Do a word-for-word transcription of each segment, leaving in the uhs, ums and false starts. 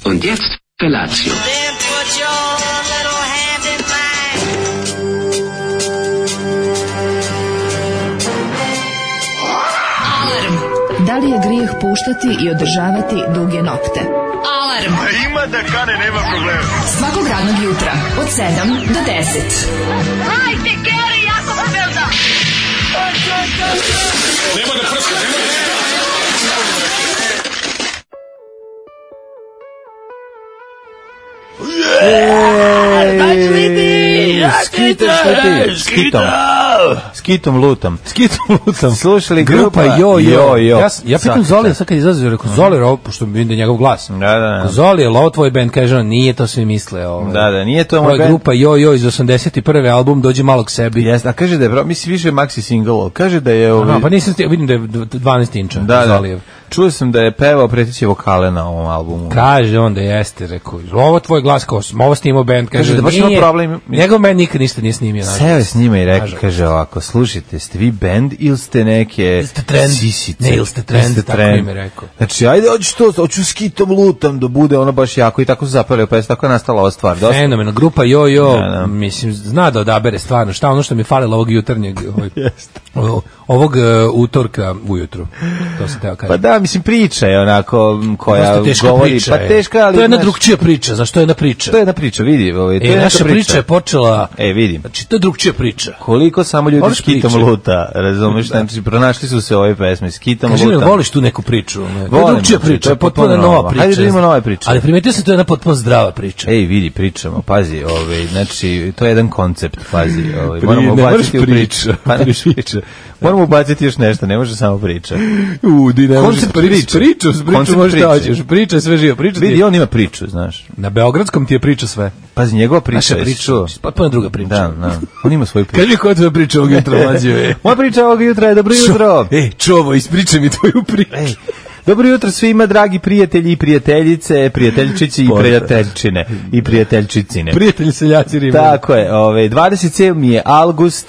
Und jetzt Felatio. Then put your little hand in mine. Alarm. Da li je grijeh puštati i održavati duge nokte? Alarm. A ima da kane, nema problema. Svakog radnog jutra od sedam do deset. Hajde, Geri, jako se velda. Nema da prska, nema da prska. Skitom, šta ti? Skitom. Skitom lutam. Skitom lutam. Slušali grupa Jo Jo. Ja, ja pitam Zoli, sad kad izlazi, rekao, Zoli, ovo, pošto mi vidim da je njegov glas. Da, da, da. Zoli, je li ovo tvoj band? Kaže on, nije, to svi misle. Ovaj. Da, da, nije to moj moj band. band. Grupa Jo Jo iz osamdeset prve album, dođi malo k sebi. Jeste, a kaže da je, misli više maxi single, kaže da je... Ovi... Aha, pa nisam, vidim da je dvanaest inča. Da, da. Zolijev. Čuo sam da je pevao preteće vokale na ovom albumu. Kaže on da jeste, rekao, ovo tvoj glas, kao, ovo snimao band, kaže, kaže da baš ima problem. Njegov band nikad ništa nije snimio. Seo je s njima i rekao, kaže ovako, slušajte, ste vi band ili ste neke ste trend. Sisice? Ne, ili ste trend, ste tako trend. im je rekao. Znači, ajde, hoću to, hoću skitom lutam da bude ono baš jako i tako su zapali, pa je tako je nastala ova stvar. Dosta. Fenomeno, grupa Jo Jo, da, da. mislim, zna da odabere stvarno, šta ono što mi falilo ovog jutarnjeg, ovog, ovog uh, utorka ujutru, to se teo kažem. Pa da, mislim, priča je onako koja govori, priča, pa teška, ali... To je jedna znaš, drugčija priča, zašto je jedna priča? To je jedna priča, vidi. Ovaj, to e, je naša priča. priča je počela... E, vidim. Znači, to je drugčija priča. Koliko samo ljudi Voliš skitom priče? luta, razumeš, da. Znači, pronašli su se ove pesme, skitom Kaži luta. mi, voliš tu neku priču? Ne? To je Volim, drugčija to priča, je potpuno potpuno nova nova. priča. Hajde da imamo nove priče. Ali primetio sam, to je jedna potpuno zdrava priča. Ej, vidi, pričamo, pazi, ovaj, znači, to je jedan koncept, pazi, ovaj, Pri, moramo ne ubaciti u priča, priču. Pa ne priča. Moramo ubaciti još nešto, ne može samo priča. U, di ne Koncept priče. Priču, priču Koncept možeš priče. da hoćeš. Priča je sve živo. Priča Vidi, ti... on ima priču, znaš. Na Beogradskom ti je priča sve. Pazi, njegova priča. Naša je priča, čuo. potpuno druga priča. Da, da. On ima svoju priču. Kaži mi koja je tvoja priča ovog jutra, mlađe? E. Moja priča ovog jutra je dobro jutro. Ej, čovo, ispričaj mi tvoju priču. Ej. Dobro jutro svima, dragi prijatelji i prijateljice, prijateljčići i prijateljčine i prijateljčicine. Prijatelji seljaci Rima. Tako je, ovaj dvadeset sedmi je avgust,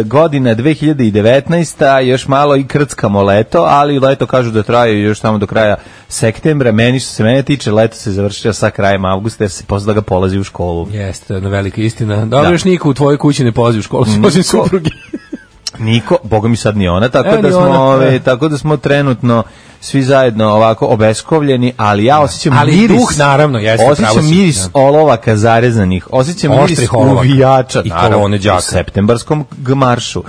godina dve hiljade devetnaesta, još malo i krckamo leto, ali leto kažu da traje još tamo do kraja septembra. Meni što se mene tiče, leto se završava sa krajem avgusta jer se posle da ga polazi u školu. Jeste, to je jedna velika istina. Dobro, Da. još niko u tvojoj kući ne polazi u školu, osim supruge. Niko, boga mi sad ni ona, tako Evo da ni smo, ona, ove, da. tako da smo trenutno svi zajedno ovako obeskovljeni, ali ja osjećam Ali miris. duh, naravno, jeste, pravo Osjećam si, miris da. olovaka zarezanih, osjećam miris Oštrih olovaka. uvijača, I naravno, kolone đaka. u septembarskom gmaršu.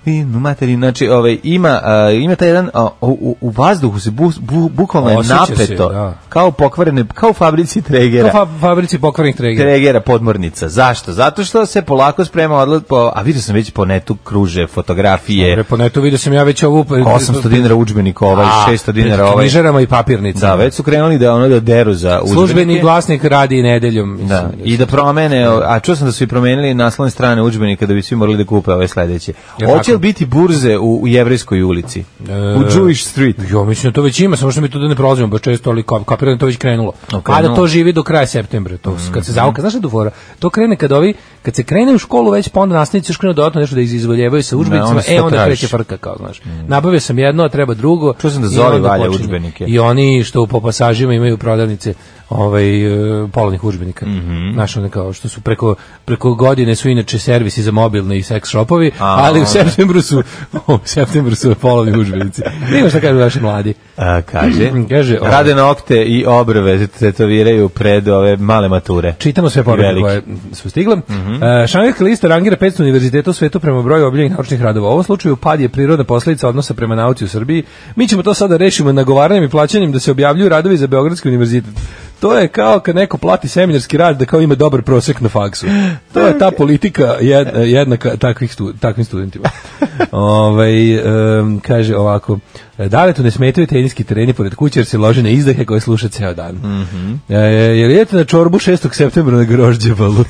I no materi, znači, ovaj ima uh, ima taj jedan uh, u, u vazduhu se bu, bu, bukvalno je Osjeća se, napeto, da. kao pokvarene, kao u fabrici Tregera. Kao fa fabrici pokvarnih Tregera. Tregera podmornica. Zašto? Zato što se polako sprema odlet po, a vidio sam već po netu kruže fotografije. Dobre, po netu vidio sam ja već ovu... osamsto dinara udžbenik ovaj, šesto dinara ovaj. Knjižarama i papirnicama. Da, već su krenuli da ono da deru za udžbenike. Službeni glasnik radi i nedeljom. Mislim, Da, i da promene, a čuo sam da su i promenili naslovne strane udžbenika da bi svi morali da kupe ove sledeće. Jel Hoće li tako? biti burze u, u Jevrejskoj ulici? E, U Jewish Street? Jo, mislim da to već ima, samo što mi tu da ne prolazimo baš često, ali kap, kapiram da to već krenulo. Okay, A da no. to živi do kraja septembra, to mm. kad se zauka, znaš šta tu fora? To krene kad ovi, kad se krene u školu već, pa onda nastavnici još krenu dodatno nešto da izvoljevaju sa udžbenicima, onda se e to onda tražiš. kreće frka, kao, znaš. Mm. Nabavio sam jedno, a treba drugo. Čuo sam da i Zoli onda valja počinje. udžbenike. I oni što po pasažima imaju prodavnice ovaj uh, polovnih udžbenika. Mm -hmm. Znaš, one kao što su preko, preko godine su inače servisi za mobilne i seks shopovi, A, ali u onda. septembru su u septembru su polovni udžbenici. Nima šta kažu naši mladi. A, kaže, Kaže, ovo. rade nokte i obrve tetoviraju pred ove male mature. Čitamo sve poruke Veliki. koje su stigle. Mm -hmm. uh, Šangajska lista rangira petsto univerziteta u svetu prema broju objavljenih naučnih radova. U ovom slučaju pad je prirodna posledica odnosa prema nauci u Srbiji. Mi ćemo to sada rešimo nagovaranjem i plaćanjem da se objavljuju radovi za Beogradski univerzitet. To je kao kad neko plati seminarski rad da kao ima dobar prosek na faksu. To je ta politika jed, jednaka takvih stu, takvim studentima. Ovaj um, kaže ovako: Daletu ne smetaju teniski tereni pored kuće jer se lože na izdahe koje sluša ceo dan. Mm -hmm. e, jer idete na čorbu šestog septembra na Grožđevalu.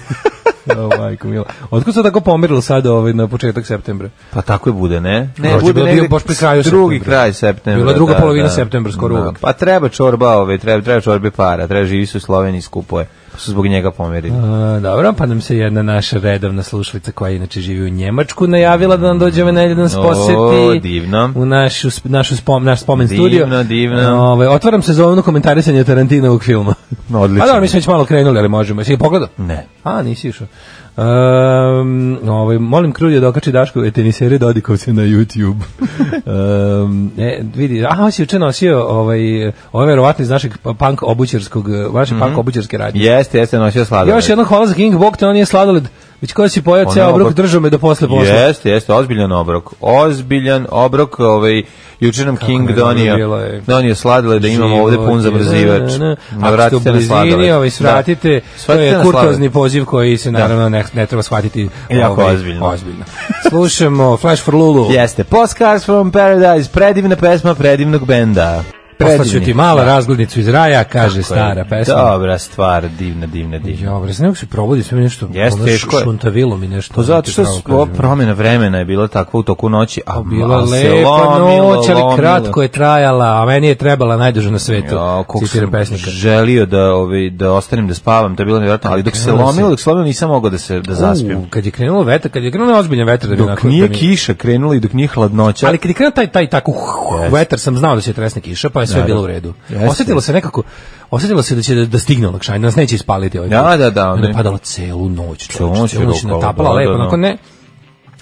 O, majko mila. Otkud se tako pomerilo sad ovaj, na početak septembra? Pa tako je bude, ne? Ne, Grožđe bude bilo negde bio baš pri kraju drugi septembra. kraj septembra. Bila druga da, polovina da. septembra, skoro Da. uvek. Pa treba čorba, ove, treba, treba čorbe para, treba živi su u Sloveniji, skupo je. su zbog njega pomerili. A, dobro, pa nam se jedna naša redovna slušalica koja inače živi u Njemačku najavila da nam dođe ove nedelje da nas poseti. O, divno. U našu, našu spom, naš spomen divno, studio. Divno, divno. Ove, otvaram sezonu komentarisanja Tarantinovog filma. Odlično. A dobro, mi smo već malo krenuli, ali možemo. Jesi ga pogledao? Ne. A, nisi išao. Um, ovaj, molim Krudija da okači Daškove tenisere Dodikovce na YouTube. um, e, vidi, aha, on si juče nosio ovaj, ovaj verovatno iz našeg punk obućarskog, vaše mm-hmm. punk obućarske radnje. Jeste, jeste nosio sladoled. Još jedno hvala za King Bog, te on nije sladoled. Već koja si pojao ceo obrok, držao me do posle posla. Jeste, jeste, ozbiljan obrok. Ozbiljan obrok, ovaj, juče nam King donio, donio sladoled da imamo ovde pun zamrzivač. Ako ste u blizini, ovaj, svratite, to je kurtozni poziv koji se naravno ne, ne treba shvatiti jako ovaj, ozbiljno. ozbiljno. Slušamo Flash for Lulu. Jeste, Postcards from Paradise, predivna pesma predivnog benda. Poslaću ti malo razglednicu iz raja, kaže tako stara je, pesma. Dobra stvar, divna, divna, divna. Jo, bre, nego se provodi sve mi nešto, Jeste, teško je. Šuntavilo mi nešto. Pa zato što ova promjena vremena je bila takva u toku noći, a bila lepa noć, ali kratko je trajala, a meni je trebala najduže na svetu. Ja, kako sam pesnika. Želio da, ovi, da ostanem da spavam, to je bilo nevjerojatno, ali dok se lomilo, dok se lomilo nisam mogao da se da zaspijem. Kad je krenulo vetar, kad je krenulo ozbiljan vetar, da bi dok nije kiša krenula i dok nije hladnoća. Ali kad je krenuo taj taj tako vetar, sam znao da će tresne kiša, pa je sve bilo u redu. Osjetilo se nekako, osjetilo se da će da, da stigne olakšanje, nas neće ispaliti ovaj. Da, da, da. Onda je padalo celu noć, čovječ, celu noć natapala lepo, onako ne.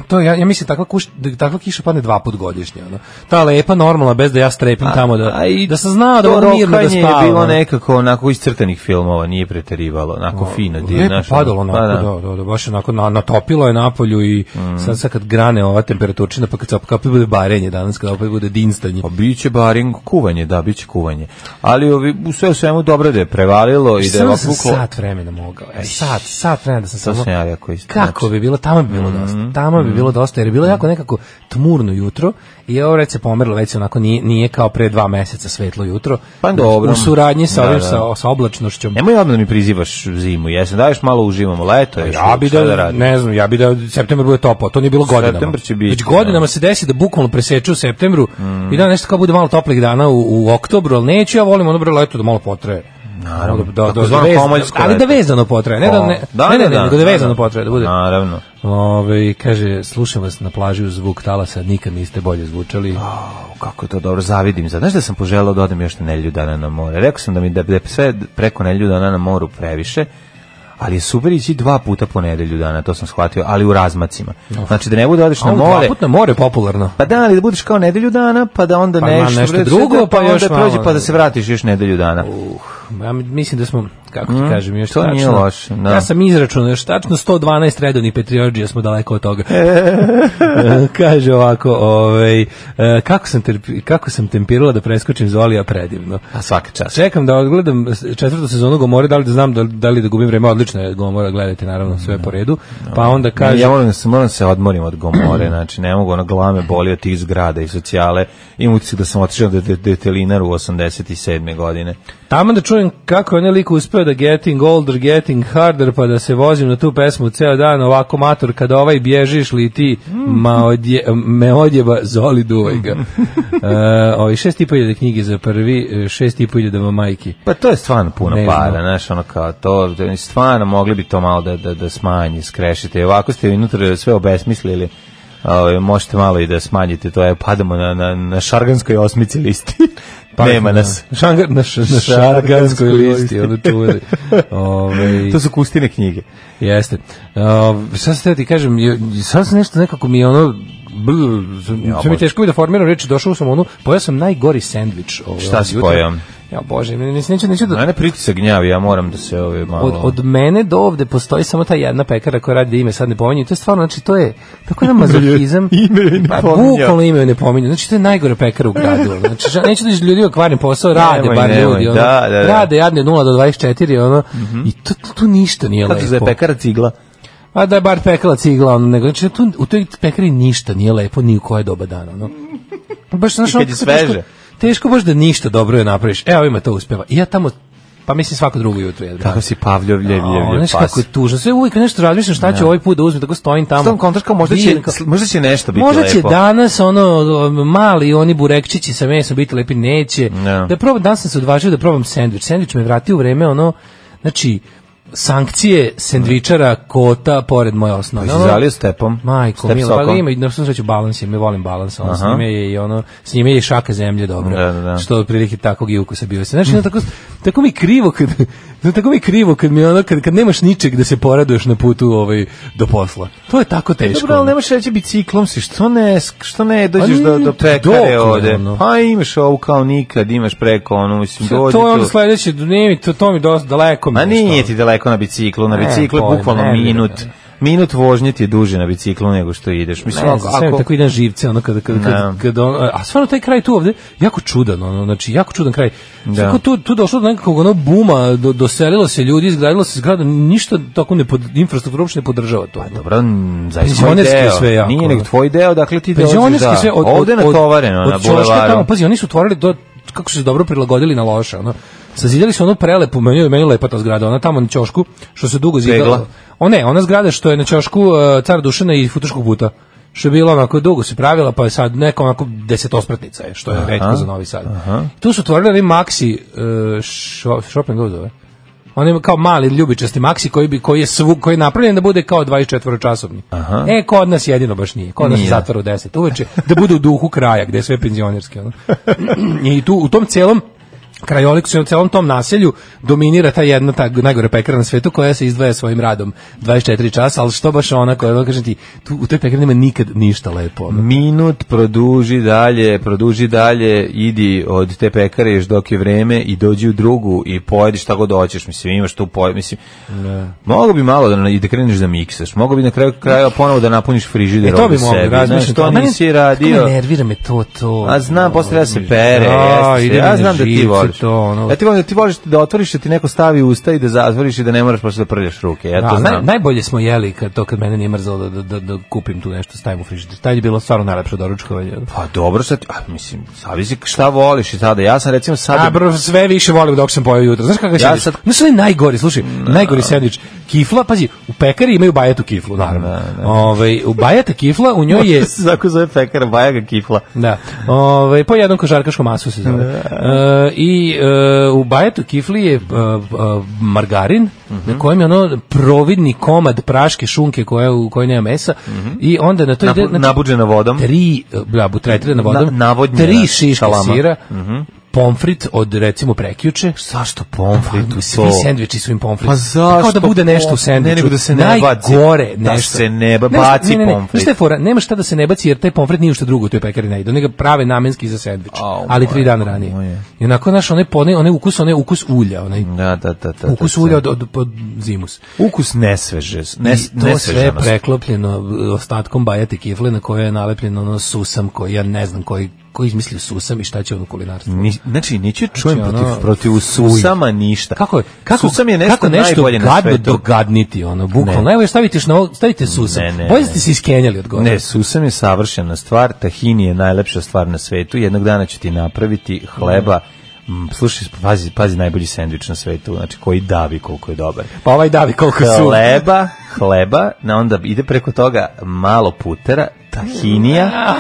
To ja ja mislim takva kuš, takva kiša padne dva put godišnje, ono. Ta lepa normalna bez da ja strepim a, tamo da i da sam znao da mogu mirno da spavam. Je bilo nekako onako iz crtanih filmova, nije preterivalo, onako no, fino, divno, lepo padalo onako, pa, da. Da, da, da, baš onako na, natopilo je napolju i mm. sad sad kad grane ova temperaturčina pa kad se opet bude barenje danas, kad opet bude dinstanje. Pa biće barenje, kuvanje, da, biće kuvanje. Ali ovi u sve u svemu dobro da je prevalilo i da je ovako sat vremena mogao. E, sat, sat vremena da sam samo. Kako znači. bi bilo, tamo bi bilo dosta. Tamo bi bilo dosta, jer je bilo jako nekako tmurno jutro i ovo reći se pomerilo, već se onako nije, nije kao pre dva meseca svetlo jutro. Pa dobro. U suradnji sa, ovim, da, da. sa, sa oblačnošćom. Nemoj odmah da mi prizivaš zimu, jesam, daješ malo uživamo, leto je. Ja bi da, da ne znam, ja bi da septembar bude toplo, to nije bilo godinama. Septembar će biti. Već godinama no. se desi da bukvalno preseču u septembru mm. i da nešto kao bude malo toplih dana u, u oktobru, ali neću, ja volim ono bre leto da malo potraje. Naravno, da, da, da, ali da vezano potraje, ne da ne, da, ne, ne, ne, nego da vezano potraje, da bude. Naravno. Ove, kaže, slušam vas na plaži uz zvuk talasa, nikad niste bolje zvučali. Oh, kako je to dobro, zavidim. Znaš da sam poželao da odem još na nedelju dana na more. Rekao sam da mi da, da sve preko nedelju dana na moru previše, ali je super ići dva puta po nedelju dana, to sam shvatio, ali u razmacima. Znači da ne bude odeš na more. Dva puta na more je popularno. Pa da, ali da budeš kao nedelju dana, pa da onda pa nešto, nešto drugo, pa, pa još onda prođe, pa da se vratiš još nedelju dana. Uh, ja mislim da smo, kako ti mm, kažem, još to tačno. Nije loše, da. Ja sam izračunao, još tačno sto dvanaest redovnih Petriorđija smo daleko od toga. Kaže ovako, ovaj, kako sam, terpi, kako sam tempirala da preskočim Zolija predivno. A svaka čast. Čekam da odgledam četvrtu sezonu Gomore, da li da znam da, da li da gubim vreme, odlično je Gomora, gledajte naravno sve po redu. Pa onda kaže, ja moram se moram se odmorim od Gomore, znači ne mogu, ona glave boli od tih zgrada i socijale. Imam utisak da sam otišao do Detelinara u osamdeset sedme godine. Tamo da čujem kako je lik uspeo da getting older, getting harder, pa da se vozim na tu pesmu ceo dan, ovako mator, kada ovaj bježiš li ti ma odje, me odjeba, Zoli duvaj ga. uh, ovi šest i po hiljada knjige za prvi, šest i po hiljada majki. Pa to je stvarno puno ne para, znaš, ono kao to, stvarno mogli bi to malo da, da, da smanji, skrešite. Ovako ste unutra sve obesmislili. Ove, možete malo i da smanjite, to je padamo na, na, na šarganskoj osmici listi. Pa, nema nas. Šangar, na, š, na šarganskoj listi, ono čuvali. Ove, to su Kustine knjige. Jeste. Ove, sad se ti kažem, sad sam nešto nekako mi je ono, ja, sve mi teško bi da formiram reći, došao sam ono, pojao sam najgori sendvič. Ove, šta si pojao? Ja bože, neću, neću, neću da... Mene pritisak gnjavi, ja moram da se ove malo... Od, od mene do ovde postoji samo ta jedna pekara koja radi da ime sad ne pominju. To je stvarno, znači to je tako jedan mazohizam. Ime ne pa, bukvalno ime ne pominju. Znači to je najgore pekara u gradu. Znači neću da ljudi okvarim posao, rade nemoj, bar nemoj, ljudi. Ono, da, da, da. Rade jadne nula do dvadeset četiri, ono, mm-hmm. i to, to, to ništa nije lepo. Kako je pekara cigla? A da je bar pekala cigla, ono, nego, znači tu, u toj pekari ništa nije lepo, ni u koje doba dana. Ono. Baš, znaš, I kad je sveže. Teško baš da ništa dobro je napraviš. Evo ima to uspeva. I ja tamo, pa mislim svako drugo jutro jedno. Kako si Pavljov, ljev, ljev, ljev, pas. Kako je tužno. Sve uvijek nešto razmišljam šta ću ovaj put da uzmem, tako stojim tamo. Stom kontraška, možda će, možda će nešto biti možda lepo. Možda će danas ono, mali oni burekčići sa mesom biti lepi, neće. No. Da probam, danas sam se odvažio da probam sendvič. Sendvič me vratio u vreme, ono, znači, sankcije sendvičara kota pored moje osnovne. Si zalio stepom? Majko, Step milo, pa sokom? ima, na svu sreću balans je, mi volim balans, ono, s Aha. njime je i ono, s njime je i šaka zemlje dobro, Da, da, da. što otprilike takvog i ukusa bio se. Znači, no, tako, tako mi krivo kad, no, tako mi krivo kad mi ono, kad, kad nemaš ničeg da se poraduješ na putu ovaj, do posla. To je tako teško. Dobro, ali nemaš reći biciklom si, što ne, što ne dođeš A do, nije do pekare dokle, ovde? ono. Pa imaš ovu kao nikad, imaš preko, ono, mislim, dođi To je onda tu. sledeće, nije mi, to, to mi dosta daleko. Ma mi je nije to. ti daleko na biciklu, na Ne, biciklu je pojma, bukvalno ne, minut. ne, ne. Minut vožnje ti je duže na biciklu nego što ideš. Mislim, Ne ako, znam, sve mi ako, tako idem živce, ono kada, kada, kada, Ne. kada on, a stvarno taj kraj tu ovde, jako čudan, ono, znači, jako čudan kraj. Da. Svako tu, tu došlo do nekakvog ono buma, do, doselilo se ljudi, izgradilo se zgrada, ništa tako ne pod, infrastruktura uopšte ne podržava to. dobro, m, zaista tvoj Penzionerski deo. sve jako, Nije ono. nego tvoj deo, dakle ti dođeš, Penzionerski da. sve od, Ovde je od, od, natovareno od na ćoška bulevaru. tamo, pazi, oni su otvorili do, kako su se dobro prilagodili na loše, ono. Sazidjeli su ono prelepu, meni je meni lepa ta zgrada, ona tamo na ćošku, što se dugo zidala. Pegla. O ne, ona zgrada što je na ćošku uh, Cara Dušana i Futoškog puta. Što je bilo onako dugo se pravila, pa je sad neka onako desetospratnica je, što je retko za Novi Sad. Aha. Tu su otvorili oni Maxi uh, shop, shopping go zove. On je kao mali ljubičasti Maxi koji bi koji je svu, koji je napravljen da bude kao dvadeset četiri časovni. Aha. E kod nas jedino baš nije. Kod nas se Nije. zatvara u deset uveče da bude u duhu kraja gde je sve penzionerski ono. I tu u tom celom krajoliku, u celom tom naselju dominira ta jedna ta najgore pekara na svetu koja se izdvaja svojim radom dvadeset četiri časa, ali što baš ona koja, kažem ti, tu, u toj pekari nema nikad ništa lepo. Ono. Minut produži dalje, produži dalje, idi od te pekare još dok je vreme i dođi u drugu i pojediš šta god hoćeš, mislim, imaš tu pojed, mislim, Ne. mogo bi malo da, i da kreneš da miksaš, mogo bi na kraju kraja ponovo da napuniš frižider E, to bi ovde mogli, sebi, razmišljam. znaš, to A meni- nisi kako radio. me nervira me to, to. A znam, posle treba se pere, Da, jeste se. ide mi Ja na znam da ti živce voliš. to, ono. Ja ti volim da ti voliš da otvoriš, da ti neko stavi u usta i da zatvoriš i da ne moraš posle da prljaš ruke. Ja to Da, naj, znam. najbolje smo jeli kad to kad mene nije mrzalo da, da, da, da kupim tu nešto, stavim u frižider. Taj je bilo stvarno najlepše doručkovanje. Pa dobro, sad, a, mislim, zavisi šta voliš i tada. Ja sam recimo sad... A bro, sve više volim dok sam pojeo jutro. Znaš kakav Ja ja sad- sad... Znaš, onaj najgori, slušaj, najgori sendvič. Kifla, pazi, u pekari imaju bajatu kiflu, naravno. Da, da. Ovaj, u bajata kifla, u njoj je... Zako zove pekara, Bajaga Kifla. Da. Ovaj po jednom košarkaškom masu se zove. E, I e, u bajetu kifli je e, e, margarin na kojem je ono providni komad praške šunke koja u kojoj nema mesa i onda na to ide Nabu- nabuđena vodom. tri da butretirana vodom. Na- navodnjena tri šiške šalama. sira. Pomfrit od recimo prekjuče. Zašto pomfrit u Svi to? sendviči su im pomfrit. Pa zašto? Kao da bude nešto u pomfrit? sendviču. Ne, nego da se ne baci. Najgore Da nešto. se ne ba- Nemaš- baci ne, ne, ne. pomfrit. Znaš šta je fora? Nema šta da se ne baci jer taj pomfrit nije što drugo u toj pekari ne ide. Oni ga prave namenski za sendvič. Au, Ali tri dana majko ranije. moje. I onako naš onaj onaj, onaj ukus, onaj ukus ulja, onaj Da, da, da, da. ukus da, ulja da. od, od, od zimus. Ukus nesveže. Ne, I to sve nesvežanost. preklopljeno ostatkom bajate kifle na koje je nalepljeno ono susam koji ja ne znam koji ko izmislio susam i šta će on u kulinarstvu. Ni, znači, neću čujem Znači, protiv, ono, protiv susama ništa. Kako je? Kako, Susam je nešto, kako nešto najbolje na gadno svetu. dogadniti, ono, bukvalno. Ne. Evo, stavite, na ovo, stavite susam. Ne, ne, Bolje ne. ste se iskenjali od gore. Ne, susam je savršena stvar, tahini je najlepša stvar na svetu, jednog dana ću ti napraviti hleba, mm, slušaj, pazi, pazi najbolji sendvič na svetu, znači koji davi koliko je dobar. Pa ovaj davi koliko su. Hleba, hleba, na onda ide preko toga malo putera, tahinija,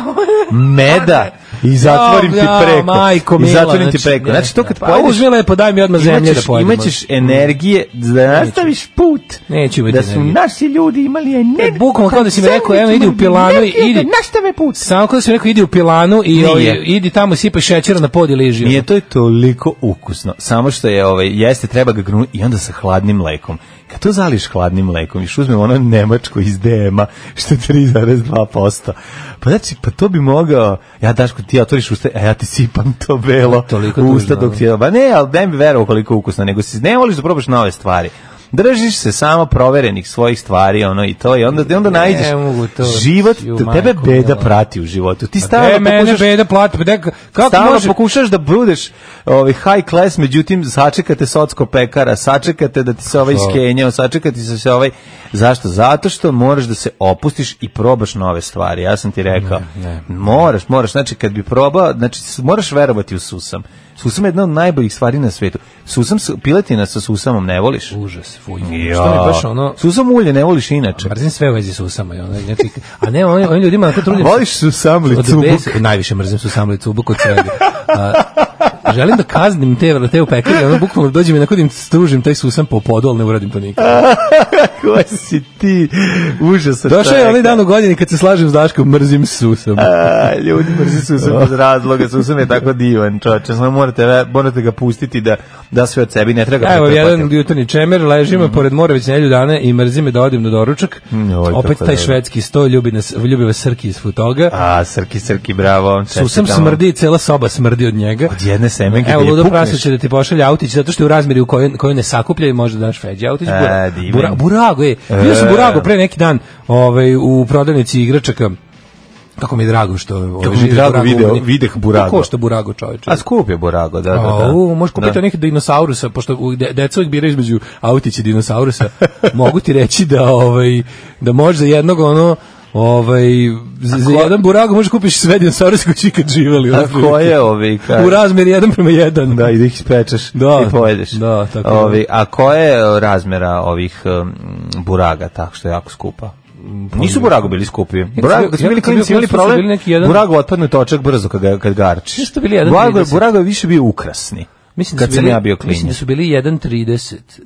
meda i zatvorim ti Ja, preko. majko I mila, zatvorim ti znači, preko. ne, Znači to ne, kad pa pojedeš, uzmi lepo, daj mi odmah zemlje da imaćeš, pojedemo. imaćeš energije da nastaviš put. Neću imati da su energije. naši ljudi imali energiju. Bukvalno kao da si mi rekao, evo, idi u pilanu i idi. Nastave put. Samo kao da si mi rekao, idi u pilanu i Nije. ovaj, idi tamo i sipaj šećera na pod i liži. Nije, to je toliko ukusno. Samo što je, ovaj, jeste, treba ga grunuti i onda sa hladnim mlekom. Kad to zališ hladnim mlekom, još uzmem ono nemačko iz D M-a, što je tri zarez dva posto. Pa znači, pa to bi mogao, ja Daško, ti otvoriš usta, a ja ti sipam to belo Toliko u usta tužno, dok ti je, ba ne, ali ne bi verovao koliko je ukusno, nego si ne voliš da probaš nove stvari. Držiš se samo proverenih svojih stvari, ono i to, i onda, i onda Ne nađeš mogu to. život, Ju, tebe majko beda mila. prati u životu. Ti E, stalno mene pokušaš beda plati, pa deka, kako stalno može? pokušaš da budeš ovaj high class, međutim sačekate socko pekara, sačekate da ti se ovaj iskenjao, sačekati se se ovaj zašto? Zato što moraš da se opustiš i probaš nove stvari. Ja sam ti rekao, Ne, ne. moraš, moraš, znači kad bi probao, znači moraš verovati u susam. Susam je jedna od najboljih stvari na svetu. Susam, s- piletina sa susamom ne voliš? Užas, fuj. Ja. Što mi baš ono... Susam ulje ne voliš inače. Mrzim sve u vezi s usama. i Ono, znači, a ne, oni, oni ljudima na to trudim. Voliš susam li Od cubuk? bes- Najviše mrzim su samli cubuk od svega. A, želim da kaznim te, te u pekari, ono bukvalno dođem i nakodim stružim taj susam po podu, ali ne uradim to nikad. Ko si ti? Užasan. Došao je onaj dan u godini kad se slažem s Daškom, mrzim susam. A, ljudi mrzi susam bez razloga, susam je tako divan, čoveče, samo morate, morate ga pustiti da, da sve od sebi, ne treba ga evo, pretrpati. jedan jutarnji čemer, ležimo mm-hmm. pored mora već nelju dana i mrzi me da odim na doručak. Mm, oj, opet taj švedski sto, ljubi, nas, ljubi vas Srki iz Futoga. A, Srki, Srki, bravo. Susam smrdi, cela soba smrdi od njega. Od jedne semenke. Evo, ludo prasa će da ti pošalje autić, zato što je u razmeri u kojoj, kojoj ne sakuplja i može da daš Feđi autić. Bura, bura, burago je. Bio sam Burago pre neki dan ovaj, u prodavnici igračaka. Kako mi je drago što ovaj, mi je drago video, videh Burago. Ko što Burago, čoveče? A skup je Burago, da, da, da. A, u, možeš kupiti nekih dinosaurusa, pošto deca uvijek biraju između autića i dinosaurusa. Mogu ti reći da, ovaj, da možeš za jednog ono, ovaj, za, za jedan Burago možeš kupiš sve dinosauruse koji će ikad živeli. A ko je ovi? Kaj? U razmeri jedan prema jedan. Da, i da ih ispečeš da, i pojedeš. Da, tako ovi, a ko je razmera ovih um, Buraga, tako što je jako skupa? Nisu Burago bili skupi. Burago, kad smo bili klinci, imali problem, Burago otpadne točak brzo kad, kad garčiš. Nisu bili jedan Burago, Burago je više bio ukrasni. Mislim kad sam bili, ja bio klinac. Mislim da su bili jedan trideset.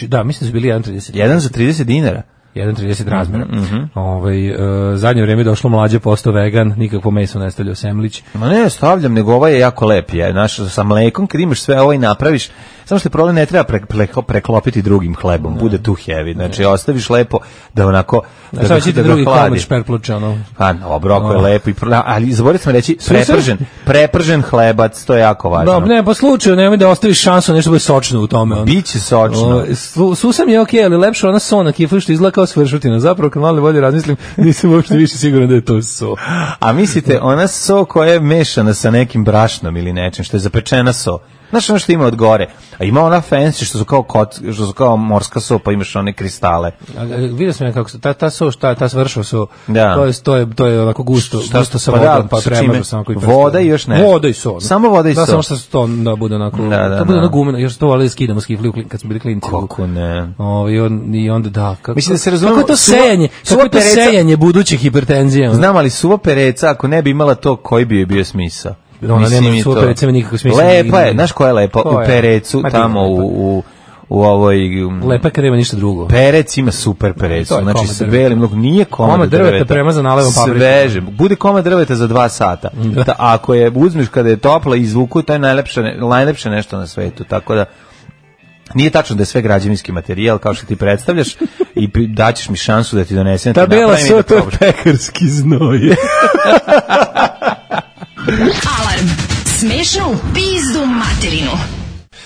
Da, mislim da su bili jedan trideset. jedan za trideset dinara. jedan trideset razmera. Mm-hmm. Ovaj uh, zadnje vrijeme došlo mlađe, postao vegan, nikakvo meso ne stavljao semlić. Ma ne, stavljam, nego ovaj je jako lep, je, znaš, sa mlekom kad imaš sve ovo i napraviš, samo što je problem, ne treba pre, pre, preklopiti drugim hlebom, ne. Bude tu heavy, znači ne. Ostaviš lepo da onako da, da, da, da drugi komad šperpluča, ono. Pa, no, obroko je lepo, i, ali zaboravio sam reći, prepržen, prepržen hlebac, to je jako važno. Da, ne, po slučaju, nemoj da ostaviš šansu, nešto bude sočno u tome. On. Biće sočno. O, susam je okej, okay, ali lepše ona so na kiflu što izgleda kao svršutina. Zapravo, kad malo bolje razmislim, nisam uopšte više siguran da je to so. A mislite, ona so koja je mešana sa nekim brašnom ili nečim, što je zapečena so. Znaš ono što ima od gore. A ima ona fancy što su kao kot, što su kao morska so, pa imaš one kristale. A, vidio sam ja kako se ta ta so, šta ta svršao so. Da. To je to je to je onako gusto, šta, gusto sa vodom, pa, pa premažu samo koji voda i još nešto. Voda i so. Samo voda i so. Da, samo što to da bude onako, da, da, to bude da. na gumeno, još to ali skidamo s kifli kad smo bili klinci. Kako ne. Ovaj on i onda da, kako. Mislim da se razumemo. Kako to sejanje, kako to sejanje budućih hipertenzija. Znam, ali suva pereca ako ne bi imala to, koji bi je bio smisao? Ona nema suva pereca nikakvog smisla. Lepa je, znaš koja je lepa? U perecu, tamo u, u, u ovoj... Lepa je kad nema ništa drugo. Perec ima super perecu, znači sa belim, nije komad, komad drveta. drveta premazan nalevom paprikom. Sveže, bude komad drveta za dva sata. Da, ako je uzmeš kada je topla i izvuku, to je najlepše, najlepše nešto na svetu, tako da... Nije tačno da je sve građevinski materijal kao što ti predstavljaš i daćeš mi šansu da ti donesem. Ta bela so, to je pekarski znoj. Alarm. Smešnu pizdu materinu.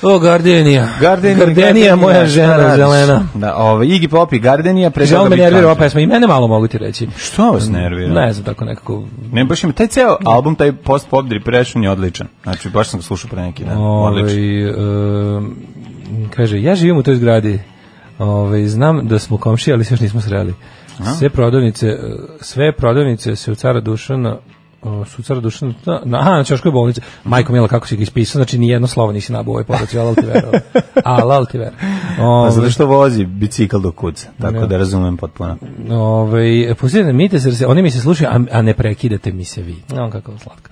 O, Gardenija. Gardenija, Gardenija moja žena zelena. Da, ovaj Iggy Pop i Gardenija predstavlja. Žao me nervira ova pesma i mene malo mogu ti reći. Što vas nervira? Ne znam, tako nekako. Ne, baš ima taj ceo album, taj Post Pop Depression je odličan. Znači, baš sam ga slušao pre neki dan. Odličan. Kaže, ja živim u toj zgradi. Ovaj znam da smo komšije, ali se još nismo sreli. Sve prodavnice, sve prodavnice se u Cara Dušana su Cara Dušana, na, aha, na Ćoškoj bolnici. Majko mila, kako si ga ispisao, znači ni jedno slovo nisi nabao ovaj podac, ja lal ti verovao. A, lal ti verovao. Pa zato što vozi bicikl do kuca, tako ja. Da razumem potpuno. Ove, pustite, mite se, oni mi se slušaju, a, a ne prekidate mi se vi. No, kako slatko.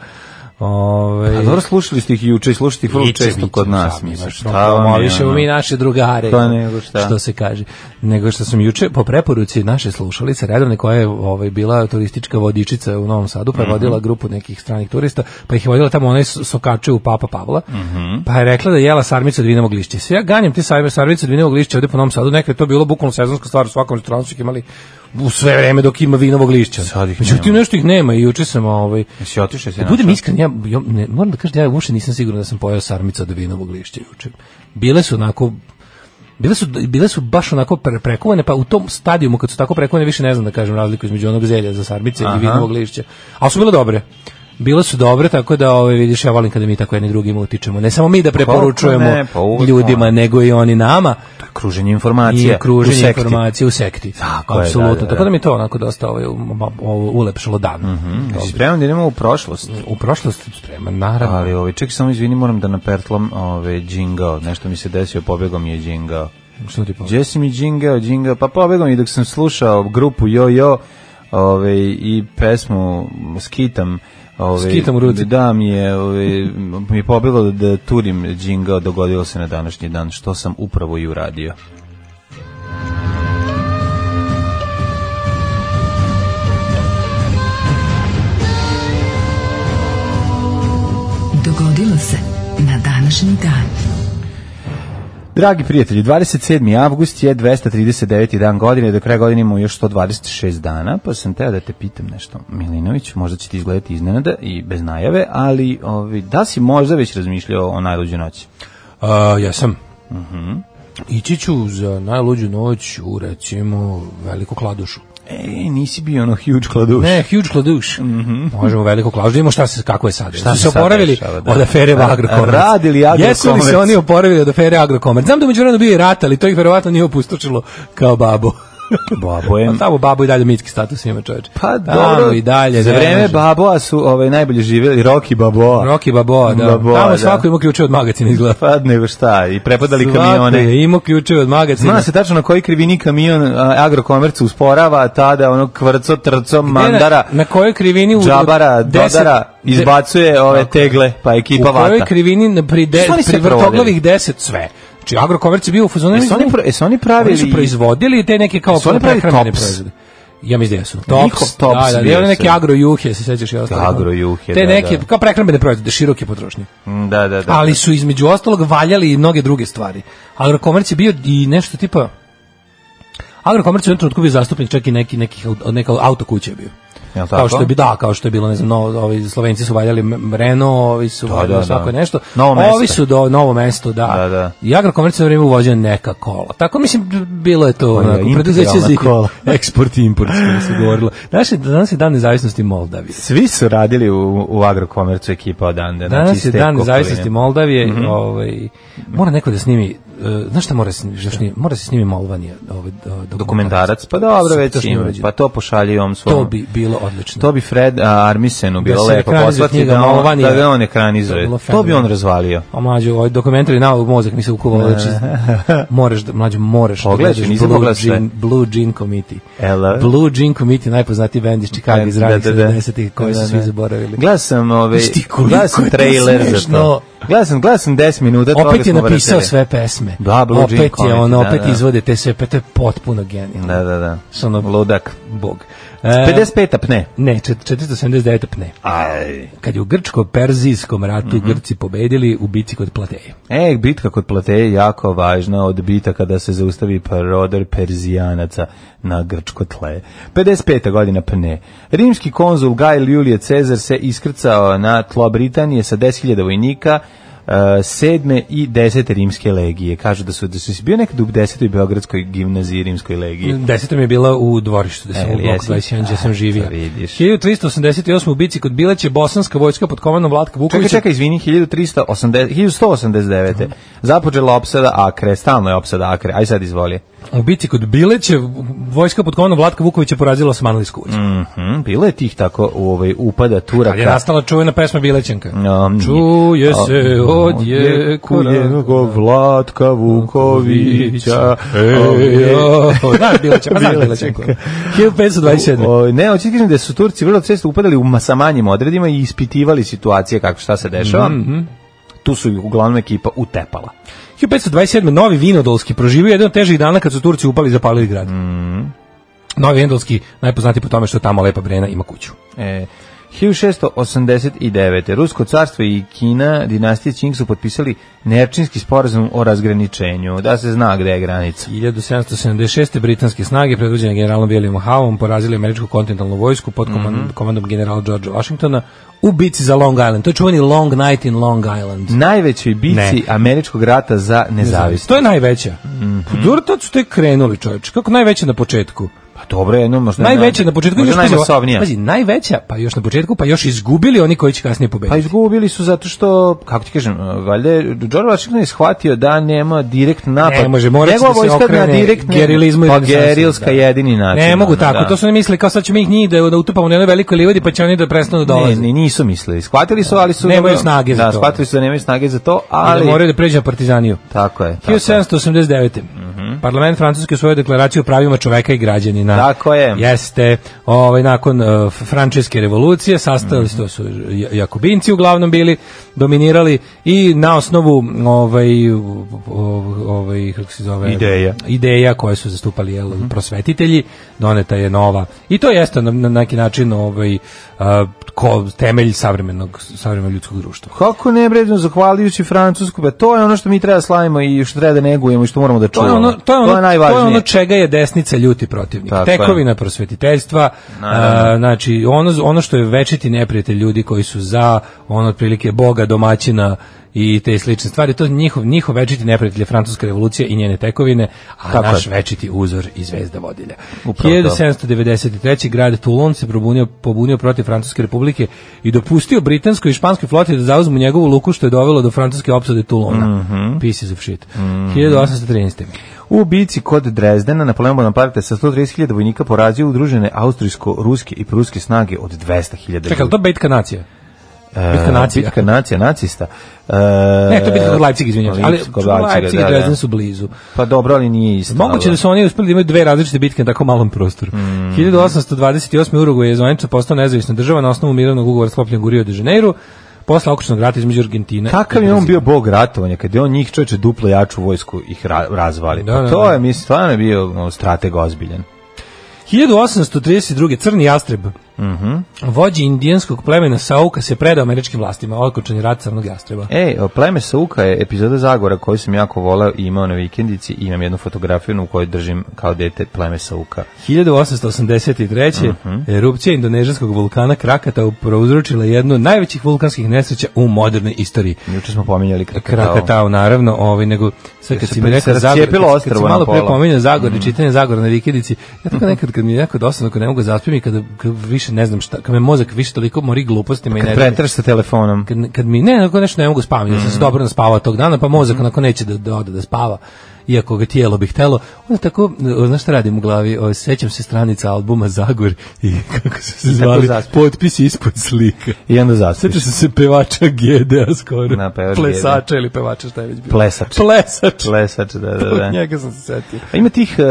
Ove, a dobro, slušali ste ih juče i slušate ih vrlo često kod nas. Promovišemo mi naše drugare, nego šta. Što se kaže. Nego što sam juče po preporuci naše slušalice redovne koja je ovaj, bila turistička vodičica u Novom Sadu, pa je mm-hmm. vodila grupu nekih stranih turista, pa ih je vodila tamo onaj sokače u Papa Pavla, mm-hmm. pa je rekla da je jela sarmicu od vinovog lišća. Sve ja ganjam te sarmice od vinovog lišća ovde po Novom Sadu, nekad je to bilo bukvalno sezonska stvar, u svakom restoranu su ih imali u sve vreme dok ima vinovog lišća. Međutim, nešto ih nema i juče sam ovaj... Jesi otišao se? Budem iskren, ja, ja ne, moram da kažem, ja uopšte nisam siguran da sam pojeo sarmica od vinovog lišća juče. Bile su onako... Bile su, bile su baš onako pre, prekovane, pa u tom stadijumu kad su tako prekovane više ne znam da kažem razliku između onog zelja za sarmice i vinovog lišća. Ali su bile dobre. Bile su dobre, tako da ove, vidiš, ja volim kada mi tako jedni drugima utičemo. Ne samo mi da preporučujemo ne, pa ljudima, nego i oni nama. To je kruženje informacija. I kruženje informacije u sekti. Tako apsolutno. Je, da, da, da. Tako da mi to onako dosta ovaj, ulepšalo dan. Mm-hmm. Spreman da idemo u prošlost. U prošlost spreman, naravno. Ali ovaj, čekaj, samo izvini, moram da napertlam ovaj, džingao. Nešto mi se desio, pobegao mi je džingao. Što ti pobegao? Gdje si mi džingao, džingao? Pa pobegao mi dok sam slušao grupu Jo Jo ovaj, i pesmu Skitam. Ove, Skitam u ruci. Da, mi je, ove, mi je pobilo da turim džingao, dogodilo se na današnji dan, što sam upravo i uradio. Dogodilo se na današnji dan. Dragi prijatelji, dvadeset sedmi avgust je dvesta trideset deveti dan godine, do kraja godine imamo još sto dvadeset šest dana, pa sam teo da te pitam nešto, Milinović, možda će ti izgledati iznenada i bez najave, ali ovi, da si možda već razmišljao o najluđoj noći? Uh, ja sam. Uh-huh. Ići ću za najluđu noć u, recimo, Veliku Kladušu. E, nisi bio ono huge kladuš. Ne, huge kladuš. Mm-hmm. Možemo Veliku Kladušu. Vidimo šta se, kako je sad. Šta su se oporavili od afere Agrokomerc. Radili Agrokomerc. Jesu li se oni oporavili od afere Agrokomerc? Znam da među vremenu bio i rat, ali to ih verovatno nije opustočilo kao babo. Babo je... Pa tamo babo i dalje mitski status ima, čoveče. Pa tamo dobro, i dalje. Za vreme Baboa su ovaj, najbolje živjeli Rocky Baboa. Rocky Baboa, da. Baboa, tamo da. svako ima ključe od magacina izgleda. Pa nego šta, i prepadali Svako kamione. je imao ključe od magacina. Zna se tačno na koji krivini kamion Agrokomercu usporava, tada ono kvrco, trco, mandara, na, na kojoj krivini u džabara, deset, dodara, izbacuje ove tegle, pa ekipa vata. U kojoj krivini pri, de, pri vrtoglavih deset sve. Znači, Agrokomerc je bio u fazonu... Jesu oni, jesu oni pravili... Oni su proizvodili te neke kao prehrambene proizvode. Ja mislim da jesu. Tops, tops da, da, da, neke agrojuhe, se sećaš i ostalo. Agrojuhe, te da, neke, da. kao prehrambene proizvode, široke potrošnje. Da, da, da. Ali su između ostalog valjali i mnoge druge stvari. Agrokomerc je bio i nešto tipa... Agrokomerc je u jednom trenutku bio zastupnik čak i neki, neki, neka auto kuće je bio. Jel kao što je bi da, kao što je bilo, ne znam, no, ovi Slovenci su valjali Renault, ovi su da, valjali da, svako da. nešto. Novo ovi mesto. su do novo mesto, da. Da, da. I Agrokomerc na vrijeme uvozio neka kola. Tako mislim bilo je to Oja, onako preduzeće za kola. eksport i import, što se govorilo. Danas je, danas je dan nezavisnosti Moldavije. Svi su radili u, u Agrokomercu ekipa odande. Danas znači, je dan nezavisnosti Moldavije, mm-hmm. ovaj mora neko da snimi, uh, znaš šta mora se snimi, mora se snimi Molvanija, ovaj dokumentarac. dokumentarac. Pa dobro, već ima, pa to pošalji on svom. To bi bilo odlično. To bi Fred Armisenu bilo da lepo poslati da, on, da ga on ekranizuje. To, to bi on razvalio. A mlađo, ovaj dokumentari na mozak mi se ukuvao, znači moraš da mlađo moraš pogledaj, da nisam Blue, Jean, Blue Jean Committee. Ela. Blue Jean Committee, najpoznatiji bend iz Chicago iz ranih sedamdesetih koji su svi zaboravili. Gledao sam, ove, gledao sam trailer za to. Gledao sam, gledao sam deset minuta. Opet je napisao sve pesme. Da, Blue opet Jean je Committee, on, da, opet da. izvode te sve, to je potpuno genijalno. Da, da, da. Ono, ludak. Bog. pedeset peta pne. Ne, četiristo sedamdeset deveta pne. Aj. Kad je u grčko-perzijskom ratu mm-hmm. Grci pobedili u bici kod Plateje. E, bitka kod Plateje je jako važna od bitaka kada se zaustavi prodor Perzijanaca na grčko tle. pedeset peta godina pne. Rimski konzul Gaj Julije Cezar se iskrcao na tlo Britanije sa deset hiljada vojnika, Uh, sedme i desete rimske legije. Kažu da su da su bio nekad u desetoj beogradskoj gimnaziji rimskoj legiji. Deseta mi je bila u dvorištu, da sam e, u bloku dvadeset jedan, gdje sam živio. hiljadu tristo osamdeset osme u bici kod Bileće bosanska vojska pod komandom Vlatka Vukovića. Čekaj, čekaj, izvini, hiljadu sto osamdeset devete. Započela opsada Akre, stalno je opsada Akre. Aj sad izvoli. U bici kod Bileće vojska pod komandom Vlatka Vukovića porazila Osmanlijsku vojsku. Mhm, bilo je tih tako u ovaj upada Turaka. Kad je nastala čuvena pesma Bilećanka. Um, Čuje se odje kujenog Vlatka Vukovića. Znaš Bileća, pa znaš Bilećanku. hiljadu petsto dvadeset sedme. Ne, hoću kažem da su Turci vrlo često upadali u sa manjim odredima i ispitivali situacije kako šta se dešava. Mm-hmm. Tu su uglavnom ekipa utepala. hiljadu petsto dvadeset sedme Novi Vinodolski proživio jedan od težih dana kad su Turci upali i zapalili grad. Mm. Novi Vinodolski najpoznatiji po tome što tamo Lepa Brena ima kuću. E, hiljadu šessto osamdeset devete Rusko carstvo i Kina, dinastije Qing su potpisali Nerčinski sporazum o razgraničenju, da se zna gde je granica. hiljadu sedamsto sedamdeset šeste britanske snage predvođene generalom Williamom Howeom porazili američku kontinentalnu vojsku pod komandom, mm-hmm. komandom generala Georgea Washingtona u bici za Long Island. To je čuveni Long Night in Long Island. Najvećoj bici ne. američkog rata za nezavisnost. To je najveća. Mm-hmm. Dobro, tad su tek krenuli, čovječ. Kako najveća na početku? Pa dobro, jedno možda najveća na početku, možda najmasovnija. Pazi, najveća, pa još na početku, pa još izgubili oni koji će kasnije pobediti. Pa izgubili su zato što, kako ti kažem, valjda George Washington je shvatio da nema direkt napad. Ne može, mora njegova da se okrene gerilizmu i pa gerilska da. jedini način. Ne mogu tako, da. To su ne mislili kao sad ćemo ih njih da, da utupamo na jednoj velikoj livadi pa će oni da prestanu da dolaze. Ne, ne, nisu mislili. Shvatili su, ali su nemaju snage za da, to. Shvatili su da nemaju snage za to, ali I da moraju da pređu na partizaniju. Tako je. hiljadu sedamsto osamdeset devete Mhm. Parlament Francuske svoju deklaraciju o pravima čoveka i građanina. Tako je. Jeste. Ovaj, nakon uh, frančeske revolucije sastavili mm-hmm. to su Jakobinci uglavnom bili, dominirali i na osnovu ovaj, ovaj, kako se zove, ideja, ideja koje su zastupali jel, mm-hmm. prosvetitelji, doneta je nova. I to jeste na, na neki način ovaj, uh, ko, temelj savremenog, savremenog ljudskog društva. Kako ne bredno, zahvaljujući Francusku, ba, to je ono što mi treba slavimo i što treba da negujemo i što moramo da čuvamo. To je ono, to je ono, to je najvažnije. To je ono čega je desnica ljuti protivnik. Tako Tekovina je. Prosvetiteljstva, a, znači ono, ono što je večiti neprijatelj ljudi koji su za ono otprilike Boga, domaćina i te slične stvari, to njihov, njihov večiti neprijatelj je Francuska revolucija i njene tekovine, a tako naš je. Večiti uzor i zvezda vodilja. Upravo hiljadu sedamsto devedeset treće. grad Toulon se pobunio, pobunio protiv Francuske republike i dopustio britanskoj i španskoj floti da zauzmu njegovu luku, što je dovelo do francuske opsade Toulona. Mm-hmm. Pieces of shit. Mm-hmm. hiljadu osamsto trinaeste. U bici kod Drezdena Napoleon Bonaparte sa sto trideset hiljada vojnika porazio udružene austrijsko-ruske i pruske snage od dvesta hiljada. Čekaj, to bitka nacija? Bitka nacija. Bitka nacija, nacista. E, ne, to je bitka kod Leipzig, izvinjam se. Ali Leipzig i Dresden su blizu. Pa dobro, ali nije isto. Moguće da su oni uspeli da imaju dve različite bitke na tako malom prostoru. Mm. hiljadu osamsto dvadeset osme. Urugvaj je zvanično postao nezavisna država na osnovu mirovnog ugovora sklopljenog u Rio de Janeiro, posle okrutnog rata između Argentine. Kakav je on bio bog ratovanja, kad je on njih čovječe duplo jaču vojsku ih ra razvali. Da, pa da, to da. je, mislim, stvarno bio no, strateg ozbiljan. hiljadu osamsto trideset druge. Crni jastreb. Mhm. Vođi indijanskog plemena Sauka se predao američkim vlastima, okončan je rat crnog jastreba. Ej, pleme Sauka je epizoda Zagora koju sam jako voleo i imao na vikendici i imam jednu fotografiju u kojoj držim kao dete pleme Sauka. hiljadu osamsto osamdeset treće. Uh-huh. Erupcija indonežanskog vulkana Krakatau prouzročila jednu od najvećih vulkanskih nesreća u modernoj istoriji. Juče smo pominjali Krakatau. Krakatau, naravno, ovaj, nego sve kad si mi rekao Zagor, kad, kad si malo pre pominjao Zagor i mm. čitanje Zagora na vikendici, ja tako nekad kad mi je jako dosadno, kad ne mogu zaspim i kada više ne znam šta, kad me mozak više toliko mori glupostima i ne znam. Kad pretraš sa telefonom. Kad, kad mi ne, ako nešto ne mogu spavati, mm. ja sam se dobro naspavao tog dana, pa mozak onako neće da, da ode da spava, iako ga tijelo bi htelo. Onda tako, znaš šta radim u glavi, o, sećam se stranica albuma Zagor i kako su se zvali, potpisi ispod slika. I onda zaspiš. Sećam se pevača Gedea skoro. Na, pevač Plesača Gede. Ili pevača, šta je već bilo? Plesač. Plesač. Plesač, da, da, da. Njega sam se setio. A ima tih uh,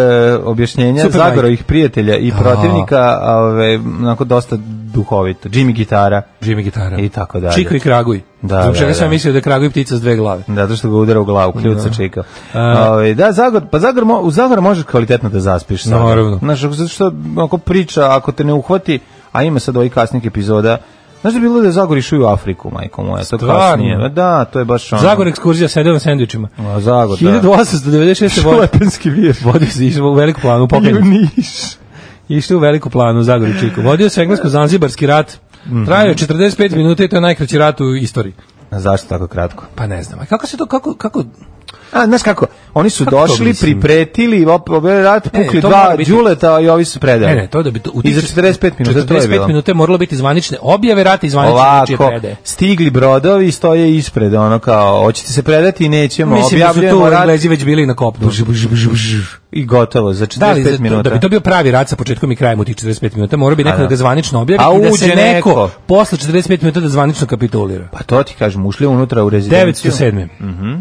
objašnjenja Zagorovih prijatelja i protivnika, ove, onako dosta duhovito. Jimmy Gitara. Jimmy Gitara. I tako dalje. Čiko i Kraguj. Da, Zbog čega da, sam da. mislio da je Kraguj ptica s dve glave. Da, zato što ga udara u glavu, kljuca Da. Čika. A, Ove, da, Zagor, pa Zagor, mo, u Zagora možeš kvalitetno da zaspiš. Sada. Naravno. Znaš, zato što ako priča, ako te ne uhvati, a ima sad ovih kasnih epizoda, znaš da je bilo da je Zagor išao u Afriku, majko moja, to kasnije. Da, to je baš ono. Zagor ekskurzija sedeo na sendvičima. A, Zagor, da. hiljadu osamsto devedeset šeste. Šlepenski vir. Vodio se, išao u veliku planu, u Pokrenju. Niš. Išao u veliku planu u Zagor i Čiku. Vodio se englesko-zanzibarski rat. Trajao je četrdeset pet minuta i to je najkraći rat u istoriji. A zašto tako kratko? Pa ne znam. A kako se to, kako, kako... A, znaš kako, oni su Kako došli, pripretili, obeli rat, pukli to dva mora biti- đuleta i ovi su predali. Ne, ne, to da bi to I za četrdeset pet minuta to je četrdeset pet bilo. minuta je moralo biti zvanične objave rata i zvanične čije Ovako, predaje. stigli brodovi, stoje ispred, ono kao, hoćete se predati i nećemo, Mislim da su objavljujemo tu rat Englezi već bili na kopnu. i gotovo, za Da, ali četrdeset pet za to- minuta. da bi to bio pravi rat sa početkom i krajem u tih četrdeset pet minuta, mora bi neko da. da ga zvanično objavi A i da se uđe neko, neko. posle četrdeset pet minuta da zvanično kapitulira. Pa to ti kažem, ušli unutra u rezidenciju. devetsto sedme. Mhm.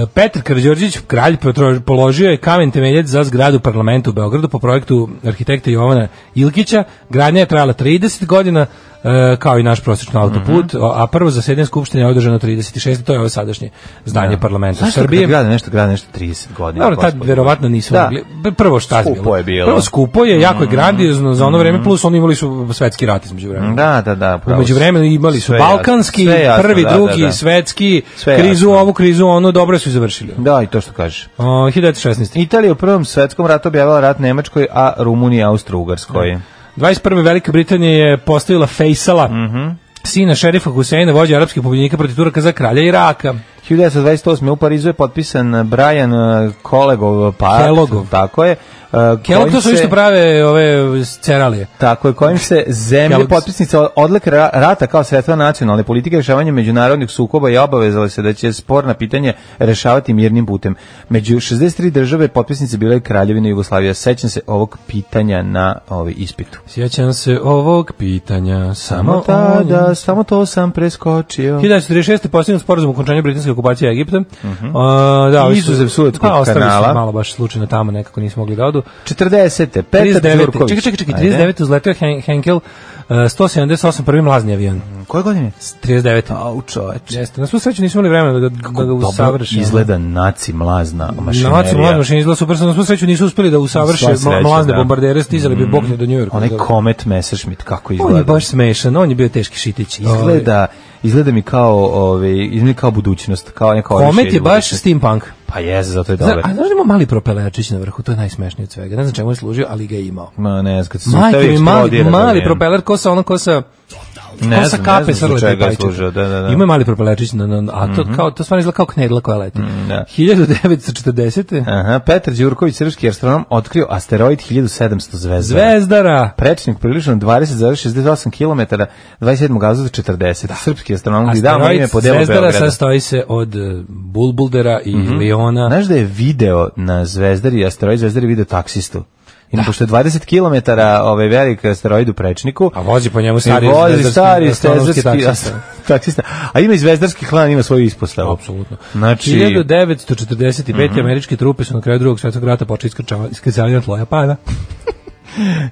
Petar Karađorđević, kralj, potro- položio je kamen temeljac za zgradu parlamenta u Beogradu po projektu arhitekta Jovana Ilkića. Gradnja je trajala trideset godina, e, kao i naš prosječni autoput, a prvo zasedanje skupštine je održano trideset šeste. To je ovo sadašnje zdanje parlamenta Zašto Srbije. kad grade nešto, grade nešto trideset godina? Dobro, tad gospodine? verovatno nisu Da. mogli. Prvo šta je Skupo bilo? je bilo. Prvo skupo je, jako je grandiozno za ono vreme, plus oni imali su svetski rat između vremena. Da, da, da. pravo Umeđu si. vremenu imali su Sve jasno, balkanski, sve jasno, prvi, da, drugi, da, da. svetski, Sve krizu jasno. ovu, krizu ono, dobro su i završili. Da, i to što kažeš. O, hiljadu devetsto šesnaeste. Italija u prvom svetskom ratu objavila rat Nemačkoj, a Rumunija Austro-Ugarskoj. dvadeset prve. Velika Britanija je postavila Faisala, Mhm. sina šerifa Huseina, vođa arapskih pobjednika protiv Turaka za kralja Iraka. hiljadu devetsto dvadeset osme. u Parizu je potpisan Brian uh, Kelloggov pakt, Kelloggov. tako je. Uh, Kellogg kojim to su se- isto prave ove ceralije. Tako je, kojim se zemlje Kellogg's. potpisnice odlike ra- rata kao sredstva nacionalne politike rešavanja međunarodnih sukoba i obavezale se da će sporna pitanja rešavati mirnim putem. Među šezdeset tri države potpisnice bile Kraljevina Jugoslavija. Sećam se ovog pitanja na ovaj ispitu. Sjećam se ovog pitanja Samo samo tada, samo to sam preskočio. hiljadu devetsto trideset šeste. postignut sporazum o okončanju britanske okupacije Egipta. Mhm. A, da, ovi su- Izuzev Suetskog pa, ostali su kanala. malo baš slučajno tamo, nekako nisu mogli da odu. četrdesete Petar trideset devete Đurković. Čekaj, čekaj, čekaj, Ajde. trideset devete uzletio Hen- Henkel uh, sto sedamdeset osam prvi mlazni avion. Koje godine? trideset devete Au, čoveče. Jeste, na svu sreću nismo imali vremena da ga, da ga Dobro usavrše. izgleda naci mlazna mašinerija. Naci mlazna mašinerija izgleda super, na svu sreću nisu uspeli da usavrše Sva sreća, mla- mlazne da. bombardere, stizali bi bokne do Njujorka. Onaj Comet Messerschmitt, kako On izgleda. je baš smešan, on je bio teški šitić. Izgleda, izgleda mi kao, ove, izgleda mi kao budućnost, kao neka Ovaj, orišenje Komet je baš budućnosti. steampunk. Pa jeste, zato je Zna, dobar. a znaš da ima mali propelerčić na vrhu, to je najsmešnije od svega. Ne znam čemu je služio, ali ga je imao. Ma ne znam, kad se Majko sustavi mi, mali, eksplodira. mali da je. propeler, ko sa ono, ko sa... Ne ko sa znam, ne kape znam zbog srle čega je pajčeta. služio, da, da, da. Ima je mali propelerčić, na, na, a to, kao, to stvarno izgleda kao knedla koja leti. da. hiljadu devetsto četrdesete Aha, Petar Đurković, srpski astronom, otkrio asteroid hiljadu sedamsto Zvezdara. Zvezdara. Prečnik prilično dvadeset zarez šezdeset osam kilometara, dvadeset sedmog avgusta četrdeset. Srpski astronom koji damo ime po delu Zvezdara Beograda. sastoji se od uh, Bulbuldera i Liona. Znaš da je video na Zvezdari, asteroid Zvezdari video taksistu? Ima, pošto je dvadeset kilometara ovaj veliki asteroid u Prečniku. A vozi po njemu I stari vozi zvezdarski- stari astronomski zvezdarski taksista. taksista. A ima i zvezdarski klan, ima svoju ispostavu. Apsolutno. Znači, hiljadu devetsto četrdeset pete američke trupe su na kraju drugog svjetskog rata počeli iskrcavati iskrcavanje na tlo Japana.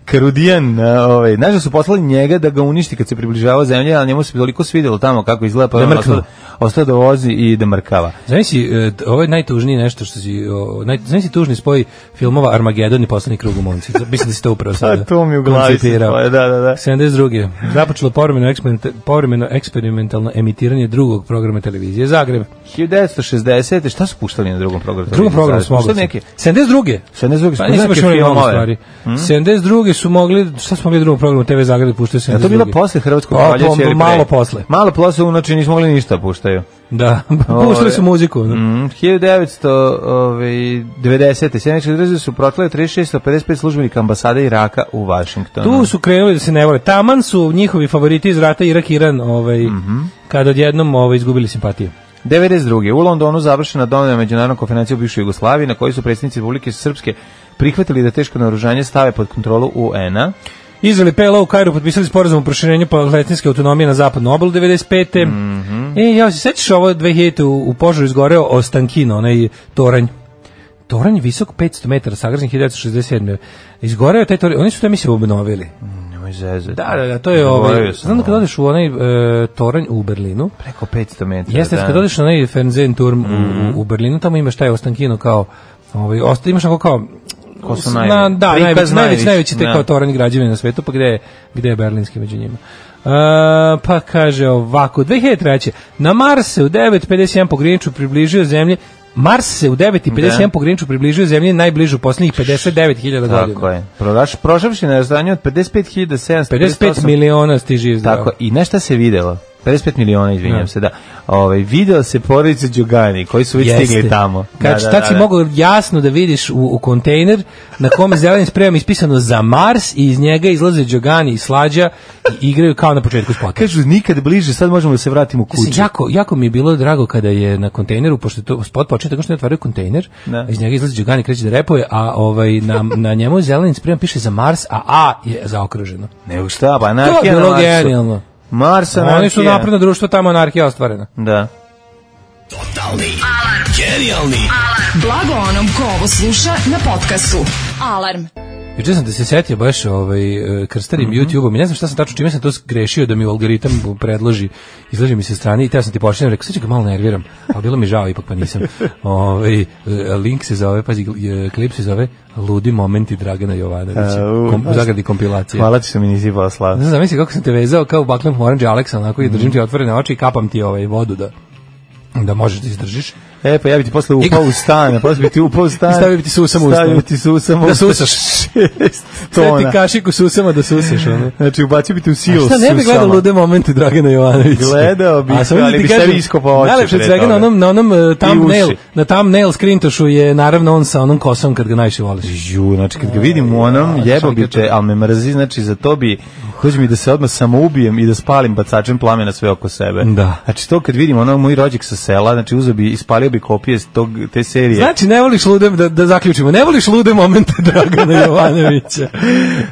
Karudijan, a, ovaj, znaš da su poslali njega da ga uništi kad se približavao zemlji, ali njemu se toliko svidjelo tamo kako izgleda, pa Da on mrknu. ostao, ostao da vozi i da mrkava. Znaš si, e, ovo je najtužnije nešto što si, o, naj, znaš si tužni spoj filmova Armagedon i Poslednji krug u momci. Mislim da si to upravo sada A to mi u glavi se koncipirao. spoje, da, da, da. sedamdeset druge Započelo povremeno, eksperimenta- povremeno eksperimentalno emitiranje drugog programa televizije Zagreb. hiljadu devetsto šezdesete Šta su puštali na drugom programu? Drugom programu su mogli. Puštali neke. sedamdeset druge sedamdeset druge su Pa puštali nisam baš neke imali mnogo filmove. stvari. sedamdeset druge su mogli, šta smo mogli u drugom programu T V Zagreb da puštaju Ja, sedamdeset to druge bilo posle Hrvatskog Pa, proljeća po- ili pre? malo posle. Malo posle, znači nismo mogli ništa puštaju. Da, puštali su muziku. da. Mm, hiljadu devetsto devedesete Sjedinjene države su protlale tri hiljade šesto pedeset pet službenika ambasade Iraka u Vašingtonu. Tu su krenuli da se ne vole. Taman su njihovi favoriti iz rata Irak-Iran, ovaj, kada odjednom ovaj, izgubili simpatiju. devedeset druge U Londonu završena donedavna međunarodna konferencija u bivšoj Jugoslaviji na kojoj su predsjednici Republike Srpske prihvatili da teško naoružanje stave pod kontrolu U N-a. Izrael i P L O u Kairu potpisali sporazum o proširenju palestinske autonomije na zapadnu obalu devedeset pete Mhm. E, ja se sećaš ovo dve hiljadite u, u požaru izgoreo Ostankino, onaj toranj. Toranj visok petsto metara, sagrađen hiljadu devetsto šezdeset sedme Izgoreo je taj toranj, oni su to mislim obnovili. Nemoj zezati. Da, da, da, to je Zaboravio ovaj. sam Znam da kad ovo. odeš u onaj e, toranj u Berlinu, Preko petsto metara. jeste, da. kad odeš na onaj Fernsehturm mm. u, u Berlinu, tamo imaš taj Ostankino kao, ovaj, osta, imaš onako kao, Ko su na, najveći? da, Prikaz najveći, najveći, najveći, najveći te da. kao toranj građevine na svetu, pa gde je, gde je berlinski među njima. Uh, pa kaže ovako, dve hiljade treće Na Mars se u devet pedeset jedan po griniču približio zemlji, Mars se u devet pedeset jedan Da. po griniču približio zemlji najbližu poslednjih pedeset devet hiljada godina. Tako je. Proraš, prošavši na razdanju od pedeset pet hiljada sedamsto pedeset pet miliona stiži iz Tako, i nešto se videlo. pedeset pet miliona, izvinjam Da. se, da. Ovaj video se porodice Đugani, koji su već Jeste. stigli tamo. Kad da, da, tad da, si da. mogao jasno da vidiš u, u kontejner na kome zelenim sprejom ispisano za Mars i iz njega izlaze Đogani i Slađa i igraju kao na početku spota. Kažu, nikad bliže, sad možemo da se vratimo u Mislim, kuću. jako, jako mi je bilo drago kada je na kontejneru, pošto je to spot počeo tako što ne otvaraju kontejner, Da. iz njega izlazi Đogani, kreće da repuje, a ovaj, na, na njemu zelenim sprejom piše za Mars, a A je zaokruženo. Nego šta, pa To anarhija je na bilo Marsu. genijalno. Mars, anarhija. Oni su napredno društvo, tamo anarhija ostvarena. Da. Blago onom ko ovo sluša na podcastu. Alarm. Juče sam da se setio baš ovaj, e, krstarim Mhm. YouTube-om i ne znam šta sam tačno, čime sam to grešio da mi algoritam predloži, izlaži mi se strani i teo sam ti pošaljem, rekao, sad ću ga malo nerviram, ali bilo mi žao, ipak pa nisam. Ovaj, e, link se zove, pazi, e, klip se zove Ludi momenti Dragana Jovanovića, Au, kom, u zagradi kompilacije. Hvala ti što mi nisi poslao. Ne znam, zamisli kako sam te vezao kao u Buckland Orange Alexa, onako i držim ti otvorene oči i kapam ti ovaj vodu da da možeš da izdržiš. E, pa ja bi ti posle upao u stan, a posle bi ti upao u stan. I stavio bi ti susam u usta. Stavio bi ti susam u Da usta. susaš. Šest Sve ti tona. kašiku susama da susaš, ono. Znači, ubacio bi ti u A silos šta ne bi gledao lude momente Dragana Jovanovića? Gledao bi, A samo da ali ti bi kažem, sebi iskopao oči najlepše od pre svega na toga. onom, na onom uh, thumbnail, uši. na thumbnail screentošu je naravno on sa onom kosom kad ga najviše voliš. Ju, znači kad ga vidim u onom, jebo bi te, ali me mrzi, znači za to bi, dođe mi da se odmah samoubijem i da spalim bacačem plamena sve oko sebe. Da. Znači to kad vidim onog moj rođak sa sela, znači uzeo bi, ispalio bi kopije tog, te serije. Znači, ne voliš lude, da, da zaključimo, ne voliš lude momente Dragana Jovanovića.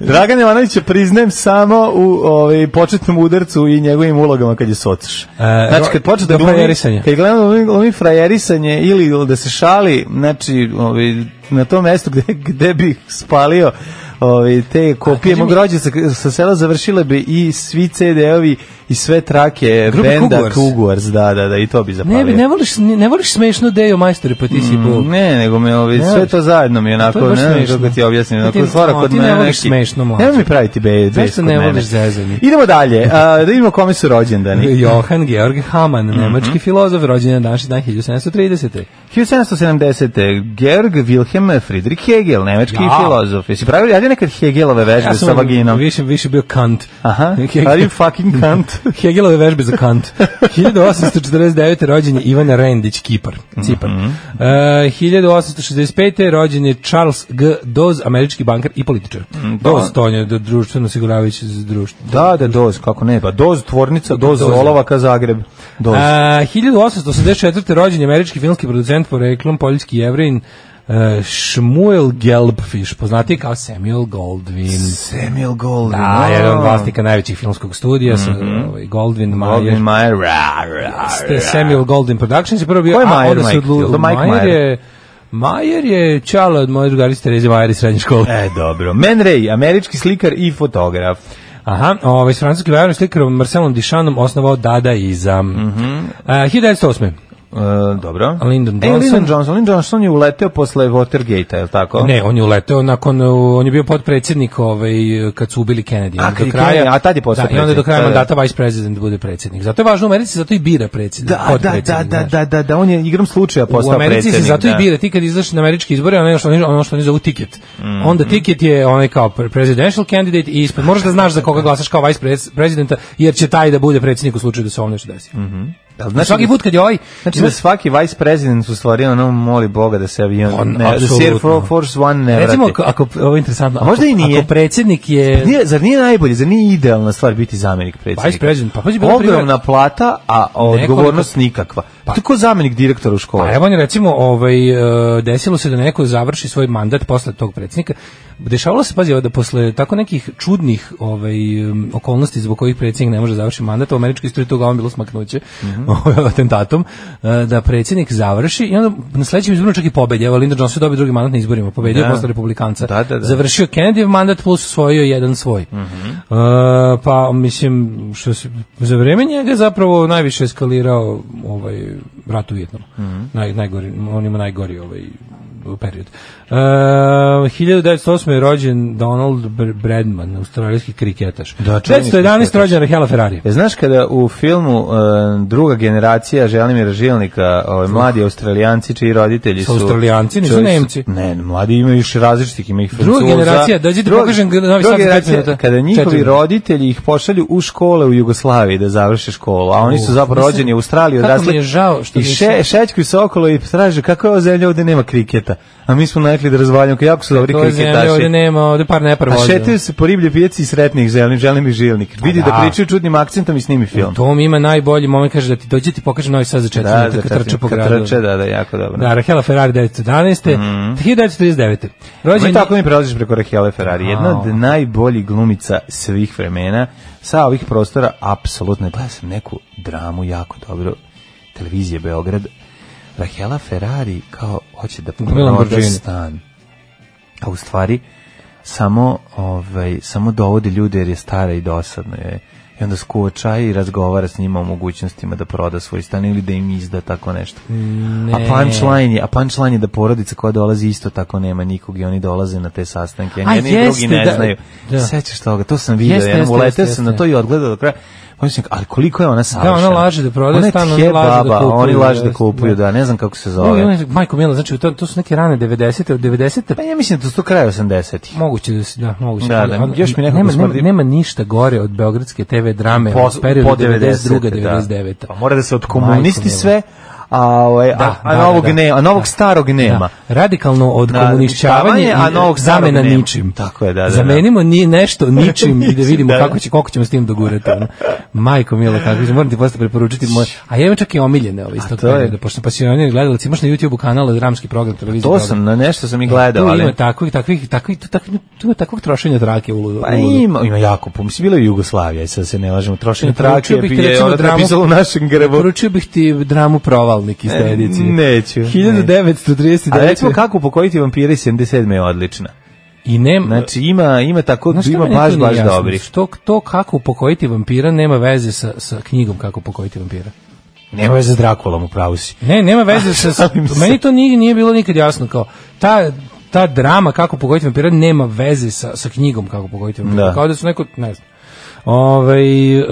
Dragan Jovanovića priznajem samo u ovaj, početnom udarcu i njegovim ulogama kad je socaš. E, znači, kad počne da glumi, frajerisanje. kad gledamo glumi, glumi frajerisanje ili da se šali, znači, ovaj, na tom mestu gde, gde bi spalio Ovi, te kopije mog rođenca sa sela završile bi i svi ce de-ovi i sve trake Grupa benda Cougars. Cougars, da, da, da, i to bi zapalio. Ne, ne voliš, ne voliš smešnu Dejo majstore, pa ti si bol. Mm, ne, nego me ovi, Ne sve voliš. to zajedno mi je onako, To je baš ne znam smešno. kako ti objasnim, Ti- onako stvara no, kod ti ne mene voliš neki... smešno, mlađe. Nemoj mi praviti be, bes Zašto kod ne mene. voliš zezanje? Idemo dalje, a, da vidimo kome su rođendani. Johann Georg Hamann, nemački filozof, rođen na današnji dan hiljadu sedamsto tridesete. hiljadu sedamsto sedamdesete. Georg Wilhelm Friedrich Hegel, nemački Ja. filozof. Jesi pravili, radi nekad Hegelove vežbe Ja sa sam vaginom? više, više bio Kant. Aha, Hegel- are you fucking cunt? Hegelove vežbe za Kant. hiljadu osamsto četrdeset devete. rođen je Ivan Rendić, Kipar. Cipar. E, hiljadu osamsto šezdeset pete. rođen je Charles G. Doz, američki bankar i političar. Doz, to je društveno osiguravajuće društvo. Da, da, Doz, kako ne, pa Doz tvornica, Doz Doz. olovaka Zagreb. Doz. A, hiljadu osamsto osamdeset četvrte. rođen je američki filmski producent poreklom, poljski Jevrin, uh, Shmuel Gelbfish, poznatiji kao Samuel Goldwyn. Samuel Goldwyn. Da, jedan od vlasnika najvećih filmskog studija, sa, ovaj, Goldwyn, Goldwyn Mayer. Mayer. ra, ra, Ste ra. Samuel Goldwyn Productions je prvo bio, Ko je a Mayer, onda se Mike? odlu... Jel to Mike Mayer Mayer? je Mayer je čala od moje drugarice Tereze Mayer iz srednje škole. E, dobro. Man Ray, američki slikar i fotograf. Aha, ovaj, s francuskim vajarom slikarom Marcelom Duchampom osnovao Dadaizam. Mm -hmm. hiljadu devetsto osme. E, dobro. Lyndon E, Johnson. Lyndon Johnson. Lyndon Johnson je uleteo posle Watergate-a, je li tako? Ne, on je uleteo nakon, uh, on je bio potpredsjednik ovaj, kad su ubili Kennedy. A, On kad do je kraja, Kennedy, a tad je postao da, i onda do predsjednik, kraja da, da. mandata vice president bude predsjednik. Zato je važno u Americi, zato i bira predsjednik. Da, da, da, potpredsjednik, da, znaš. da, da, da, on je igrom slučaja U postao Americi predsjednik. se zato da. i bira, ti kad izaš na američke izbore, ono što oni, ono što oni zovu tiket. Mhm. Onda tiket je onaj kao presidential candidate i ispred moraš da znaš za koga glasaš kao vice pres- presidenta, jer će taj da bude predsjednik u slučaju da se ovom nešto desi. Mhm. Znači, svaki put kad je ovaj... Znači da svaki vice president u stvari ono moli Boga da se avion, On, ne, da se Air apsolutno. Force One ne vrati. Recimo, ako, ako, ovo je interesantno, A možda ako, i nije. ako predsjednik je... Nije, zar nije najbolje, zar nije idealna stvar biti zamjenik predsjednika? Vice president, pa pazi, bilo Ogromna plata, a odgovornost Nekoliko- nikakva. Pa tako zamjenik direktora u školi. Pa evo on je recimo, ovaj, e, desilo se da neko završi svoj mandat posle tog predsjednika. Dešavalo se, pazi, evo, da posle tako nekih čudnih ovaj, em, okolnosti zbog kojih predsjednik ne može završiti mandat, u američkoj istoriji toga on bilo smaknuće, Mhm. ovaj, atentatom, e, da predsjednik završi i onda na sledećem izboru čak i pobedi. Evo, Lyndon Johnson dobio drugi mandat na izborima, pobedio Da. posle republikanca. Da, da, da. Završio Kennedyjev mandat plus osvojio jedan svoj. Mhm. E, pa, mislim, što se, za vreme njega zapravo najviše eskalirao ovaj, rat u Vijetnamu. Mhm. Naj, najgori, on ima najgori ovaj period. Uh, hiljadu devetsto osme. je rođen Donald Br- Bradman, australijski kriketaš. Da, čuveni devetsto jedanaeste. kriketaš. rođen Rahela Ferrari. E, znaš kada u filmu uh, druga generacija Želimira Žilnika, ovaj, mladi Australijanci čiji roditelji Su su... Australijanci, nisu čiji su- Nemci. Ne, mladi imaju još različitih, ima ih Druga Francuza. generacija, dođi ti Druga- pokažem Novi druga Sad za pet generacija, minuta. kada njihovi Četiri. roditelji ih pošalju u škole u Jugoslaviji da završe školu, a oni su Uh, zapravo mislim, rođeni u Australiji, kako mi odrasli je žao što i nisu- še, šećkuju se okolo i traže kako je ova zemlja ovde nema kriketa, a mi smo navikli da razvaljamo, jako su dobri To je zemlja, ovdje kriketaši. nema, ovdje par nepar A voze. šetaju se po riblje pijaci i sretnih želim, želim i žilnik. Vidi da da. pričaju čudnim akcentom i snimi film. Tom ima najbolji moment, kaže da ti dođe ti pokaže Novi Sad za četiri Da, minuta da, kad trče po kad gradu. trče, da, da, jako dobro. Da, Rahela Ferrari devetsto jedanaeste. hiljadu devetsto trideset devete. Rođen Ma i je- tako mi prelaziš preko Rahele Ferrari. Jedna Au. od najboljih glumica svih vremena. Sa ovih prostora, apsolutno, gledao sam neku dramu jako dobro, televizije Beograd. Rahela Ferrari kao hoće da Milan proda Borđini. stan. A u stvari samo, ovaj, samo dovodi ljude jer je stara i dosadno je. I onda skuva čaj i razgovara s njima o mogućnostima da proda svoj stan ili da im izda tako nešto. Ne. A punchline je, a punchline je da porodica koja dolazi isto tako nema nikog i oni dolaze na te sastanke. A Jedni i jeste, drugi ne da, znaju. da. Sećaš toga, to sam vidio. Jeste, Jednom jeste, uleteo jeste, sam na jeste. to i odgledao do kraja. Mislim, ali koliko je ona savršena? Da, ona laže da prodaje Ona je stan, tje oni laže da baba, kupuju, oni laže da jeste, kupuju, da. da, ne znam kako se Oj, zove. oj, Majko Mila, znači to, to su neke rane devedesete, od devedesete Pa ja mislim da to su to kraj osamdesetih. moguće da se, da, moguće. Da, da, Ali, još mi nekako nema, nema, smrdi- nema ništa gore od beogradske te ve drame Po- u periodu po devedeset druga devedesete, devedeset deveta. da. Pa mora da se od Majko komunisti mila. sve, a, ovaj, Da, a, a da, novog da, da. nema, a novog Da. starog nema. Da. Radikalno od Da, komunišćavanja a i novog starog zamena nema. ničim. Tako je, da, da, da. Zamenimo ni nešto ničim i da vidimo Da. kako će koliko ćemo s tim dogurati. Ono. Majko mila, kako će, moram ti posle preporučiti moj. A ja imam čak i omiljene ove iz tog to je- perioda, pošto sam pasionirani gledalac, imaš na YouTubeu kanal dramski program televizije. To program. sam, na nešto sam i gledao, Tu ali... ima takvih, takvih, takvih, tu, takvih, tu ima takvog trošenja trake u Pa ima, ima jako puno. Mislim, bilo je Jugoslavija, sad se ne lažemo. Trošenje trake Preporučio bih ti, je recimo, ono dramu- napisalo u našem grbu. Poručio bih ti dramu Provalnik iz te E, edicije. neću, neću. hiljadu devetsto trideset devete. A recimo kako upokojiti vampire iz sedamdeset sedme je odlična. I nema, Znači ima ima tako Znaš šta ima meni baš tu nije baš jasno? dobrih. Što to kako upokojiti vampira nema veze sa, sa knjigom kako upokojiti vampira. Nema veze s Drakulom, upravo si. Ne, nema veze sa, sa Šalim se. meni to nije, nije bilo nikad jasno kao ta ta drama kako upokojiti vampira nema veze sa, sa knjigom kako upokojiti vampira. Da. Kao da su neko, ne znam. Ovaj e,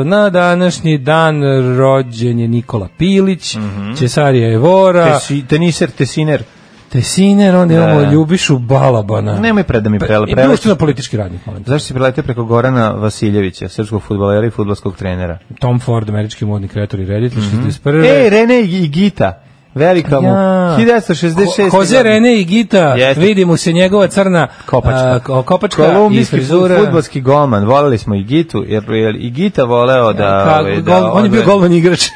na današnji dan rođen je Nikola Pilić, Mhm. Cesarija Evora, Tesi, teniser, tesiner. Tesiner, onda Da. imamo Ljubišu Balabana. Nemoj pre da mi prele I prele. društveno politički radnik, molim te. Zašto si preletio preko Gorana Vasiljevića, srpskog fudbalera i fudbalskog trenera? Tom Ford, američki modni kreator i reditelj, šezdeset prve. Ej, Rene i Gita. Velika mu. Ja. hiljadu devetsto šezdeset šeste. Jose Rene i Gita, Jeste. vidi mu se njegova crna Kopačka. a, ko- kopačka i Kolumbijski frizura. fudbalski golman. Voleli smo i Gitu, jer jer i Gita voleo da... Ka- ovaj, gol- da on je bio odve- golman igrač.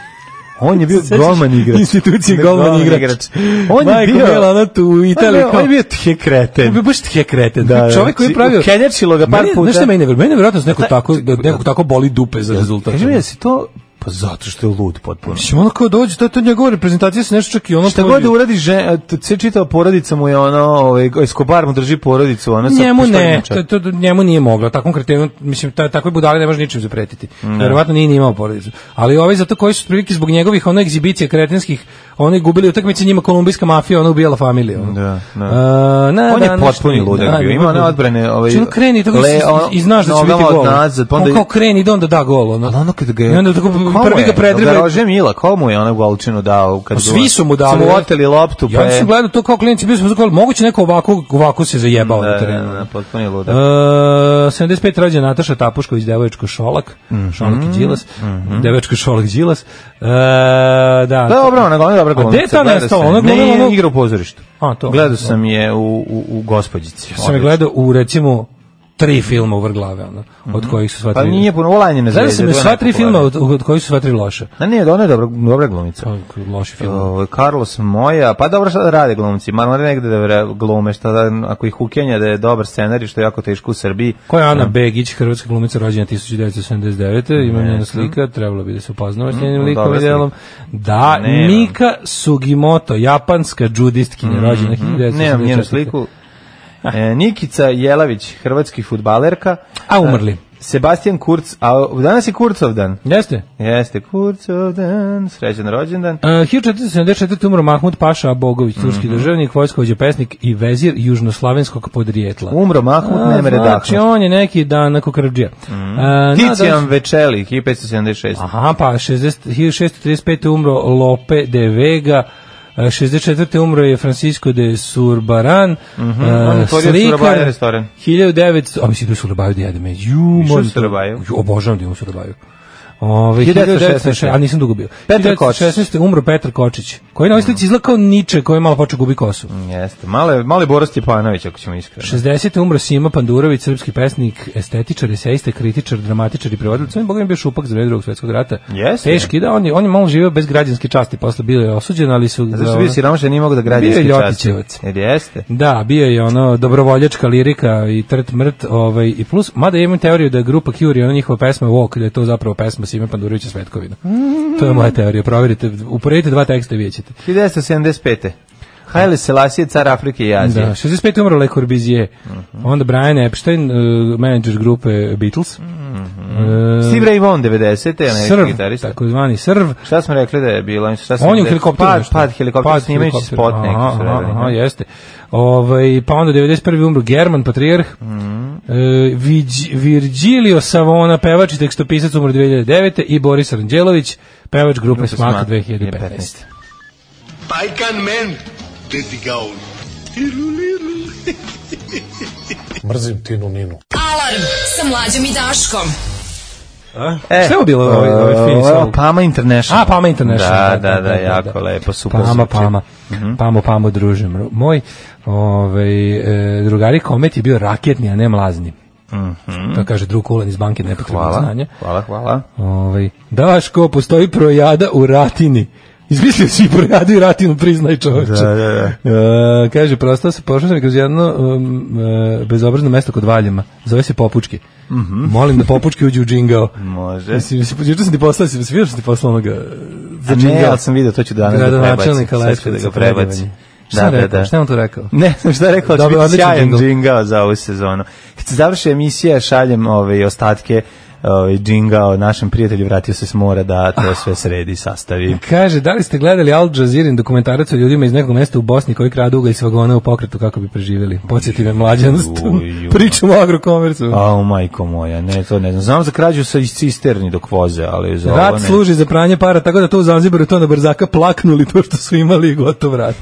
On je bio Sećaš golman igrač. institucije Da, golman igrač. On je Majko bio... mila, ono tu u Italiji On je- kao- On je bio tje On kreten. je bio baš tje kreten. Da, da. Čovjek koji je pravio... Ukenjačilo ga par Meni- puta. Znaš šta meni ne vjeruje? Meni je vjerojatno da se nekog tako, da nekog tako boli dupe za rezultat. Kaži mi da si to... Pa zato što je lud potpuno. Mislim, ono kao dođe, to, to je njegova reprezentacija se nešto čak i ono... Šta pođe- god da uradi, žen, sve čitava porodica mu je ono, ovaj, Escobar mu drži porodicu, ono sa Njemu ne, pištoljem. to, to, njemu nije moglo. Takvom kretenu, mislim, ta, takve budale ne može ničim zapretiti. Verovatno nije ni imao porodicu. Ali ovi zato koji su prilike zbog njegovih ono egzibicija kretenskih, oni gubili utakmice, njima kolumbijska mafija, ona ubijala familiju. Ono. Da, da. A, na On je današnji potpuni ludak dan- bio. Ima one odbrane, ovaj, Znači, ono kreni, tako le- i, ono, i znaš da će biti nogama gol. odnazad, pa onda On i- kao kreni, ide onda da gol. Ono. Ali ono kad ga I onda tako Komu prvi je? ga predrible. Da Rože Mila, komu je ona golčinu dao? Kad Pa svi su mu dali. Su mu oteli loptu, pa Ja je... sam gledao to kao klijenti, bio sam zakol, moguće neko ovako, ovako se zajebao Da, na da, terenu. da, potpuno je ludak. Uh, sedamdeset pet rođena Nataša Tapušković, devoječko Šolak, Šolak i Đilas, devoječko Šolak Đilas. Uh, da. Dobro, ona ona je dobra A gde je glumica. ta gledao nestala? sam. Ona glumila Ne, ono- igra u pozorištu. A, to. Gledao sam je u, u, u Gospođici. Ja sam je gledao u, recimo, tri filma u vrglave, ono, od kojih su sva Pa tri... nije puno Olanjene Gledao zvezde. sam je to je sva tri filma najpopularnije. od, od kojih su sva tri loše. A ne, ona je dobra, dobra glumica. To je loši film. Ovo, Carlos Moja, pa dobro šta da rade glumci, ma mora negde da vre- glume, šta da, ako ih ukenja da je dobar scenarij, što je jako teško u Srbiji. Ko je Ana Begić, hrvatska glumica rođena tisuću devetsto sedamdeset devete. Ima njena slika, trebalo bi da se upoznamo s njenim Mm, likom dobra i delom. Da, Nemam. Mika Sugimoto, japanska džudistkinja, rođena hiljadu devetsto sedamdeset četvrte. Nemam njenu sliku. E, Nikica Jelavić, hrvatski fudbalerka. A umrli. Sebastian Kurz, a danas je Kurcov dan. Jeste? Jeste, Kurcov dan, srećan rođendan. Uh, hiljadu četiristo sedamdeset četvrte umro Mahmud Paša Abogović, turski Mhm. državnik, vojskovođa, pesnik i vezir južnoslavenskog podrijetla. Umro Mahmud, A, Nemere Znači, Dahno. on je neki dan na Kokradžija. Mm. Ticijan Večeli, hiljadu petsto sedamdeset šeste. Aha, pa šezdeset hiljadu šeststo trideset pete umro Lope de Vega, e, šezdeset četvrte umro je Francisco de Surbaran, Mhm, e, on je otvorio slikar, Surabaya restoran. hiljadu devetsto, a mislim da je u Surabaju da jedem, ju, Išao moram u to- Surabaju? ju, obožavam da idem u Surabaju. Ove, hiljadu devetsto hiljadu devetsto šesnaeste. a nisam dugo bio. Petar Kočić. šesnaeste umro Petar Kočić, koji na ovoj slici izgleda kao Niče, koji je malo počeo gubi kosu. Jeste, male, mali Boris Stjepanović, ako ćemo iskreno. šezdesete umro Sima Pandurović, srpski pesnik, estetičar, esejista, kritičar, dramatičar i prevodilac. On je bogam bio šupak za vreme Drugog svjetskog rata. Jeste. Teški, da, on je, on je malo živio bez građanske časti, posle bio je osuđen, ali su... Zato što bio siromašan, nije mogu da građanski Bio je časti. Ljotićevac. Jer jeste. Da, bio je ono dobrovoljačka lirika i trt mrt, ovaj, i plus, mada ja imam teoriju da je grupa Cure, ona njihova pesma Walk, da je to zapravo pesma Sime Pandurovića Svetkovina. To je moja teorija, provjerite, uporedite dva teksta i vidjet ćete. hiljadu devetsto sedamdeset pete. Haile Selassie, car Afrike i Azije. Da, šezdeset pete umro Le Corbusier, onda Brian Epstein, uh, menadžer grupe Beatles, uh, Steve Ray Vaughan, devedesete. američki Srv, gitarista. takozvani Srv. Šta smo rekli da je bilo? Šta smo On je u rekli? helikopteru. Pad, nešto. pad helikoptera, snimajući helikopter. spot neki Aha, su aha, radili. aha, ne? jeste. Ovaj, pa onda devedeset prve umro German, patrijarh. Mm. E, Viđ- Virgilio Savona, pevač i tekstopisac, umro dve hiljade devete. I Boris Ranđelović, pevač grupe Grupa Smak Smak, dve hiljade petnaeste. Pajkan men, dedi gaun. Mrzim Tinu Ninu. Alarm sa mlađom i Daškom. E, šta je bilo ovaj, ovaj fini sol? Pama International. A, Pama International. Da, da, da, da jako da. lepo, super. Pama, Pama. Mm-hmm. Pamo, Pamo, druže. Moj ovaj, e, drugari Komet je bio raketni, a ne mlazni. Mm-hmm. To kaže drug Kulan iz banke nepotrebnog znanja. Hvala, hvala. Ovaj, Daško, postoji projada u Ratini. Izmislio si projadu i Ratinu, priznaj čoveče. Da, da, da. E, kaže, prosto se pošao sam kroz jedno um, e, bezobrazno mesto kod Valjima. Zove se Popučki. Mm-hmm. Molim da Popučki uđe u džingao. Može. Mislim, mislim, juče sam ti poslao, si vidio što ti poslao onoga za džingao. Ne, ali sam vidio, to ću danas da prebacim. Sad ću da ga prebacim. Šta da, da, da. Šta je on to rekao? Ne znam šta je rekao, će biti sjajan džingao za ovu sezonu. Kad se završi emisija, šaljem ove ostatke ovaj džingao našem prijatelju, vratio se s mora da to sve sredi, sastavi. Kaže, da li ste gledali Al Jazeera dokumentarac o ljudima iz nekog mesta u Bosni koji kradu ugalj s vagona u pokretu kako bi preživjeli? Podsjeti me mlađanost. Pričam o Agrokomercu. Au, majko moja, ne, to ne znam. Znam za krađu sa iz cisterni dok voze, ali za rat ovo ne. Služi za pranje para, tako da to u Zanzibaru to na brzaka plaknuli to što su imali i gotov rat.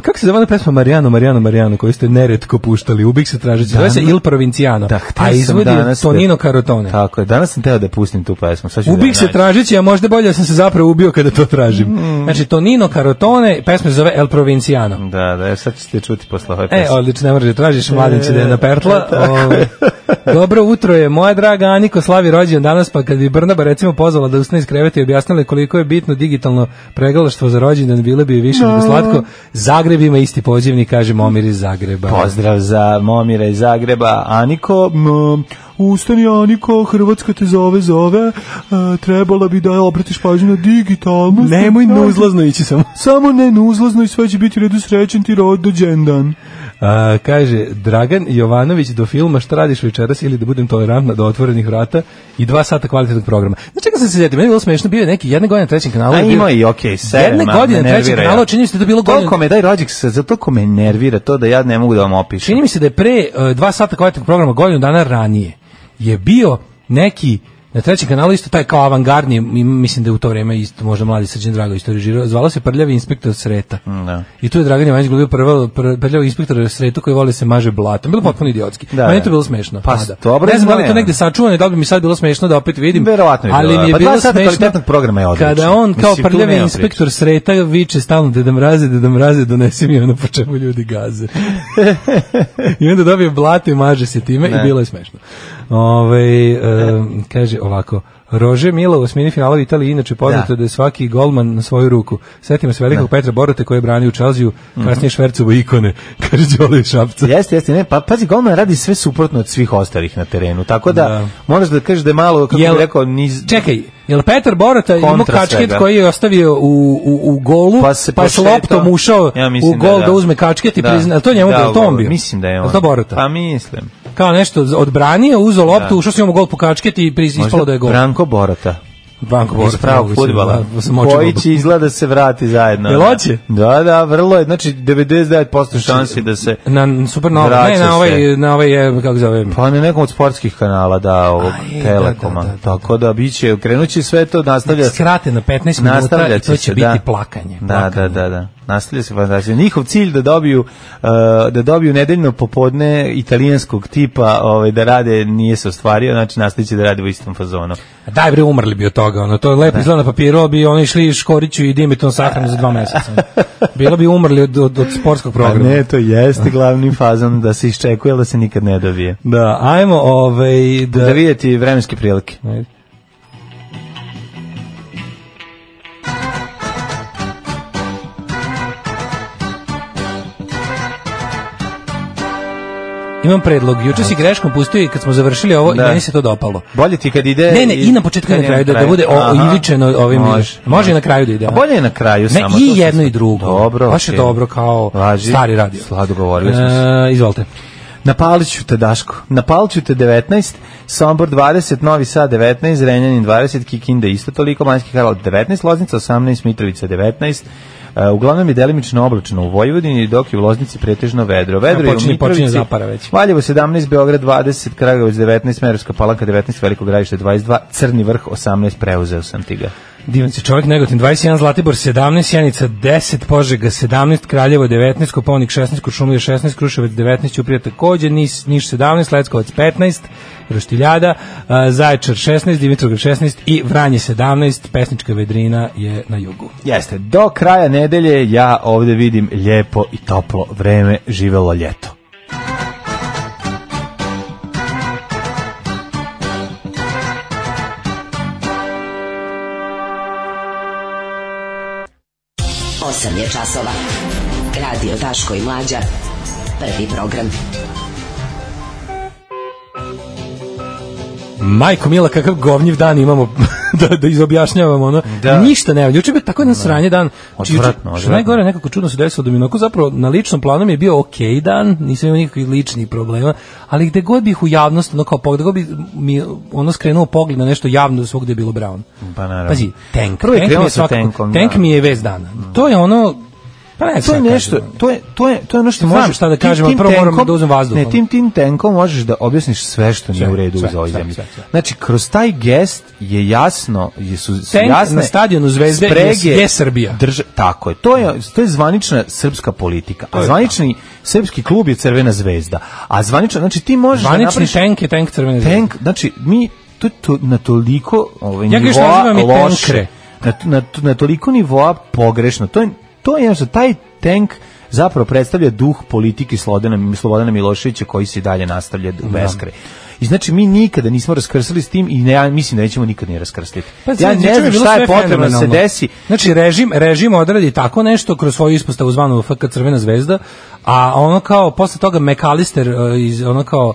Kako se zove pesma Marijano, Marijano, Marijano koju ste neretko puštali? Ubih se tražeći. Zove se Il Provinciano. Da, a izvodi Tonino Carotone. Tako je, danas sam teo da pustim tu pesmu. Ubih da se tražeći, a možda bolje sam se zapravo ubio kada to tražim. Mm. Znači, Tonino Carotone, pesma se zove El Provinciano. Da, da, sad ćete čuti posle ove pesme. E, odlično, ne možeš da tražiš, mladen će da je napertla. O, dobro utro je, moja draga Aniko slavi rođendan danas, pa kad bi Brnaba recimo pozvala da ustane iz kreveta i objasnila koliko je bitno digitalno pregalaštvo za rođendan, bilo bi više nego slatko. Zagreb ima isti pozivnik, kaže Momir iz Zagreba. Pozdrav za Momira iz Zagreba. Aniko, m, ustani Aniko, Hrvatska te zove, zove, a, trebala bi da obratiš pažnju na digitalnost. Nemoj nuzlazno ići samo. Samo ne nuzlazno i sve će biti u redu, srećen ti rođendan. A, kaže, Dragan Jovanović do filma Šta radiš večeras ili da budem tolerantna do otvorenih vrata i dva sata kvalitetnog programa. Znači, čega sam se sjetio, meni je bilo smešno, bio je neki jedne godine na trećem kanalu. A ima i okej, okay, sve. Jedne godine na trećem kanalu, čini mi se da je bilo godine. Toliko me daj rođik, zato me nervira to da ja ne mogu da vam opišem. Čini mi se da je pre uh, dva sata kvalitetnog programa godinu dana ranije je bio neki na trećem kanalu isto taj kao avangardni, mislim da je u to vreme isto možda mladi Srđan Drago isto režirao, zvalo se Prljavi inspektor Sreta. Da. I tu je Dragan Jovanović glumio prvo Prljavi inspektor Sretu koji voli se maže blatom. Bilo potpuno idiotski. Da, meni to bilo smešno. Pa, dobro, ne znam da li to negde sačuvano, da bi mi sad bilo smešno da opet vidim. Verovatno je bilo. Ali mi je pa bilo smešno programa je odlično. kada on kao mislim, Prljavi inspektor priča. Sreta viče stalno Deda Mraze, Deda Mraze, donesi mi ono po čemu ljudi gaze. I onda dobije blato i maže se time ne. I bilo je smešno. Ove, um, kaže ovako, Rože Milo u osmini finala u Italiji inače poznato da. da je svaki golman na svoju ruku. Setimo se velikog da. Petra Borote koji je branio u Chelsea, kasnije Švercovo ikone, kaže Đole Šapca. Jeste, jeste, ne, pa pazi, golman radi sve suprotno od svih ostalih na terenu, tako da, da. Moraš da kažeš da je malo, kako bih rekao, niz... Čekaj, jel Petar Borota imao kačket svega. Koji je ostavio u, u, u golu, pa, pa je s loptom ušao ja u gol da, da uzme kačket i da. Prizna, to njemu da, to on bio? Mislim da je on. To Borota? Pa mislim. Kao nešto odbranio, uzeo loptu, da. Ušao s njom u gol po kačket i ispalo da je gol. Branko Borota. Branko Borota. Iz pravog fudbala. Koji će izgleda se vrati zajedno. Jel hoće? Da, da, vrlo je. Znači, devedeset devet posto šansi da se na Supernova, ne, na ovaj, na ovaj, kako zove? Pa na nekom od sportskih kanala, da, ovog Aj, Telekoma. Da, da, da, Tako da biće, krenuće sve to, nastavlja se. Skrate na petnaest minuta i to će biti da. Plakanje. Da, plakanje. da, da, da. Nastavlja se fantastično. Njihov cilj da dobiju uh, da dobiju nedeljno popodne italijanskog tipa, ovaj da rade nije se ostvario, znači nastaviće da rade u istom fazonu. Daj bre, umrli bi od toga, ono to je lepo izgleda na papiru, bi oni išli Škoriću i Dimiton sahranu za dva meseca. Bilo bi umrli od, od, od sportskog programa. A ne, to jeste glavni fazon da se iščekuje, ali da se nikad ne dobije. Da, ajmo ovaj da, da vidjeti vremenske prilike. Ajde. Imam predlog. Juče si greškom pustio i kad smo završili ovo da. I meni se to dopalo. Bolje ti kad ide... Ne, ne, i na početku i na kraju, da, da bude iličeno ovim... Može, može i na kraju da ide. A bolje je na kraju ne, samo. Ne, i jedno i drugo. Dobro. Baš je dobro kao Važi. Stari radio. Slado govorili smo se. E, izvolite. Napalit ću te, Daško. Napalit ću te devetnaest, Sombor dvadeset, Novi Sad devetnaest, Zrenjanin dvadeset, Kikinda isto toliko, Banjski Karlovac devetnaest, Loznica osamnaest, Mitrovica devetnaest, Uh, uglavnom je delimično oblačno u Vojvodini, dok je u Loznici pretežno vedro. Vedro ja, počinje, je u Mitrovici, Valjevo sedamnaest, Beograd dvadeset, Kragujevac devetnaest, Smederevska Palanka devetnaest, Veliko Gradište dvadeset dva, Crni Vrh osamnaest, preuzeo sam ti ga. Divan se čovjek, Negotin dvadeset jedan, Zlatibor sedamnaest, Sjenica deset, Požega sedamnaest, Kraljevo devetnaest, Kopaonik šesnaest, Kuršumlija šesnaest, Kruševac devetnaest, Ćuprija takođe, Niš, Niš sedamnaest, Leskovac petnaest, Roštiljada, Zaječar šesnaest, Dimitrovgrad šesnaest i Vranje sedamnaest, pesnička vedrina je na jugu. Jeste, do kraja nedelje ja ovde vidim lijepo i toplo vreme, živelo ljeto. osam je časova. Radio Daško i Mlađa. Prvi program. Majko mila, kakav govnjiv dan imamo da, da izobjašnjavamo ono. Da. Ništa nema. Juče je tako jedan sranje dan. Odvratno, što najgore, nekako čudno se desilo da mi onako zapravo na ličnom planu mi je bio okej dan, nisam imao nikakvih ličnih problema, ali gde god bih u javnost, ono kao pogled, gde god bi mi ono skrenuo pogled na nešto javno da svogde je bilo Brown. Pa naravno. Pazi, tank. Prvo je tank, mi je, svakako, tankom, tank da. mi je vez dana. To je ono. Pa ne, to je nešto, to je to je to je ono što znam možeš šta da kažem, ali prvo moram da uzmem vazduh. Ne, tim tim tankom možeš da objasniš sve što nije u redu u ovoj zemlji. Znači, kroz taj gest je jasno, jesu jasne na stadionu Zvezde sprege, je, je Srbija. Drž, tako je. To je to je zvanična srpska politika. A zvanični srpski klub je Crvena zvezda. A zvanična, znači ti možeš zvanični da napraviš tank je tank Crvene zvezde. Tank, znači mi to, to na toliko ovaj ja nivoa loše, na, na, na toliko nivoa pogrešno. To je to je jednostavno, taj tank zapravo predstavlja duh politike Slobodana, Slobodana Miloševića koji se dalje nastavlja u beskraj. I znači mi nikada nismo raskrsali s tim i ne, ja mislim da nećemo nikad ni raskrstiti. Pa, ja ne znam šta je potrebno da se desi. Znači režim, režim odradi tako nešto kroz svoju ispostavu zvanu F K Crvena zvezda, a ono kao posle toga McAllister iz ono kao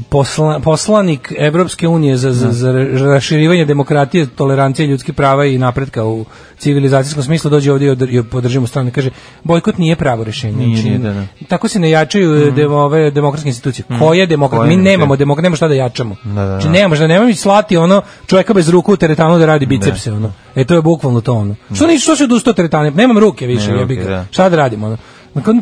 Posla, poslanik Evropske unije za, za, za raširivanje demokratije, tolerancije, ljudskih prava i napretka u civilizacijskom smislu dođe ovdje i podržimo stranu i kaže bojkot nije pravo rješenje. Nije, nije, da, da. Tako se ne jačaju mm. de, ove demokratske institucije. Mm. Koje demokratske? Mi nemamo demokratske, nemamo šta da jačamo. Da, da, da. Znači nemamo šta, nemamo slati ono čovjeka bez ruku u teretanu da radi bicepse. Da. Ono. E to je bukvalno to ono. Što, ni, što se odustao teretane? Nemam ruke više. Ne, ruke, da. Šta da radimo? Ono?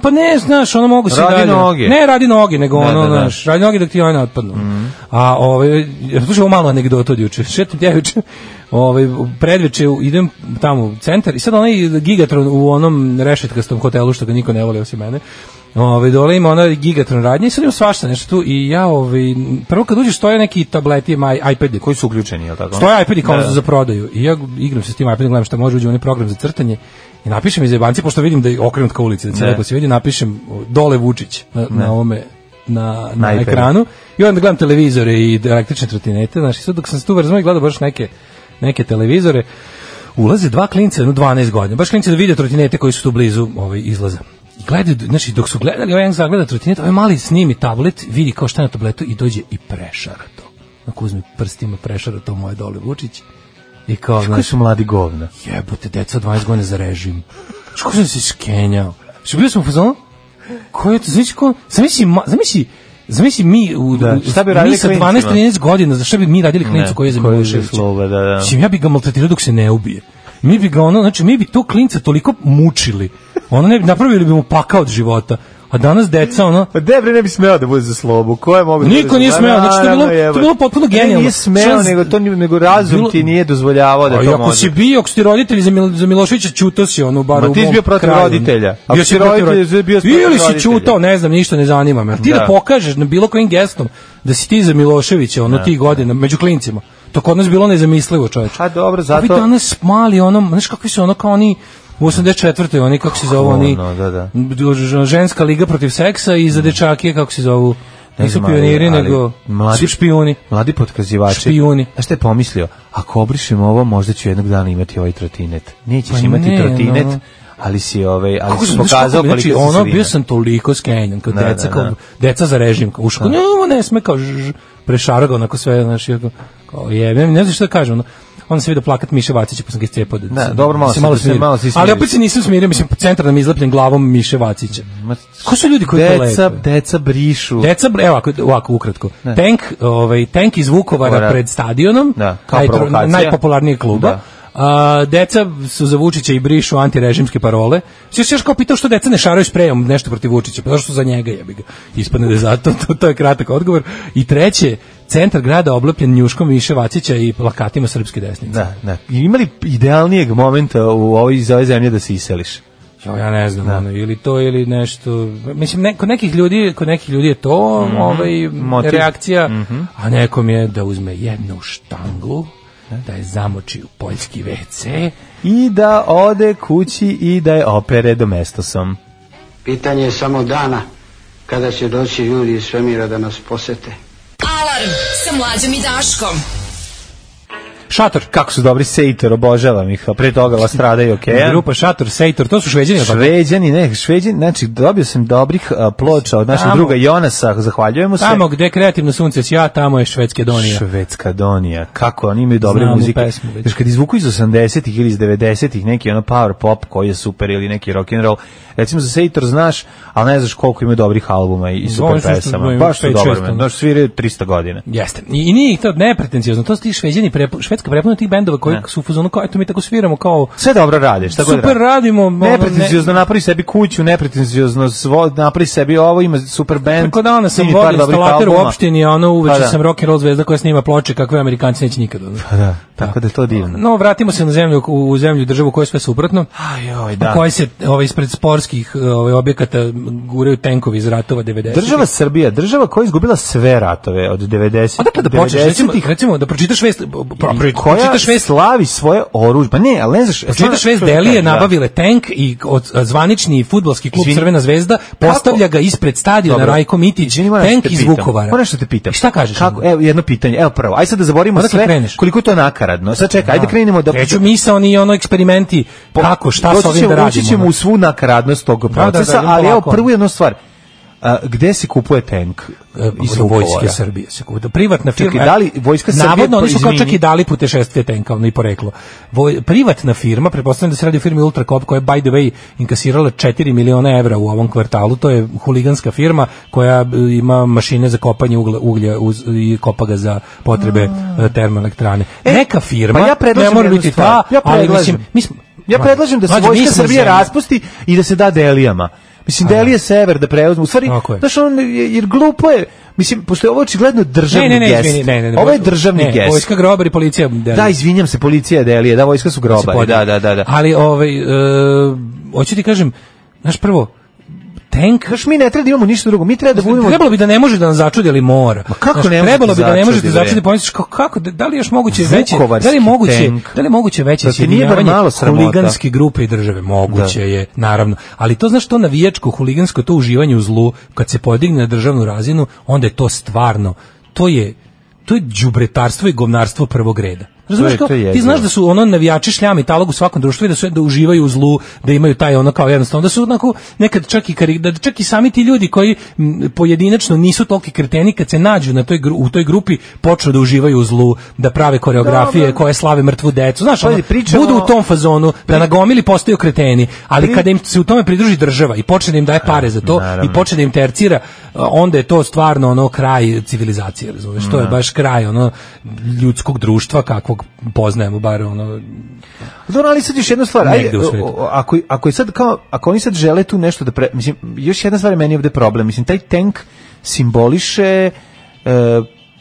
Pa ne, znaš, ono mogu se radi dalje. Noge. Ne radi noge, nego da, ono, da, da. znaš, radi noge dok ti one otpadnu. Mm. A ovaj, slušaj, ovo malo anegdota od juče. Šetam ja juče, ovaj, predveče idem tamo u centar i sad onaj Gigatron u onom rešetkastom hotelu što ga niko ne voli osim mene. Ovaj dole ima ona Gigatron radnja i sad ima svašta nešto tu i ja ovaj prvo kad uđeš stoje neki tableti, maj iPadi koji su uključeni, je l' tako? Stoje iPadi kao da, da. za prodaju i ja igram se s tim iPadom, gledam šta može, uđe u onaj program za crtanje i napišem iz jebanci, pošto vidim da je okrenut ka ulici, da se lepo se vidi, napišem dole Vučić na, na ovome na, na, na ekranu i onda gledam televizore i električne trotinete, znači sad dok sam se tu vrzmao i gledao baš neke, neke televizore, ulaze dva klinca, no dvanaest godina, baš klinci da vide trotinete koji su tu blizu ovaj, izlaza. I gledaju, znači dok su gledali, ovaj jedan zagleda trotinet, ovaj mali snimi tablet, vidi kao šta je na tabletu i dođe i prešara to. Ako uzme prstima prešara to moje dole Vučić. I kao, znači, koji su mladi govna? Jebote, deca od dvadeset godina za režim. Što sam se skenjao? Što bio sam u fazonu? Ko je to? Znači, ko? Zamisli, zamisli, zamisli mi u, da, šta bi radili mi sa dvanaest trinaest godina, za šta bi mi radili klinicu koji je za Miloševića? Da, da. Znači, ja bi ga maltretirao dok se ne ubije. Mi bi ga ono, znači, mi bi to klinca toliko mučili. Ono ne bi, napravili bi mu pakao od života. A danas deca, ono... Pa Debre ne bi smeo da bude za slobu. Ko je mogu da niko nije smeo, znači to je bilo, to je bilo potpuno genijalno. Ne, nije smeo, nego, to, nego razum bilo, ti nije dozvoljavao da to može. Ako si bio, ako si roditelji za, Mil, za Miloševića, čutao si ono, bar u mom kraju. Ma ti si bio protiv roditelja. Bio si protiv roditelja. Ili si čutao, ne znam, ništa ne zanima me. Ti da, da pokažeš na bilo kojim gestom da si ti za Miloševića, ono, tih godina, među klincima. To kod nas bilo nezamislivo, čoveče. A dobro, zato... Vi danas mali, ono, znaš kakvi su ono kao oni... U osamdeset četvrtoj oni, kako se zovu, oni, no, da, da. ženska liga protiv seksa i za dečake, kako se zovu, nisu pioniri, ali, nego mladi, špijuni. Mladi potkazivači. Špijuni. A šta je pomislio? Ako obrišem ovo, možda ću jednog dana imati ovaj trotinet. Nećeš pa imati ne, trotinet, no. ali si, ovaj, ali si pokazao koliko si ono, bio sam toliko skenjan, kao da, deca, da, da. Kao, deca za režim, kao uško, ne, ovo ne sme, kao ž, prešarga, onako sve, znaš, kao je, ne, ne znam što da kažem, ono, onda se vidio plakat Miše Vacića, pa sam ga iscijepao. Da, da, dobro, malo se malo smirio. Malo se ali opet se nisam smirio, mislim, centar nam izlepljen glavom Miše Vacića. Ko su ljudi koji to lepe? Deca brišu. Deca, evo, ovako, ovako ukratko. Ne. Tank, ovaj, tank iz Vukovara Ora. pred stadionom, da, kao provokacija. Najpopularnijeg kluba. Da. A, deca su za Vučića i brišu antirežimske parole. Sve se još kao pitao što deca ne šaraju sprejom nešto protiv Vučića, pa zašto su za njega, jebi ga. Ispadne da je zato, to, to je kratak odgovor. I treće, centar grada oblepljen njuškom Miše Vacića i plakatima srpske desnice. Da, da. I imali idealnijeg momenta u ovoj, iz ove zemlje da se iseliš? Jo, ja ne znam, ono, ili to ili nešto. Mislim, ne, kod nekih ljudi, kod nekih ljudi je to mm-hmm. ovaj, Motiv. reakcija, mm-hmm. a nekom je da uzme jednu štanglu, da je zamoči u poljski ve ce i da ode kući i da je opere domestosom. Pitanje je samo dana kada će doći ljudi iz svemira da nas posete. Alarm sa Mlađom i Daškom. Šator. Kako su dobri, Sejtor, obožavam ih, a pre toga vas stradaju, okej. Okay. Grupa Šator, Sejtor, to su Šveđani. Šveđani, ne, Šveđani, znači dobio sam dobrih a, ploča od našeg tamo, druga Jonasa, zahvaljujemo se. Tamo gde kreativno sunce sja, tamo je Švedska Donija. Švedska Donija, kako oni imaju dobre Znam muzike. Znači kad izvuku iz osamdesetih ili iz devedesetih neki ono power pop koji je super ili neki rock and roll, recimo za Sejtor znaš, ali ne znaš koliko ima dobrih albuma i, i super pesama. Baš su dobro, baš sviraju trista godina. Jeste. I, i nije to nepretencijozno, to su ti Šveđani, prepo, Švedska prepuno tih bendova koji ne. su u fazonu kao eto mi tako sviramo kao sve dobro rade, šta god super radimo, nepretencijozno ne... napravi sebi kuću, nepretencijozno svo, napravi sebi ovo, ima super bend. Tako da ona sam vodio instalater u opštini, a ono uveče pa sam rock and roll zvezda koja snima ploče kakve Amerikanci neće nikad. Pa da, tako da je to divno. No, vratimo se na zemlju, u zemlju državu koja je sve suprotno. Ajoj, da. U kojoj se ovaj ispred sportskih ovaj objekata guraju tenkovi iz ratova devedesetih. Država Srbija, država koja je izgubila sve ratove od devedesetih. Odakle da počneš, recimo, recimo da pročitaš vest, pročitaš vest slavi svoje oružje. Pa ne, ali ne znaš, pročitaš vest Delije nabavile tank i od zvanični fudbalski klub Izvini, Crvena zvezda postavlja ga ispred stadiona Rajko Mitić, tank iz Vukovara. Moram što te pitam. I šta kažeš? Kako? Evo jedno pitanje. Evo prvo. Aj sad da zaborimo sve. Kreneš? Koliko je to nakaradno. Sad čekaj, ajde krenemo da Kreću misaoni ono eksperimenti kako šta sa ovim da radimo. Doći ćemo u svu nakaradnost tog procesa, ali evo prvu jednu stvar. A, gde se kupuje tank iz vojske Srbije se kupuje privatna firma. Čekaj, da li vojska Srbije navodno oni su kao čak i dali putešestvije tenka, ono i poreklo. Voj, privatna firma, pretpostavljam da se radi o firmi Ultrakop koja je by the way inkasirala četiri miliona evra u ovom kvartalu. To je huliganska firma koja ima mašine za kopanje uglja, uglja uz, i kopa ga za potrebe a. termoelektrane. E, Neka firma, pa ja ne mora biti ta, ja ali mislim, mi smo, ja predlažem da se vojska Srbije raspusti i da se da Delijama. Mislim, Delije sever da preuzme. U stvari, znaš, on, jer glupo je, mislim, pošto je ovo očigledno državni ne, ne, ne, gest. Izvini, ne, ne, ne, ovo je državni ne, gest. Vojska grobar i policija Delije. Da, izvinjam se, policija Delije, da, vojska su grobari, da, da, da, da. Ali, ovaj, uh, hoću ti kažem, znaš, prvo, tank, znaš, mi ne treba da imamo ništa drugo, mi treba da budemo... Trebalo bi da ne može da nas začudi, ali mora. Ma kako znaš, ne trebalo bi da ne može da začudi, začudi, pomisliš kako, kako, da li je još moguće veće, da li je moguće, tank. da li je moguće veće sjedinjavanje huliganske grupe i države, moguće da. je, naravno, ali to znaš, to navijačko, huligansko, to uživanje u zlu, kad se podigne na državnu razinu, onda je to stvarno, to je, to je đubretarstvo i govnarstvo prvog reda. Razumeš kao, ti znaš da su ono navijači šljam i talog u svakom društvu i da su da uživaju u zlu, da imaju taj ono kao jednostavno, da su onako nekad čak i kari, da čak i sami ti ljudi koji m, pojedinačno nisu toliki kreteni kad se nađu na toj u toj grupi počnu da uživaju u zlu, da prave koreografije da, koje slave mrtvu decu. Znaš, ono, pričamo, budu u tom fazonu da nagomili postaju kreteni, ali pri, kada im se u tome pridruži država i počne da im daje pare za to naravno. I počne da im tercira, onda je to stvarno ono kraj civilizacije, razumeš? To je baš kraj ono ljudskog društva kakvog poznajemo bar ono. Dobro, ali sad još jedna stvar, ajde, ako, ako je sad kao, ako oni sad žele tu nešto da pre, mislim, još jedna stvar je meni ovde problem, mislim, taj tank simboliše e,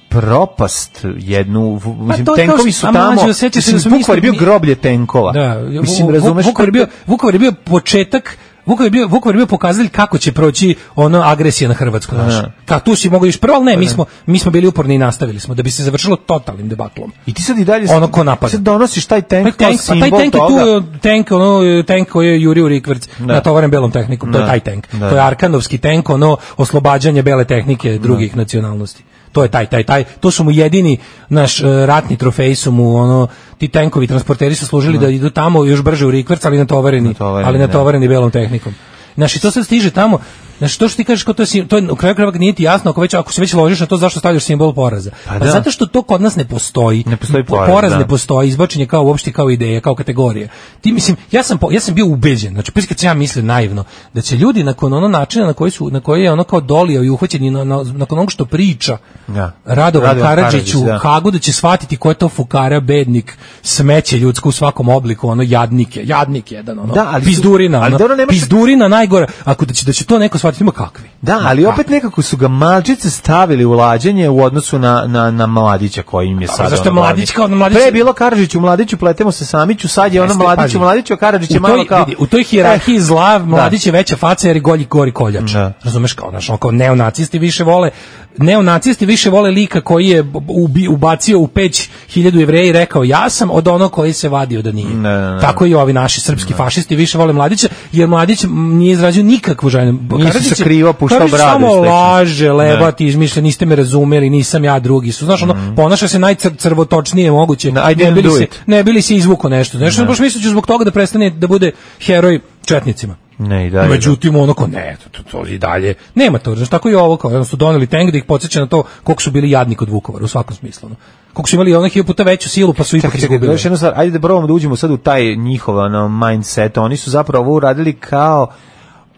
propast jednu, mislim, tenkovi su tamo, mislim, Vukovar je bio groblje tenkova. Da, mislim, razumeš? Vukovar je bio, Vukovar je bio početak Vukovar je bio, Vukovar je bio pokazatelj kako će proći ono agresija na Hrvatsku našu. Ka tu si mogao iš prvo, ali ne, mi smo mi smo bili uporni i nastavili smo da bi se završilo totalnim debaklom. I ti sad i dalje ono ko napada. Sad donosiš taj tank, pa, tank, kao pa taj tank toga. je tu tank, ono tank koji je Juriju Rikverc natovaren belom tehnikom, to je taj tank. Da. To je Arkanovski tank, ono oslobađanje bele tehnike drugih da. nacionalnosti. To je taj, taj, taj, to su mu jedini naš uh, ratni trofej su mu ono, ti tenkovi transporteri su služili no. da idu tamo još brže u Rikverc, ali natovareni, natovareni ali natovareni ne. belom tehnikom. Znači, to sad stiže tamo, znači, to što ti kažeš, kao to je, to je u kraju krajeva nije ti jasno, ako, već, ako se već ložiš na to, zašto stavljaš simbol poraza? Pa, pa zato što to kod nas ne postoji. Ne postoji poraz, poraz da. ne postoji, izbačenje kao uopšte kao ideja, kao kategorija. Ti, mislim, ja sam, ja sam bio ubeđen, znači, prvi kad sam ja mislio naivno, da će ljudi nakon ono načina na koji, su, na koji je ono kao dolio i uhvaćen, na, na, nakon onog što priča ja. Radovan Radio Karadžić u da. Hagu, da će shvatiti ko je to fukara, bednik, smeće ljudsko u svakom obliku, ono jadnike, jadnik jedan, ono, da, ali pizdurina, ali ono, pizdurina najgora, ako da će, da će to neko shvatiti, shvatiti ima kakvi. Da, ali opet nekako su ga malčice stavili u lađenje u odnosu na, na, na Mladića koji im je sad. Zašto je Mladić kao Mladić? Pre je bilo Karadžiću, Mladiću, pletemo se Samiću, sad je ono Mladiću, Mladiću, a Karadžić je malo kao... Vidi, u toj hijerarhiji eh, zla Mladić je veća faca jer je golji gori koljač. Da. Razumeš kao, znaš, kao neonacisti više vole, neonacisti više vole lika koji je ubi, ubacio u peć hiljadu Jevreja i rekao ja sam od onog koji se vadio da nije. Ne, ne, ne. Tako i ovi naši srpski ne. fašisti više vole Mladića jer Mladić nije izrazio nikakvu želju. Nisu se krivo puštao bradu. Laže, lebati, izmišlja, niste me razumeli, nisam ja drugi. Su, znaš, ono, mm. ponaša se najcrvotočnije moguće. No, ne, bili se, ne bili se izvuko nešto. Znaš, no. baš misliću zbog toga da prestane da bude heroj četnicima. Ne, i dalje. Međutim, ono ko, ne, to, to, to i dalje. Nema to, znaš, tako i ovo, kao, su doneli tank da ih podsjeća na to koliko su bili jadni kod Vukovara, u svakom smislu. Ono. Koliko su imali onih hiljadu puta veću silu, pa su ipak izgubili. Još jednu stvar, ajde da probamo da uđemo sad u taj njihov ono, mindset. Oni su zapravo ovo uradili kao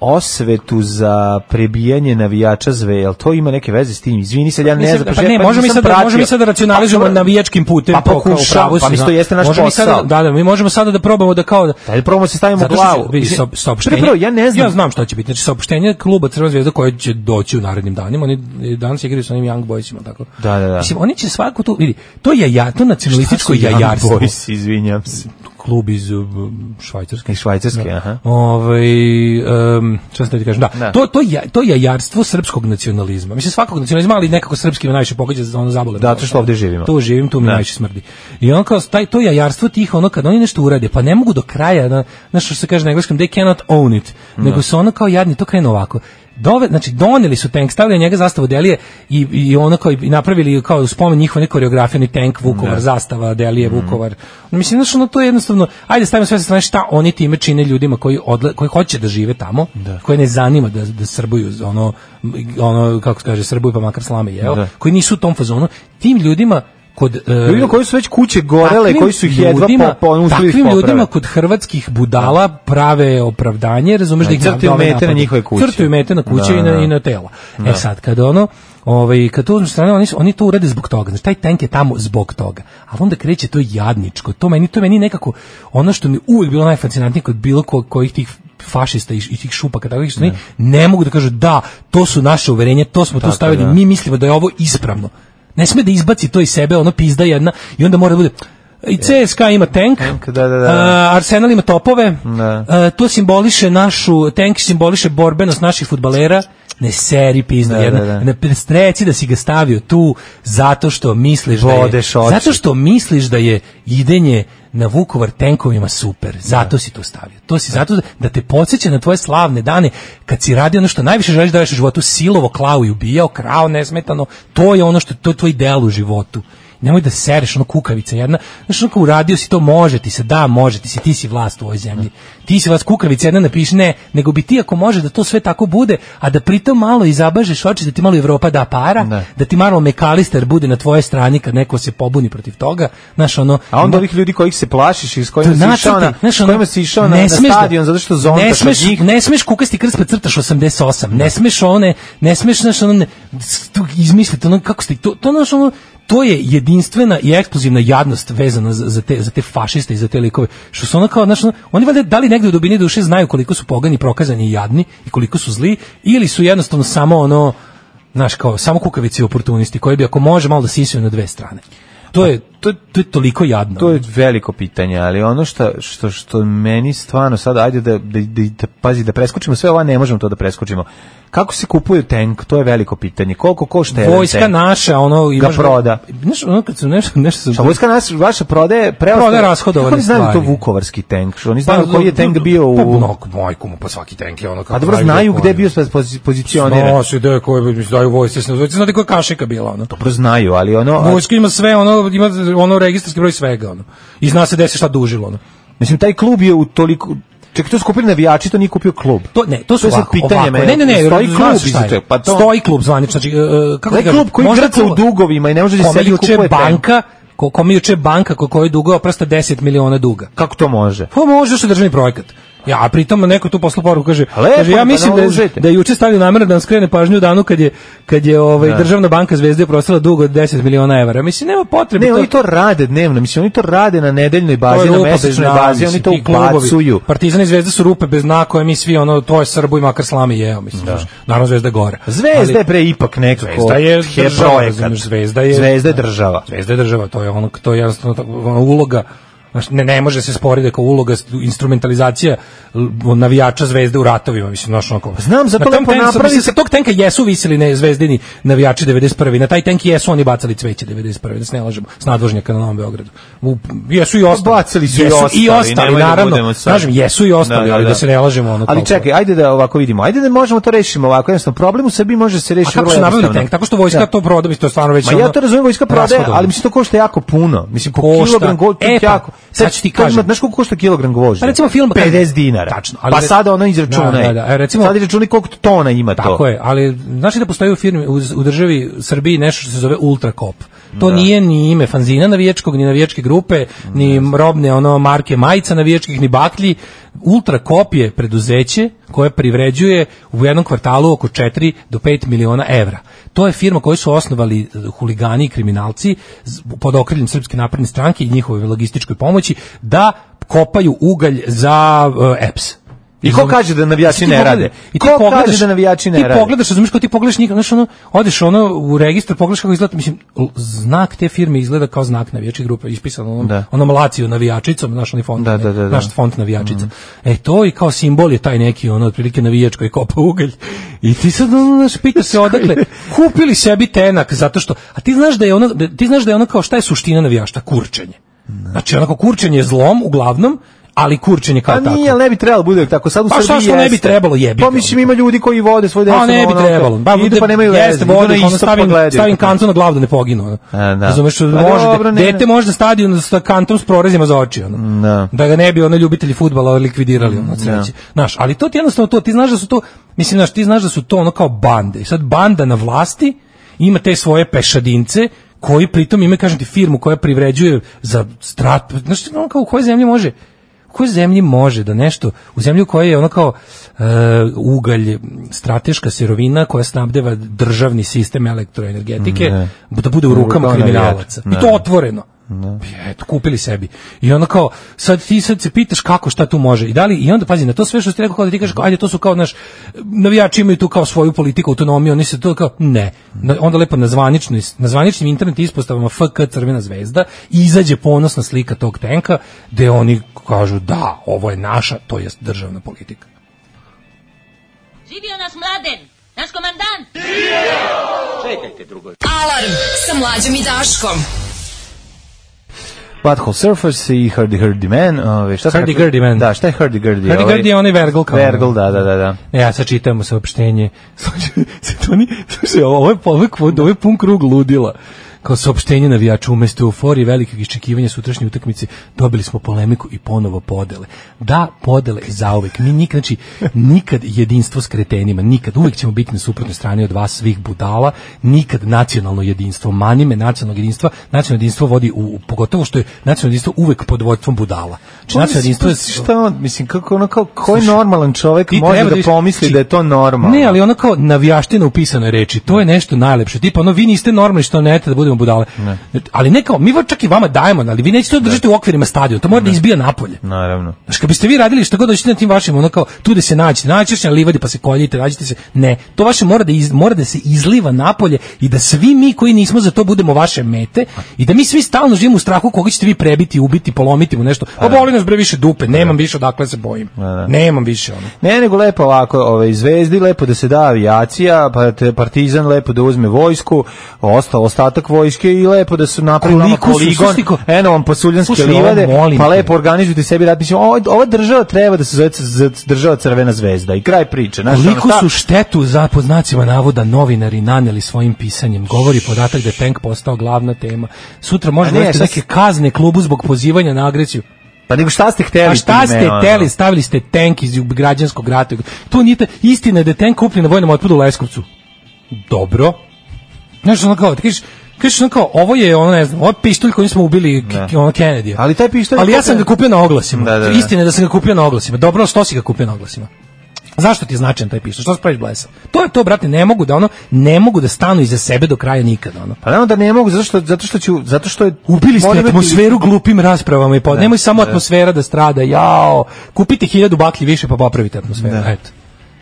osvetu za prebijanje navijača Zve, jel to ima neke veze s tim? Izvini se, ja ne znam. Pa ne, pa možemo mi sad, pratio. možemo mi sad da racionalizujemo pa, navijačkim putem. Pa pokušamo, pa mi to jeste naš posao. Sada, da, da, mi možemo sada da probamo da kao... Da li probamo se stavimo u glavu? Vidi, saopštenje, ja ne znam. Ja znam šta će biti. Znači, saopštenje kluba Crvena zvezda koje će doći u narednim danima. Oni danas igraju sa onim Young Boysima, tako. Da, da, da. Mislim, oni će svako tu, vidi, to je ja, to nacionalističko jajarstvo. Young Boys, izvinjam se. Klub iz Švajcarske. Iz Švajcarske, aha. Ovaj, um, šta sam da ti kažem, da. Da. To, to, je, to je jajarstvo srpskog nacionalizma. Mislim, svakog nacionalizma, ali nekako srpski me najviše pogađa za ono zabole. Da, to što ovdje živimo. Tu živim, tu mi da. najviše smrdi. I ono kao, taj, to jajarstvo tih, ono, kad oni nešto urade, pa ne mogu do kraja, na, znaš što se kaže na engleskom, they cannot own it, da. nego su ono kao jadni, to krenu ovako. Dove, znači doneli su tank, stavili njega zastavu Delije i, i ono kao i napravili kao spomen njihove koreografije, tank Vukovar, ne. zastava Delije mm. Vukovar. Mislim znači ono to je jednostavno, ajde stavimo sve sa strane šta oni time čine ljudima koji odle, koji hoće da žive tamo, da. koje ne zanima da da srbuju ono ono kako se kaže srbuju pa makar slame jeo, da. koji nisu u tom fazonu, tim ljudima kod ljudima koji su već kuće gorele, koji su ih jedva po po takvim ljudima kod hrvatskih budala prave opravdanje, razumeš da ih crtaju mete na njihove kuće. Crtaju mete na kuće da, i na i na tela. Da. E sad kad ono ovaj kad to uzmeš strane oni oni to urade zbog toga. Znači taj tank je tamo zbog toga. A onda kreće to jadničko. To meni to meni nekako ono što mi uvijek bilo najfascinantnije kod bilo ko, kojih tih fašista i, i tih šupaka takvih što ne. ne mogu da kažu da to su naše uverenje, to smo tu stavili, da. mi mislimo da je ovo ispravno. Ne sme da izbaci to iz sebe, ono pizda jedna i onda mora da bude i C S K A ima tank, tank da, da, da. Uh, Arsenal ima topove, da. Uh, to simboliše našu, tank simboliše borbenost naših fudbalera, ne seri pizda da, jedna, da, da. ne streci da si ga stavio tu zato što misliš Vodeš da je, zato što misliš da je idenje na Vukovar tenkovima super, zato da. si to stavio. To si da. zato da, da te podsjeća na tvoje slavne dane kad si radio ono što najviše želiš da radiš u životu, silovo, klao i ubijao, krao nesmetano, to je ono što to je tvoj ideal u životu. Nemoj da sereš ono kukavica jedna, znaš ono kao uradio si to, može ti se, da može ti se, ti si vlast u ovoj zemlji, ti si vlast, kukavica jedna napiši, ne, nego bi ti ako može da to sve tako bude, a da pritom malo i zabažeš oči, da ti malo Evropa da para, ne. da ti malo McAllister bude na tvojoj strani kad neko se pobuni protiv toga, znaš ono... A onda ovih ljudi kojih se plašiš i s kojima si išao na, znaš, ono, kojima si išao na, na stadion, zato što zontaš ne smeš, od njih... Ne smeš kukasti krst pa crtaš osamdeset osam, ne smeš one, ne smeš, znaš ono, ne, izmisliti ono, kako ste, to, to znaš ono, to je jedinstvena i eksplozivna jadnost vezana za, za, te, za te fašiste i za te likove. Što su ono kao, znači, oni valjda da li negde u dubini duše znaju koliko su pogani, prokazani i jadni i koliko su zli, ili su jednostavno samo ono, znaš, kao, samo kukavici i oportunisti koji bi ako može malo da sisuju na dve strane. To je, to, to je toliko jadno. To je veliko pitanje, ali ono što, što, što meni stvarno sad, ajde da, da, da, da pazi, da preskočimo sve ova, ne možemo to da preskočimo. Kako se kupuje tank, to je veliko pitanje. Koliko košta jedan vojska tank? Naša, ono ga proda. Znaš, ono kad su nešto nešto Šta vojska naša, vaša prodaje preostale rashodovane. Oni znaju to vukovarski tank. Što oni znaju pa, koji je tank bio u mnogo majku mu pa svaki tank je ono kako. A dobro znaju gde je bio pozicioniran. Znaju se da koji bi daju vojske, znate koja kašika bila ono. Dobro znaju, ali ono vojska ima sve, ono ima ono registarski broj svega ono. I zna se da se šta dužilo ono. Mislim taj klub je u toliko čekaj, to su kupili navijači, to nije kupio klub. To ne, to su to ovako, pitanje ovako. Ne, ne, ne, stoji klub iza toga. Pa to stoji klub zvanično, znači uh, kako da klub koji grca u dugovima i ne može da se kupuje banka, ko kome juče banka ko koji dugova prosto deset miliona duga. Kako to može? Pa može što državni projekat. Ja, a pritom neko tu posla poruku kaže, Lepo, kaže ja pa mislim da je, nalužite. da je juče stavio namera da nam skrene pažnju u danu kad je kad je ovaj Da. Državna banka Zvezde oprostila dug od deset miliona evra. Mislim nema potrebe. Ne, to- oni to rade dnevno, mislim, oni to rade na nedeljnoj To bazi, je na rupa bez mesečnoj dna, bazi, mislim, oni to ti klubovi. ubacuju. Partizan i Zvezda su rupe bez dna koje mi svi ono to je Srbu i makar slame jeo, mislim. znaš. Naravno Zvezda je gore. Zvezda Ali- je pre ipak nekako Zvezda je he- država, projekat. razumeš, Zvezda je Zvezda je država. Zvezda je država, to je ono to je jednostavno tako, ono, uloga. Znaš, ne, ne može se sporiti kao uloga instrumentalizacija l- navijača Zvezde u ratovima, mislim, znaš, onako. Znam, zato Na tom lepo tenku- napravi mislim, se- sa tog tenka jesu visili ne zvezdini navijači devedeset prve. Na taj tenk jesu oni bacali cveće devedeset prve, da se ne lažemo, s nadvožnjaka na Novom Beogradu. U, jesu i ostali. Bacali su i jesu ostali, i ostali, nemoj da naravno. budemo sad- Kažem, jesu i ostali, Da, da, ali da da. se ne lažemo ono. Ali kao- čekaj, ajde da ovako vidimo. Ajde da možemo to rešimo ovako, jednostavno problem u Srbiji može se A rešiti kako vrlo su nabavili jednostavno. tenk? Tako što vojska Da. to proda, mislim, to je stvarno već Ma ja ono to razumijem, vojska prodaje, rashodovno. ali mislim to košta jako puno. Mislim po Košta. kilogram go, to je E, pa, jako. sad ću ti to ima- kažem. Znaš koliko košta kilogram gvožđa? Pa recimo film pedeset dinara. Tačno, ali Pa re- sada ono izračunaj. Da, da, da. E, recimo- sad izračunaj koliko tona ima to. Tako je, ali znaš li da postoji u firmi u, u državi Srbiji nešto što se zove Ultrakop. To nije ni ime fanzina navijačkog, ni navijačke grupe, ni robne ono marke majica navijačkih, ni baklji. Ultrakop je preduzeće koje privređuje u jednom kvartalu oko četiri do pet miliona evra. To je firma koju su osnovali eh, huligani i kriminalci z- pod okriljem Srpske napredne stranke i njihove logističkoj pomoći da kopaju ugalj za eh, E P S. I ko kaže da navijači Ti ne pogledaj- rade? I ti Ko pogledaš, kaže da navijači ne ti rade? pogledaš, razumiješ, kao ti pogledaš njih, znaš, ono, odeš ono u registar, pogledaš kako izgleda, mislim, l- znak te firme izgleda kao znak navijačke grupe, ispisano onom, Da. onom laciju navijačicom, znaš, onaj font, Da, da, da, da. naš font navijačica. E, to i kao simbol je taj neki, ono, otprilike navijač koji kopa ugalj. I ti sad, ono, znaš, pitaš se odakle, kupili sebi tenak, zato što, a ti znaš da je ono, da, ti znaš da je ono kao, šta je suština navijašta? Kurčenje. Znači, onako, kurčenje je zlom, uglavnom, ali kurčenje kao Pa tako. nije, ali ne bi trebalo bude tako. Sad u Pa Srbiji šta što ne bi jeste. trebalo, jebi Pa ga. mislim ima ljudi koji vode svoj decu. A ne bi ono, trebalo. Ba, idu pa nemaju veze. jeste, idu vode, na ono istok pa stavim, gledaju. stavim kantu na glavu da ne poginu. Ono. A, da. Razumeš, Pa može, dobro, ne, dete ne. može da stadion sa kantom s prorezima za oči. Ono. Da. Da ga ne bi ono ljubitelji fudbala likvidirali. Ono, od sreće. Znaš, ali to ti jednostavno to, ti znaš da su to, mislim, znaš, ti znaš da su to ono kao bande. I sad banda na vlasti ima te svoje pešadince koji pritom ima, kažem ti, firmu koja privređuje za strat, znaš, ono kao u kojoj zemlji može u kojoj zemlji može da nešto, u zemlji u kojoj je ono kao e, ugalj, strateška sirovina koja snabdeva državni sistem elektroenergetike, Ne. da bude u U rukama rukama kriminalaca. navijača. I to Ne. otvoreno. Eto, kupili sebi. I onda kao, sad ti sad se pitaš kako, šta tu može. I da li, i onda, pazi, na to sve što ti rekao, kao da ti kažeš, kao, ajde, to su kao, naš, navijači imaju tu kao svoju politiku, autonomiju, oni se to kao, ne. Na- onda lepo na zvaničnoj, na zvaničnim internet ispostavama F K Crvena zvezda izađe ponosna slika tog tenka, gde oni kažu, da, ovo je naša, to jest državna politika. Živio naš Mladen, naš komandant. Alarm sa Mlađom i Daškom. Butthole Surfers i Hardy Hardy Man. Ove, šta sam Hardy rekao? Gurdy Man. Da, šta je Hardy Gurdy? Hardy Ovaj- Gurdy je onaj Vergl kao. Vergl, da, da, da. da. Ne, ja sad čitamo saopštenje. Slušaj, sad oni, slušaj, ovo je, ovo je, ovo je pun krug ludila. Kao saopštenje navijača umesto euforije velikog iščekivanja sutrašnje utakmice dobili smo polemiku i ponovo podele. Da, podele zauvek. Mi nikad, znači, nikad jedinstvo s kretenima, nikad. Uvek ćemo biti na suprotnoj strani od vas svih budala, nikad nacionalno jedinstvo. Manime nacionalnog jedinstva, nacionalno jedinstvo vodi u, pogotovo što je nacionalno jedinstvo uvek pod vodstvom budala. Znači, nacionalno jedinstvo je... Šta on, mislim, kako ono kao, koji Slušaj, normalan čovjek ti može treba da viš- pomisli znači, da je to normalno? Ne, ali ono kao navijaština u pisanoj reči, to je nešto najlepše. Tipa, ono, vi niste normalni što ne da budemo budale. Ali ne kao, mi va- čak i vama dajemo, ali vi nećete to držati u okvirima stadiona, to mora da izbija napolje. Naravno. Znaš, kad biste vi radili šta god dođete na tim vašim, ono kao, tu da se nađete, naćeš na livadi pa se koljite, nađete se, ne, to vaše mora da, iz, mora da se izliva napolje i da svi mi koji nismo za to budemo vaše mete i da mi svi stalno živimo u strahu koga ćete vi prebiti, ubiti, polomiti mu nešto. Pa boli nas bre više dupe, nemam više odakle se bojim. da. Nemam više ono. Ne, nego lepo ovako, ovaj, Zvezdi lepo da se da avijacija, pa te Partizan lepo da uzme vojsku, ostao ostatak vojske i lepo da su napravili nama Koliko su, poligon, slušaj, ko- eno vam pasuljanske Slušaj, ovo livade, molim pa te. lepo organizujte sebi rat. Mislim, ovo- ova država treba da se zove c- država Crvena zvezda i kraj priče. Znaš, Koliko ono, šta- su štetu za pod znacima navoda novinari naneli svojim pisanjem, govori podatak da je tank postao glavna tema. Sutra može A ne, doći šta neke si- kazne klubu zbog pozivanja na agresiju. Pa nego šta ste hteli? A šta time, ste ono? teli, stavili ste tank iz građanskog rata. To nije ta, istina je da je tank kupljen na vojnom otpadu u Leskovcu. Dobro. Znaš, ono kao, ti kažeš, kažeš ono kao, ovo je, ono, ne znam, ovo je pištolj koji smo ubili k- ono Kennedy. Ali taj pištolj... Ali ja sam ga kupio na oglasima. Da, da, da. Istina je da sam ga kupio na oglasima. Dobro, što si ga kupio na oglasima? Zašto ti je značajan taj pištolj? Što se praviš blesa? To je to, brate, ne mogu da ono, ne mogu da stanu iza sebe do kraja nikada, ono. Pa naravno da ne mogu, zato što, zato što ću, zato što je... Ubili ste Moram atmosferu imati- glupim raspravama i pod. Da, Nemoj samo da. atmosfera da strada, jao. Kupite hiljadu baklji više pa popravite atmosferu, Da. eto.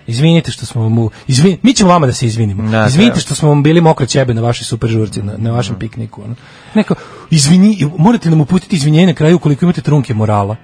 Izvinite što smo vam u... Izvin, mi ćemo vama da se izvinimo. Da, Izvinite treba. što smo vam bili mokre ćebe na vašoj super žurci, na, na vašem pikniku. Ono. Neko, izvini, morate nam uputiti izvinjenje na kraju ukoliko imate trunke morala.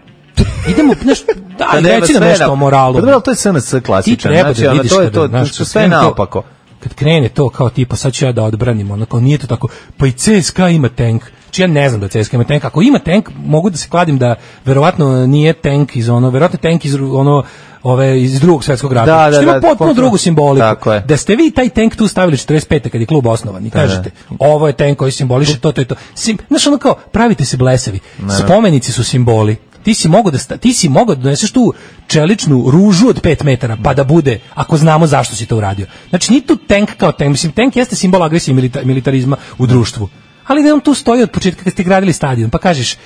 Idemo, nešto, da, Pa nema reci nam sve nešto na- o moralu. Pa dobro, ali to je S N S Ti klasičan. treba Znači, da ono, vidiš to je kada, to, znaš, to kad sve krene to- naopako. Kad krene to kao tipa sad ću ja da odbranim, ono kao nije to tako, pa i C S K A ima tank. Či ja ne znam da C S K A ima tank. Ako ima tank, mogu da se kladim da verovatno nije tank iz ono, verovatno tank iz ono ove iz drugog svetskog rata. Da, da, Što ima da, potpuno potpuno. drugu simboliku. Tako je. Da ste vi taj tank tu stavili četrdeset pete kad je klub osnovan i kažete, ovo je tank koji simboliše to, to i to. Sim, znaš ono kao, pravite se blesavi. Spomenici su simboli. Ti si mogao da sta, ti si mogao da doneseš tu čeličnu ružu od pet metara pa da bude, ako znamo zašto si to uradio. Znači ni tu tank kao tank, mislim tank jeste simbol agresije i milita, militarizma u društvu. Ali da on tu stoji od početka kad ste gradili stadion, pa kažeš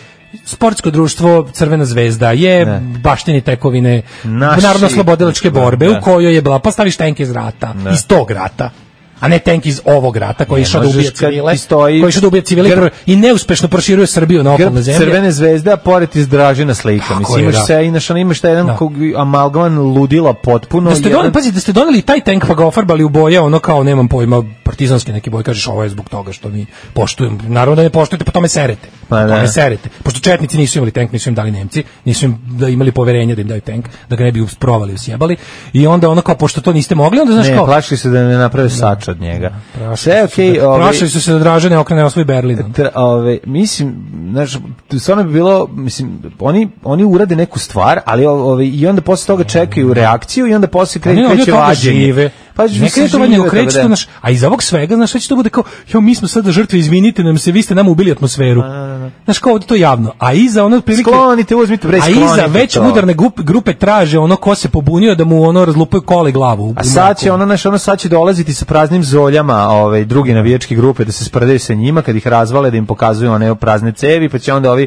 sportsko društvo Crvena zvezda je Ne. baštini tekovine Naši- narodno-slobodilačke borbe Da. u kojoj je bila, pa staviš tank iz rata, Da. iz tog rata, a ne tank iz ovog rata koji je išao da možeš ubije kad civile, ti stoji koji je išao da ubije civile grb- i neuspešno proširuje Srbiju na Grb okolne zemlje. Crvene zvezde, a pored iz Dražina slika. Tako Mislim, je, imaš da. sve, inaš, ono, imaš taj jedan Da. kog- amalgaman ludila potpuno. Da ste jedan- doneli, pazi, da ste doneli taj tank pa ga ofarbali u boje, ono kao, nemam pojma, partizanski neki boj, kažeš ovo je zbog toga što mi poštujem. Naravno da ne poštujete, pa tome serete. Pa Pa da. tome serete. Pošto četnici nisu imali tank, nisu im dali Nemci, nisu im da imali poverenje da im daju tank, da ga ne bi usprovali, usjebali. I onda ono kao, pošto to niste mogli, onda znaš Ne, kao... plašili se da ne naprave sač od njega. Sve Prašili okej, su da- ovaj, prašili su se da Dražane okrene osvoj Berlin. Tra, ove, mislim, znaš, stvarno bi bilo, mislim, oni, oni urade neku stvar, ali ove, i onda posle toga čekaju reakciju i onda posle Oni kreće, oni od kreće toga vađenje. žive. Pa Ne mislim, kreće to vađenje, žive, kreće tako to, da. znaš, a iz ovog svega, znaš, sve će to bude kao, jo, mi smo sada žrtve, izvinite nam se, vi ste nam ubili atmosferu. Znaš, kao ovdje to javno. A iza ono prilike... Sklonite, uzmite, bre, A sklonite iza već to. udarne grupe, grupe traže ono ko se pobunio da mu ono razlupaju kole glavu. u- A u sad će mraku. ono, znaš, ono sad će dolaziti sa praznim zoljama, ovaj, druge navijačke grupe da se sprdaju sa njima, kad ih razvale, da im pokazuju one prazne cevi, pa će onda ovi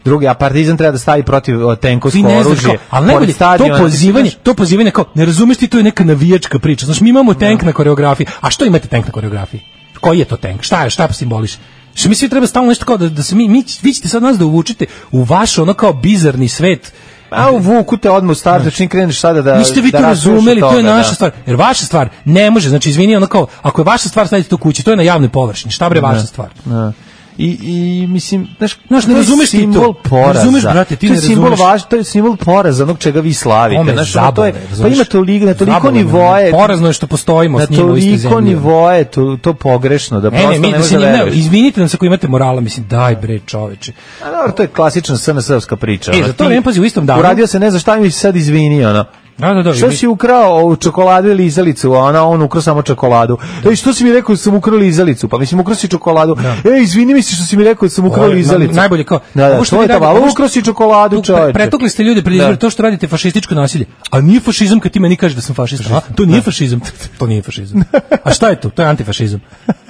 drugi, a Partizan treba da stavi protiv o, tenkovsko Ti ne znaš oružje. kao, ali najbolje, pored stadiona, to ti pozivanje, znaš- to pozivanje kao, ne razumeš ti, to je neka navijačka priča. Znaš, mi imamo tank na koreografiji. A što imate tank na koreografiji? Koji je to tank? Šta je, šta simboliše? Što mi svi treba stalno nešto kao da, da se mi, mi, vi ćete sad nas da uvučite u vaš ono kao bizarni svet. A uvuku te odmah u startu, čim kreneš sada da... Niste vi da to razumeš razumeli, od to je toga, naša da. stvar. Jer vaša stvar ne može, znači izvini, ono kao, ako je vaša stvar stavite to kući, to je na javnoj površini. Šta bre vaša stvar? Da. I, i mislim, znaš, Znaš, ne to je razumeš ti to. simbol Ne poraza. razumeš, brate, ti to je ne simbol razumeš. važ, to je simbol poraza, onog čega vi slavite. Ome Znaš, ono, to je, zabave, pa razumeš? ima toliko, na toliko Zabave, nivoje, Porazno je što postojimo na s njima u istoj toliko zemlji. nivoje, to, to pogrešno, da Ne, prosto ne, mi ne da možeš se da njim, ne, veruješ. izvinite nam se ako imate morala, mislim, daj bre čoveče. A dobro, to je klasična S N S-ovska priča. E, ono, za to ti vreme, pazi, u istom danu- Uradio se ne za šta mi se sad izvini, ono. Da, da, da. Što mi- si ukrao ovu čokoladu ili izalicu, a ona on ukrao samo čokoladu. Ej, što si mi rekao da sam ukrao izalicu? Pa mislim ukrao si čokoladu. Ej, izvini mi se što si mi rekao da sam ukrao Ovo je izalicu. na- najbolje kao, Da, da, ovo što to vi je to, radite, ali ovo što- ukrao si čokoladu, Tu pre- čoveče. Pretukli ste ljude pred izbore, Da. to što radite fašističko nasilje. A nije fašizam kad ti meni kažeš da sam fašista. A, to nije fašizam. To nije fašizam. A šta je to? To je antifašizam.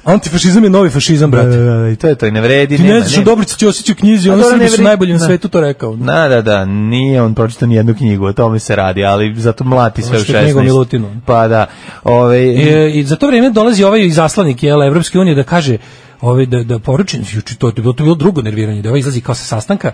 Antifašizam je novi fašizam, Da, brate. da, da, i to je to, i ne vredi, Ti nema, ne znaš o nema. Dobrici Ćosiću u knjizi, A oni dobro, ne Srbi su vredi. najbolji na Da. svetu to rekao. Da, da, da, nije on pročitao ni jednu knjigu, o tome se radi, ali zato mlati sve u što je knjiga o šesnaest. Milutinu. Pa da, ove, E, I za to vrijeme dolazi ovaj izaslanik jel, Evropske unije da kaže ovaj, da, da poruči, juče to, to je bilo drugo nerviranje, da ovaj izlazi kao sa sastanka,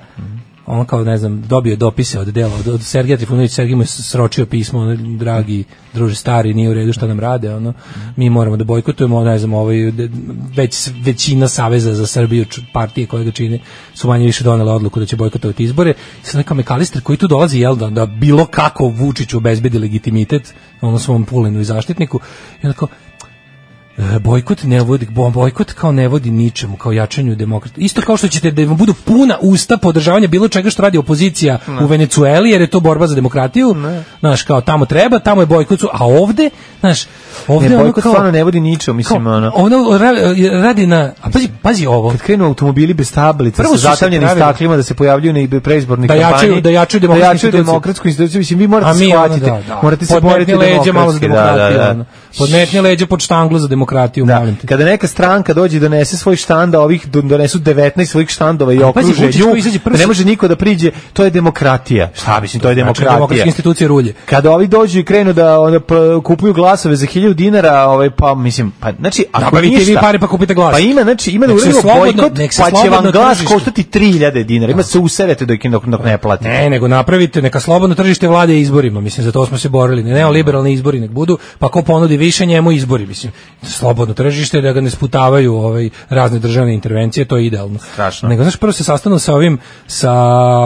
on kao, ne znam, dobio je dopise od dela, od, od Sergeja Trifunovića, Sergij mu je sročio pismo, ono, dragi druže stari, nije u redu šta nam rade, ono, mi moramo da bojkotujemo, ne znam, ovaj, de- već, većina Saveza za Srbiju, č- partije koje ga čine, su manje više donele odluku da će bojkotovati izbore, i sad neka Mekalister koji tu dolazi, jel, da, da bilo kako Vučiću obezbedi legitimitet, ono svom Pulinu i zaštitniku, i onda kao, E, bojkot ne vodi, bo- bojkot kao ne vodi ničemu, kao jačanju demokrata. Isto kao što ćete da vam budu puna usta podržavanja bilo čega što radi opozicija u Venecueli, jer je to borba za demokratiju. Znaš, kao tamo treba, tamo je bojkot, a ovde, znaš, ovde ne, ono bojkot kao, stvarno ne vodi ničemu, mislim, kao, ono. ono ra- radi na, a pazi, pazi ovo, Kad krenu automobili bez tablica, Prvo sa su se zatavljenim pravili- staklima da se pojavljuju na preizbornoj Da kampanji. jačaju- da jačaju demokratsku instituciju. demokratsku instituciju. Mislim, vi morate a mi ono, shvatiti, da, da, morate se podmetni boriti leđa malo za demokratski. Da, da, demokratiju, da. ono. podmetni leđa pod štanglu za demokratiju, Da. molim te. Kada neka stranka dođe i donese svoj štand, a ovih do- donesu devetnaest svojih štandova i A, pazi, okruže Vučić nju, koji izađe prvi- da ne može niko da priđe, to je demokratija. Šta mislim, to je Znači, demokratija. demokratske institucije rulje. Kada ovi dođu i krenu da onda p- kupuju glasove za hiljadu dinara, ovaj pa mislim, pa znači ako Nabavite ništa, vi pare pa kupite glas. Pa ima, znači ima da Nek se uradimo slobodno- bojkot, nek se pa će vam slobodno glas tržište. koštati tri hiljade dinara. Ima se userete dok dok, dok ne platite. Ne, nego napravite, neka slobodno tržište vlade izborima, mislim, za to smo se borili, ne, neoliberalni izbori nek budu, pa ko ponudi više njemu izbori, mislim, slobodno tržište, da ga ne sputavaju ovaj, razne državne intervencije, to je idealno. Strašno. Nego, znaš, prvo se sastanu sa ovim, sa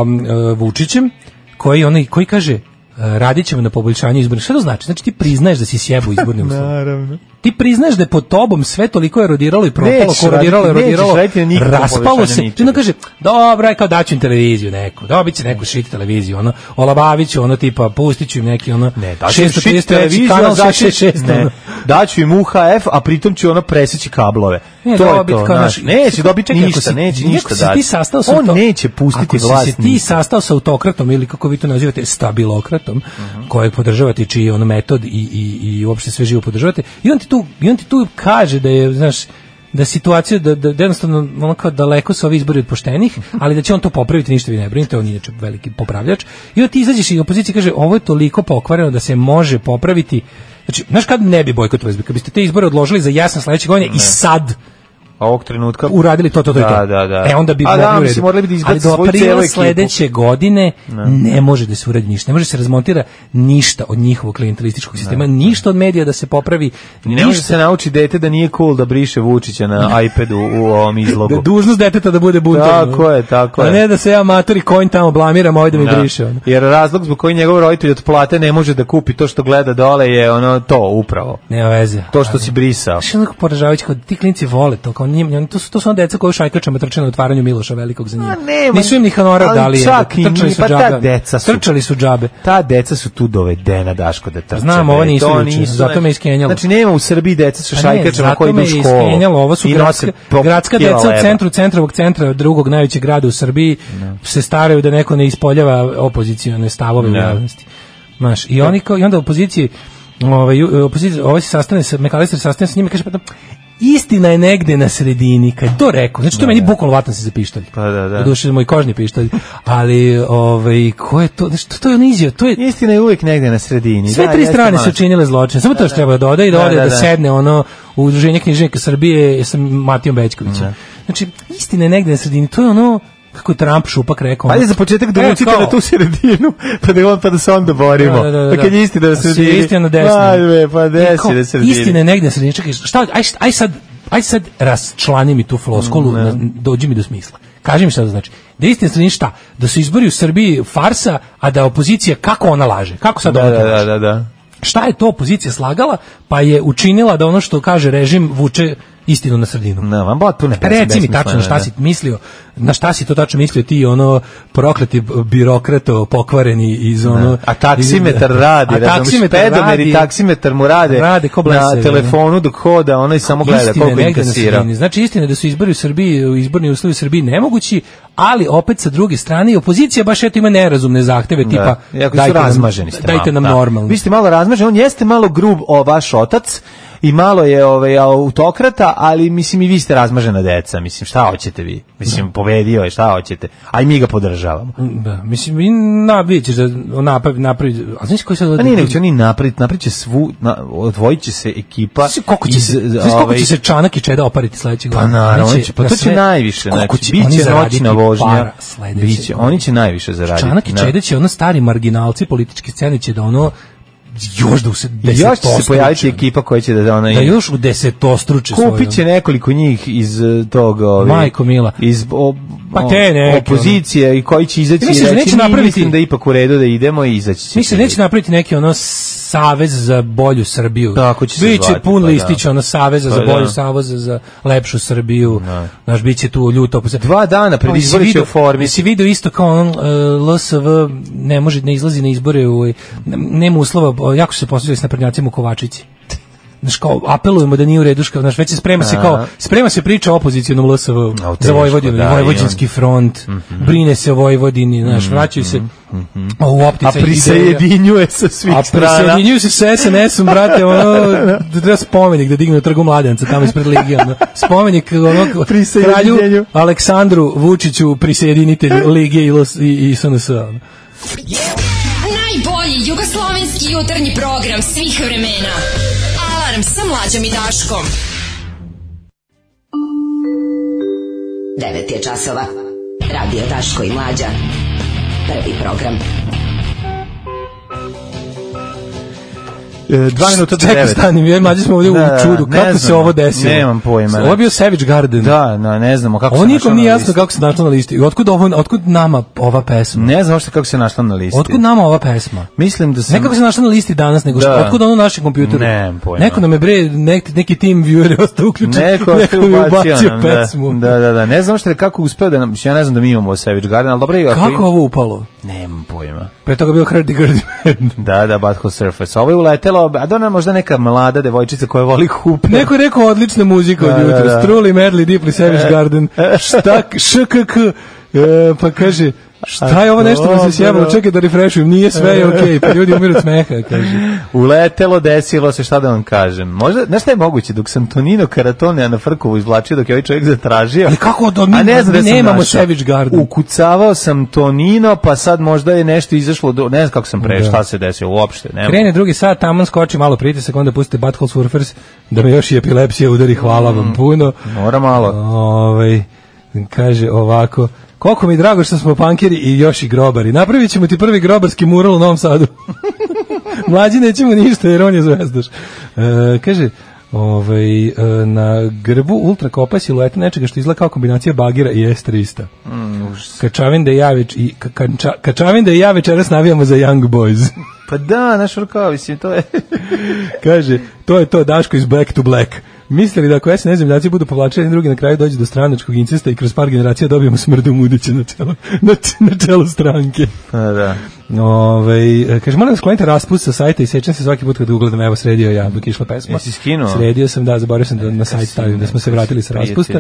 uh, Vučićem, koji, onaj, koji kaže, uh, radit ćemo na poboljšanju izbornih. Šta to znači? Znači ti priznaješ da si sjebo izbornim uslovima. Naravno. Ti priznaješ da je pod tobom sve toliko erodiralo i propalo, Nećeš korodiralo, raditi- erodiralo, nećeš raditi na nikakvom raspalo poboljšanju se. ničega. Ti onda kaže, dobro, aj kao daću im televiziju neku, dobit će neku šit televiziju, ono, olabavit ću, ono, tipa, pustit ću im neki, ono, Ne, daću im šesto šit trideset treći televiziju, kanal a daću- šest šest šest, ne, ono. daću im U H F, a pritom ću ono preseći kablove. Ne, to je dobit to, kao znaš. naš- Neće dobiti Čekaj, ako ništa, si- neće ako ništa si dati. ti sastao sa On to- neće pustiti ako si vlast. se ti ništa. sastao sa autokratom ili kako vi to nazivate stabilokratom, Mhm. kojeg podržavate, čiji je ono metod i, i, i uopšte sve živo podržavate, i on ti tu, i on ti tu kaže da je, znaš, da situacija, da, da, da jednostavno ono kao daleko su ovi izbori od poštenih, ali da će on to popraviti, ništa vi ne brinite, on je inače veliki popravljač. I onda ti izađeš i opozicija kaže, ovo je toliko pokvareno da se može popraviti. Znači, znaš kad ne bi bojkotovali, kad biste te izbore odložili za jasan sledeće godine i sad Ovog trenutka uradili to, to, to, i to. Da, da, da. E, onda bi A mogli da, u redu. mislim, morali bi da izbace Ali do svoju cijelu aprila ekipu. sledeće godine ne može da se uradi ništa. Ne može da se razmontira ništa od njihovog klijentelističkog sistema, ništa od medija da se popravi. Ne može ništa. se nauči dete da nije cool da briše Vučića na iPadu u ovom izlogu. Da dužnost deteta da bude buntovno. Tako je, tako A je. ne da se ja matori kojim tamo blamiram, ovaj da mi Da. briše. Ono. Jer razlog zbog koji njegov roditelj od plate ne može da kupi to što gleda dole je ono to upravo. Nema veze. To što si brisao. Znaš, onako poražavajući, kao ti klinci vole to, kao njim, njim- to su, to su ono deca koji u šajkačama trče na otvaranju Miloša Velikog za njim. A nema, Nisu im ni honorar ali dali, čak i trčali nije, su pa ta džabe. deca su- Trčali su džabe. Ta deca su tu dovedena, Daško, da trče. Znam, bre. ovo nisu To juče, zato me iskenjalo. Znači, nema u Srbiji deca sa Pa ne, šajkačama zato koji idu me u je školu. iskenjalo, ovo su i gradska, nose po gradska kila deca u leba. centru, centrovog centra drugog najvećeg grada u Srbiji se staraju da neko ne ispoljava opozicione stavove u Ne. javnosti. Znaš, i oni kao, i onda opozicije, ovaj, opozicija, ovaj se sastane sa, McAllister sastane sa njima i kaže, pa da, istina je negde na sredini, kad je to rekao, znači to meni bukvalno vatam se za pištolj. Pa da, da. Doduše moj kožni pištolj, ali ovaj, ko je to, znači to, to je on izjeo, to je, Istina je uvijek negde na sredini. sve Da, tri jeste strane malo. su učinile zločin. Samo to što treba da doda i da Da, ode da, da, da. sedne ono u Udruženje književnika Srbije sa Matijom Bećkovićem. Znači, istina je negde na sredini. To je ono, kako je Trump šupak rekao. Ajde za početak da E, vucite kao- na tu sredinu, pa da on pa da se onda borimo. Da, da, da, da. Pa kad je istina na A si sredini. istina na desno. Ajde, pa I desi kao, na sredini. Istina je negde na sredini. Čekaj, šta, aj, aj sad, aj sad rasčlani mi tu floskolu, Mm, na- dođi mi do smisla. Kaži mi šta to znači. Da je istina na sredini šta? Da su izbori u Srbiji farsa, a da opozicija, kako ona laže? Kako sad Da, ona da, to da, laže? da, da. Šta je to opozicija slagala, pa je učinila da ono što kaže režim vuče istinu na sredinu. Ne, vam potpuno Pa reci mi tačno na šta si mislio, na šta si to tačno mislio ti, ono prokleti birokrato pokvareni iz ono... A taksimetar iz- radi, a razumiješ, taksimetar pedomer i radi- taksimetar mu rade, Rade ko na blesavi, telefonu dok hoda, ono i samo gleda Istina je koliko negde na inkasira. sredini. Znači istina je da su izbori u Srbiji, izborni uslovi u Srbiji nemogući, ali opet sa druge strane i opozicija baš eto ima nerazumne zahteve tipa Da, iako su dajte nam, razmaženi ste dajte malo, nam da. normalno. Vi ste malo razmaženi, on jeste malo grub o vaš otac i malo je ovaj autokrata, ali mislim i vi ste razmažena deca, mislim šta hoćete vi? Mislim pobedio je, šta hoćete? A i mi ga podržavamo. Da, mislim i na vidjet ćeš da napravi napravi, a znaš koji sad A nije nego će oni napraviti, napravit će svu, na, odvojit će se ekipa. Znaš koliko će iz, se, znaš koliko ovaj, će se Čanak i Čeda opariti sledećeg Pa godina? naravno, Oni oni će, pa na to će sve- najviše, koliko znači, će oni biće zaraditi noćna vožnja, para sledeće biće, godine? oni će najviše zaraditi. Čanak i da. Čeda će ono stari marginalci političke scene će da ono još da u se I još će se pojaviti ekipa koja će da ona da još u desetostruče svoje. kupit će nekoliko njih iz eh, tog ovaj, Majko mila. iz o, Pa te neke, opozicije i koji će izaći Ja i mislim da reći neće mi napraviti- mislim da je ipak u redu da idemo i izaći će. Mislim da neće napraviti neki ono savez za bolju Srbiju. Tako će se Biće zvati, pun pa listić da. ono saveza Pa za bolju, da. saveza za lepšu Srbiju. Znaš, biće tu ljuto. Dva dana pred Pa, jesi izbore će video- u formi. Jesi video isto kao on, uh, L S V ne može, ne izlazi na izbore, u, nema uslova, o, jako su se posveđali s naprednjacima u Kovačici. znaš, kao, apelujemo da nije u redu, znaš, već se sprema se kao, sprema se priča o opozicionom L S V za Vojvodinu, da, Vojvođanski front, mm-hmm. brine se o Vojvodini, znaš, vraćaju se mm-hmm. u opticaj. A prisajedinjuje se svih a strana. A prisajedinjuju se sa S N S-om, brate, ono, da treba spomenik da dignu Trgu Mladenca, tamo ispred Ligije, ono, spomenik onog kralju Aleksandru Vučiću, prisajedinitelju Ligije i, i S N S-a. Ono. Najbolji jugoslovenski jutarnji program svih vremena. Alarm sa Mlađom i Daškom. devet je časova. Radio Daško i Mlađa. Prvi program. Dva minuta do devet. Stanim, jer mlađi smo ovdje da, u čudu. Kako znam, se ovo desilo? Nemam pojma. Ovo je bio Savage Garden. Da, no, ne znamo kako ovo se našla na listi. Ovo nikom nije jasno kako se našla na listi. Otkud, ovo, otkud nama ova pesma? Ne znam što kako se našla na listi. Otkud nama ova pesma? Mislim da sam... Ne kako se našla na listi danas, nego što, da. Otkud ono na našem kompjuteru? Nemam pojma. Neko nam je bre, nek, neki tim viewer je ostao uključen. Neko, neko je ubacio nam, pesmu. Da, da, da. Ne znam što je kako uspeo da nam... Ja ne znam da mi imamo Savage Garden, ali dobro je... Kako ovo upalo? Nemam pojma. Pre toga bio Hrdi Grdi. Da, da, Butthole Surface. Ovo je uletelo, a da možda neka mlada devojčica koja voli hupe. Neko je rekao odlična muzika od jutra. Da, da. Truly, Madly, Deeply, Savage Garden. Štak, škk, e, pa kaže... Šta je ovo nešto mi se sjebalo, čekaj da refreshujem, nije sve je okej, okay, pa ljudi umiru od smeha, kaže. Uletelo, desilo se, šta da vam kažem. Možda, znaš šta je moguće, dok sam Tonino Karatone na Frkovu izvlačio, dok je ovaj čovjek zatražio. Ali kako da mi, ne znam, mi nemamo Savage Garden. Ukucavao sam Tonino, pa sad možda je nešto izašlo, do, ne znam kako sam pre, šta se desilo, uopšte. Nema. Krene drugi sat, taman skoči malo pritisak, onda pustite Butthole Surfers, da me još i epilepsija udari, hvala vam mm, puno. Mora malo. Ove, kaže ovako... Koliko mi je drago što smo pankeri i još i grobari. Napravit ćemo ti prvi grobarski mural u Novom Sadu. Mlađi nećemo ništa jer on je zvezdaš. E, kaže, ovaj, e, na grbu ultra kopa silueta nečega što izgleda kao kombinacija bagira i S trista. Mm, Kačavin da ja već i kača, Kačavin da ja večeras navijamo za Young Boys. Pa da, naš rukao, mislim, to je... Kaže, to je to Daško iz Black to Black. Mislili da ako S N S zemljaci budu povlačeni, drugi na kraju dođe do stranačkog incesta i kroz par generacija dobijemo smrdu mudiće na čelu, na, na čelu stranke. A, da. Ove, kaže, moram da sklonite raspust sa sajta i sećam se svaki put kada ugledam, evo sredio ja dok išla pesma. Jesi skinuo? Sredio sam, da, zaboravio sam da na sajt stavim, da smo se vratili sa raspusta.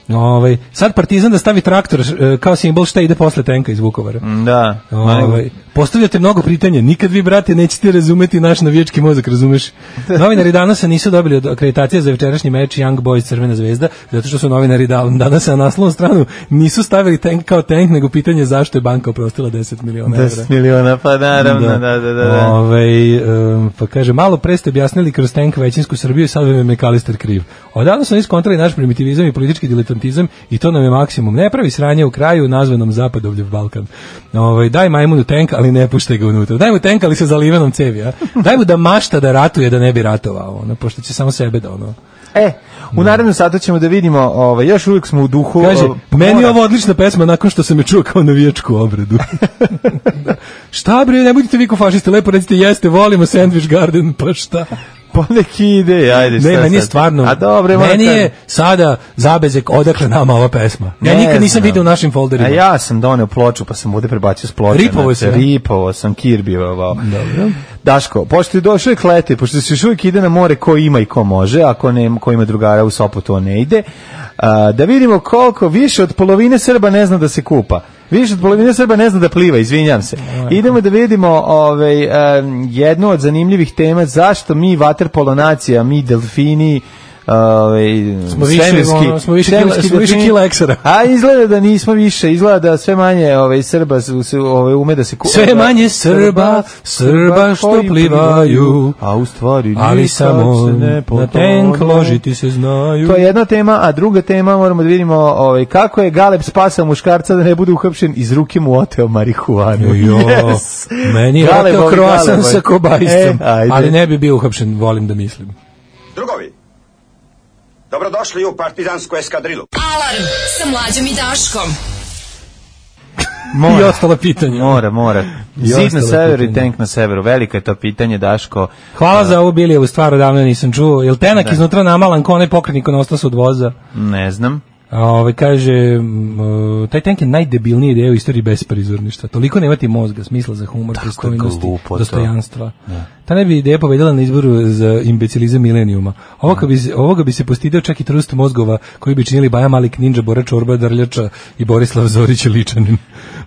Ove, sad Partizan da stavi traktor kao simbol šta ide posle tenka iz Vukovara. Da. Ove, postavljate mnogo pitanja, nikad vi, brate, nećete razumeti naš navijački mozak, razumeš? Novinari danas nisu dobili od akreditacije za večerašnji meč Young Boys Crvena zvezda, zato što su novinari danas na naslovnu stranu nisu stavili tank kao tank, nego pitanje zašto je banka oprostila deset miliona evra. deset miliona, pa naravno, da, da, da. da. Ove, um, pa kaže, malo pre ste objasnili kroz tank većinsku Srbiju i sad vam je McAllister kriv. Odavno smo iskontrali naš primitivizam i politički diletantizam i to nam je maksimum. Ne pravi sranje u kraju nazvanom Zapadovljev Balkan. Ove, daj majmunu tank, ali ne puštaj ga unutra. Daj mu tank, ali sa zalivenom cevi, a? Daj mu da mašta da ratuje, da ne bi ratovao, ono, pošto će samo sebe da ono... E, u narednom satu ćemo da vidimo, ovaj, još uvijek smo u duhu... Kaže, o, meni je ovo odlična pesma nakon što sam je čuo kao navijačku obradu. Da. Šta bre, ne budite vi ko fašisti, lepo recite, jeste, volimo Sandwich Garden, pa šta? Po neki ide, ajde, šta ne, meni je stvarno, a dobre, meni je sada zabezek odakle nama ova pesma. Ja ne nikad nisam vidio u našim folderima. A ja sam doneo ploču, pa sam ovde prebacio s ploče. Ripovo se. Ripovo sam, kirbivao. Dobro. Daško, pošto je došao je lete, pošto se još uvijek ide na more ko ima i ko može, ako ne, ko ima drugara u Sopotu, on ne ide, a, da vidimo koliko više od polovine Srba ne zna da se kupa. Više od polovine Srba ne zna da pliva, izvinjam se. Idemo da vidimo ovaj, um, jednu od zanimljivih tema, zašto mi vaterpolo nacija, mi delfini, ovaj, smo više, ono, smo više kila, smo više kila eksera. A izgleda da nismo više, izgleda da sve manje ovaj, Srba su, ovaj, ume da se kupa. Sve manje Srba, Srba što plivaju, a u stvari ali samo na tenk ložiti se znaju. To je jedna tema, a druga tema moramo da vidimo ovaj, kako je Galeb spasao muškarca da ne bude uhapšen, iz ruke mu oteo marihuanu. Jo, yes. Meni je oteo kroasan sa kobajstom, e, ali ne bi bio uhapšen, volim da mislim. Drugovi, dobrodošli u partizansku eskadrilu. Alarm sa Mlađom i Daškom. Mora. I ostala pitanja. Mora, mora. Zid na severu i tank na severu. Veliko je to pitanje, Daško. Hvala uh, za ovu Bilijevu stvar, odavno nisam čuo. Je li tenak da. iznutra namalan ko onaj pokretnik on ostao se od voza? Ne znam. A ove, kaže, uh, taj tank je najdebilniji ideja u istoriji besprizorništva. Toliko nemati mozga, smisla za humor, pristojnosti, dostojanstva. Da. Ta ne bi ideja pobedila na izboru za imbecilizam milenijuma. Ovoga bi, ovoga bi se postidio čak i trust mozgova koji bi činili Baja Malik, Ninja, Bora Čorba, Drljača i Borislav Zorić Ličanin.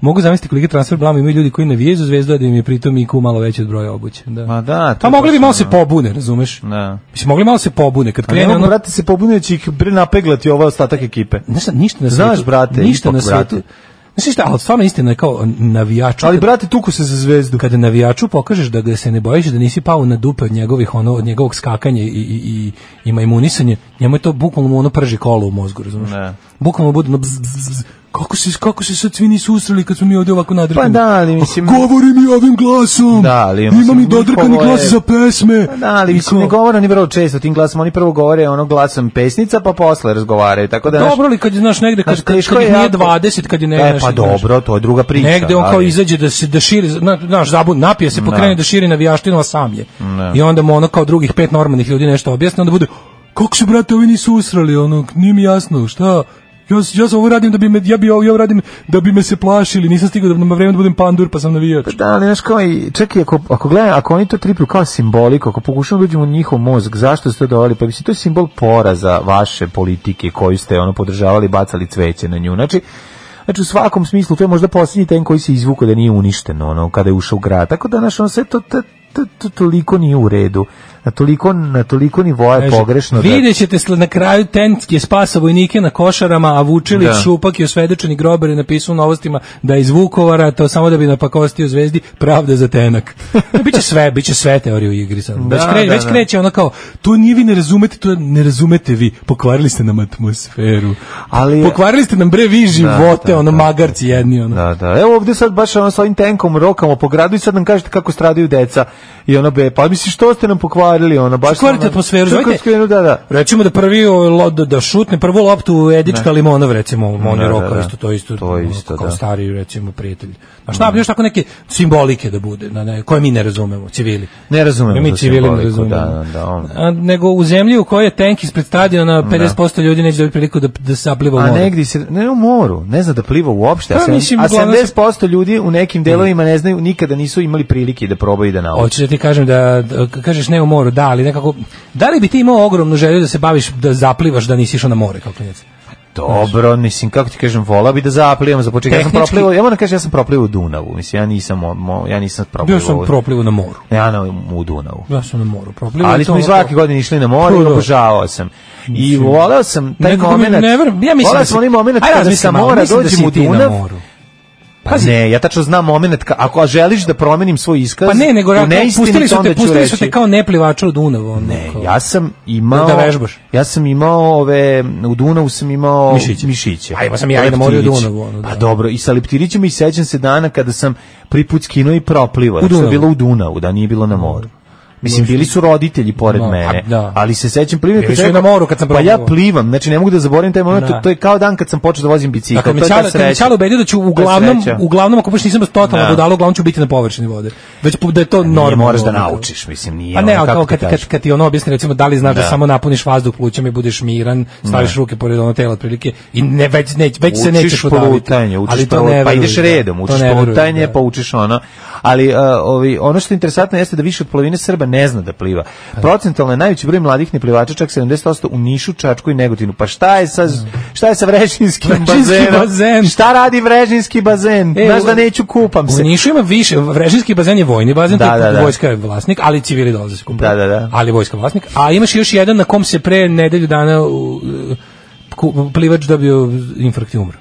Mogu zamisliti koliki transfer blama imaju ljudi koji navijaju za Zvezdu, a da im je pritom I Q malo veći od broja obuće. Da. Ma da, pa mogli bi malo se pobune, razumeš? Da. Mislim, mogli malo se pobune. Kad krene, ne mogu, ono... brate, se pobune, će ih bre napeglati ovaj ostatak ekipe. Ništa, ništa na Znaš, svetu. brate, ništa ipak, na svetu. brate. Znaš šta, ali stvarno istina je kao navijaču. Ali, brate, tuku se za Zvezdu. Kada navijaču pokažeš da ga se ne bojiš, da nisi pao na dupe od njegovih, ono, od njegovog skakanja i, i, i, i majmunisanje, njemu je to bukvalno mu ono prži kolo u mozgu, razumiješ? Ne. Bukvalno bude ono bzz, bzz, bzz. Kako se, kako se sad svi nisu usrali kad smo mi ovdje ovako nadrkani? Pa da, ali mislim... Govori mi ovim glasom! Da, ali... Imam i dodrkani je... glas za pesme! Pa da, ali mislim, ne govore oni vrlo često tim glasom, oni prvo govore ono glasom pesnica, pa posle razgovaraju, tako da... Dobro li kad je, znaš, negde, kad, znaš, kad, kad, kad je nije dvadeset, kad je ne... E, pa dobro, to je druga priča. Negde on ali... kao izađe da se da širi, znaš, zabun, napije se, pokrene da širi navijaštinu, a sam je. Ne. I onda mu ono kao drugih pet normalnih ljudi nešto objasni, onda bude, kako se, brate, ovi nisu usrali, ono, nije mi jasno, šta... Ja, ja ovo radim da bi me, ja bi ovo, ja radim da bi me se plašili, nisam stigao da na vreme da budem pandur, pa sam navijač. Da, ali znaš kao i, čekaj, ako, ako gledam, ako oni to triplju kao simbolik, ako pokušamo da uđemo u njihov mozg, zašto ste to doveli? Pa mislim, to je simbol poraza vaše politike koju ste ono podržavali, bacali cveće na nju. Znači, znači u svakom smislu, to je možda posljednji ten koji se izvuko da nije uništen, ono, kada je ušao u grad. Tako da, znaš, ono, sve to, to, to, to toliko nije u redu. Na toliko, na toliko nivoa je pogrešno. Vidjet ćete na kraju tenske spasa vojnike na Košarama, a Vučilić, Šupak i osvedočeni grobar je napisao u novostima da je iz Vukovara, to samo da bi napakostio Zvezdi, pravda za tenak. Biće sve, biće sve teorije u igri sad. Da, već, kre, da, već da. kreće ono kao, to nije vi ne razumete, to ne razumete vi, pokvarili ste nam atmosferu. Ali, pokvarili ste nam bre vi živote, da, da, ono da, magarci jedni. Ono. Da, da. Evo ovdje sad baš ono s ovim tenkom rokamo po gradu i sad nam kažete kako stradaju deca i ono be, pa misliš što ste nam pokvarili, ono baš kvarite atmosferu, zovite, da, da. Recimo da prvi o, da, da šutne prvu loptu Edička Limonov, recimo, on je Roka, isto to isto, to isto kao da. Stari, recimo, prijatelj. A šta bi još tako neke simbolike da bude, na ne, koje mi ne razumemo, civili. Ne razumemo. Mi civili ne razumemo. Da, da, on. A, nego u zemlji u kojoj je tank ispred stadiona pedeset posto ljudi neće dobiti priliku da, da se pliva u moru. A negdje se, ne u moru, ne zna da pliva uopšte, a, pa, mislim, a sedamdeset posto ljudi u nekim delovima ne znaju, nikada nisu imali prilike da probaju da nauče. Hoćeš da ti kažem da, da kažeš ne u moru, da, ali nekako, da li bi ti imao ogromnu želju da se baviš, da zaplivaš, da nisi išao na more kao klinac? Dobro, mislim, kako ti kažem, volao bi da zaplivam za početak. Ja sam proplivao, ja moram kažem, ja sam proplivao u Dunavu. Mislim, ja nisam, mo, ja nisam proplivao. Ja sam proplivao na moru. Ja na, u Dunavu. Ja sam na moru proplivao. Ali smo i svake godine išli na more i obožavao sam. I volao sam taj moment. Ja mislim, volao sam onaj moment kada sa mora dođem u Dunav. Pa Pazi. Ne, ja tačno znam moment, ka, ako želiš da promenim svoj iskaz, pa ne, nego pustili su te, pustili su te kao neplivača u Dunavu. Ne, kao, ja sam imao, da vežbaš. Ja sam imao ove, u Dunavu sam imao mišiće. mišiće. A ima sam ja i na moru u Dunavu. Ono, pa da. Dobro, i sa leptirićima i sećam se dana kada sam prvi put skinuo i proplivao. Što je bilo u Dunavu, da nije bilo na moru. Mislim, bili su roditelji pored no, mene, da. Ali se sećam plivanja kad sam na moru kad sam pa ja plivam, znači ne mogu da zaboravim taj moment, to, to je kao dan kad sam počeo da vozim bicikl. Dakle, to je ta sreća. Kad me ubedio da ću uglavnom, uglavnom ako baš nisam totalno budalo, uglavnom ću biti na površini vode. Već da je to normalno. Moraš da naučiš, mislim, nije. A ne, kao kad, kad, kad ti ono objasni, recimo, da li znaš da, da samo napuniš vazduh plućima i budeš miran, staviš ruke pored ono tela otprilike i ne već ne, već se nećeš udaviti. Ali to ne, pa ideš redom, učiš plutanje, pa učiš ono. Ali ovi ono što je interesantno jeste da više od polovine Srba ne zna da pliva. Procentualno je najveći broj mladih neplivača, čak sedamdeset posto u Nišu, Čačku i Negotinu. Pa šta je sa šta je sa Vrežinskim bazenom? Bazen. Šta radi Vrežinski bazen? E, znaš da neću, kupam se. U Nišu ima više. Vrežinski bazen je vojni bazen, da, da, da. Vojska je vlasnik, ali civili dolaze se kupati. Da, da, da. Ali vojska vlasnik. A imaš još jedan na kom se pre nedelju dana uh, plivač dobio infarkt i umro.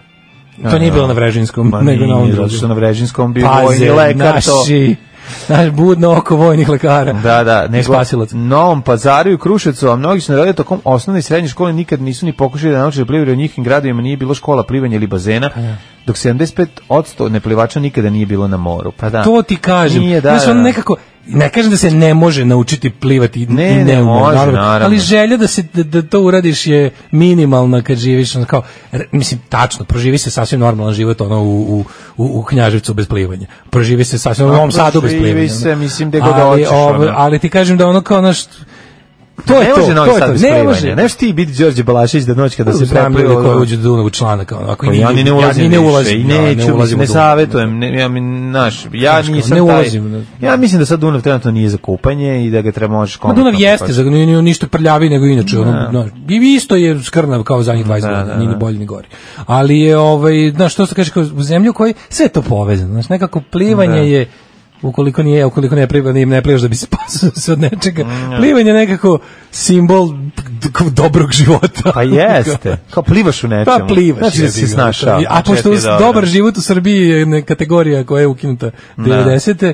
To a, nije bilo na Vrežinskom, ma nego nije, na ovom drugom. Zato što na Vrežinskom bio Paze, vojni lekar naši, to. Naš budno oko vojnih lekara. Da, da, nego Novom Pazaru i Kruševcu, a mnogi su naradili tokom osnovne i srednje škole nikad nisu ni pokušali da nauče da plivaju, u njihovim gradovima nije bilo škola plivanja ili bazena, dok sedamdeset pet posto neplivača nikada nije bilo na moru. Pa da. To ti kažem. Nije, da, znači, on nekako, ne kažem da se ne može naučiti plivati, ne, i ne, ne može, naravno, naravno. Ali želja da se da, da to uradiš je minimalna kad živiš, ono kao, mislim, tačno, proživi se sasvim normalan život ono u, u, u Knjaževcu bez plivanja. Proživi se sasvim u Novom Sadu bez plivanja. Proživi se, mislim, da god hoćeš. Ali ti kažem da ono kao naš To je ne to, može Novi to je Sad to. bez Ne plivanja. može. Neš ti biti Đorđe Balašević da noć kada se Znam ljudi preplio. koji uđu do Dunavu članak. Ako Pa ja ni ne ulazim, ja ni ne više ulazim, i ja neću, ne ulazim ne u Dunav. savjetujem, ne, ja mi naš, ja Znaš, nisam ne taj. ulazim. Ja mislim da sad Dunav trenutno nije za kupanje i da ga treba možeš Ma komotno. Dunav jeste, za nije nije ništa prljavi nego inače, ono, no, i isto je skrnav kao zadnjih dvadeset godina, nije ni bolje ni gore. Ali je ovaj, znaš, što se kaže, kao u zemlju koji sve je to povezano, znaš, nekako plivanje Da. je ukoliko nije, ukoliko ne pliva, ne, ne plivaš da bi se spasao se od nečega. Mm, Plivanje je nekako simbol d- dobrog života. Pa jeste, kao plivaš u nečemu. Pa plivaš. Znači da si jebi se ga. snašao. A pošto dobar život u Srbiji je ne- kategorija koja je ukinuta devedesete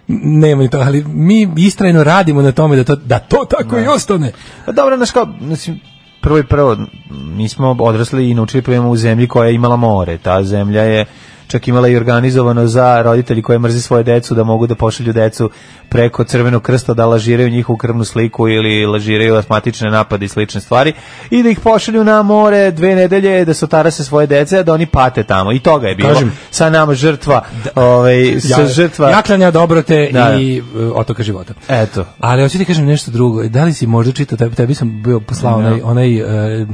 nema ni to, ali mi istrajno radimo na tome da to, da to tako i ostane. Pa dobro, znaš kao, mislim, prvo i prvo, mi smo odrasli i naučili plivamo u zemlji koja je imala more. Ta zemlja je čak imala i organizovano za roditelji koji mrze svoje decu da mogu da pošalju decu preko Crvenog krsta da lažiraju njihovu krvnu sliku ili lažiraju astmatične napade i slične stvari i da ih pošalju na more dve nedelje da se otarase svoje dece, da oni pate tamo. I toga je bilo. Kažem, sa nama žrtva, ovaj, sa Ja, žrtva... jaklanja dobrote Da. i uh, otoka života. Eto. Ali hoću ti kažem nešto drugo. Da li si možda čitao, tebi, tebi sam bio poslao onaj, onaj uh,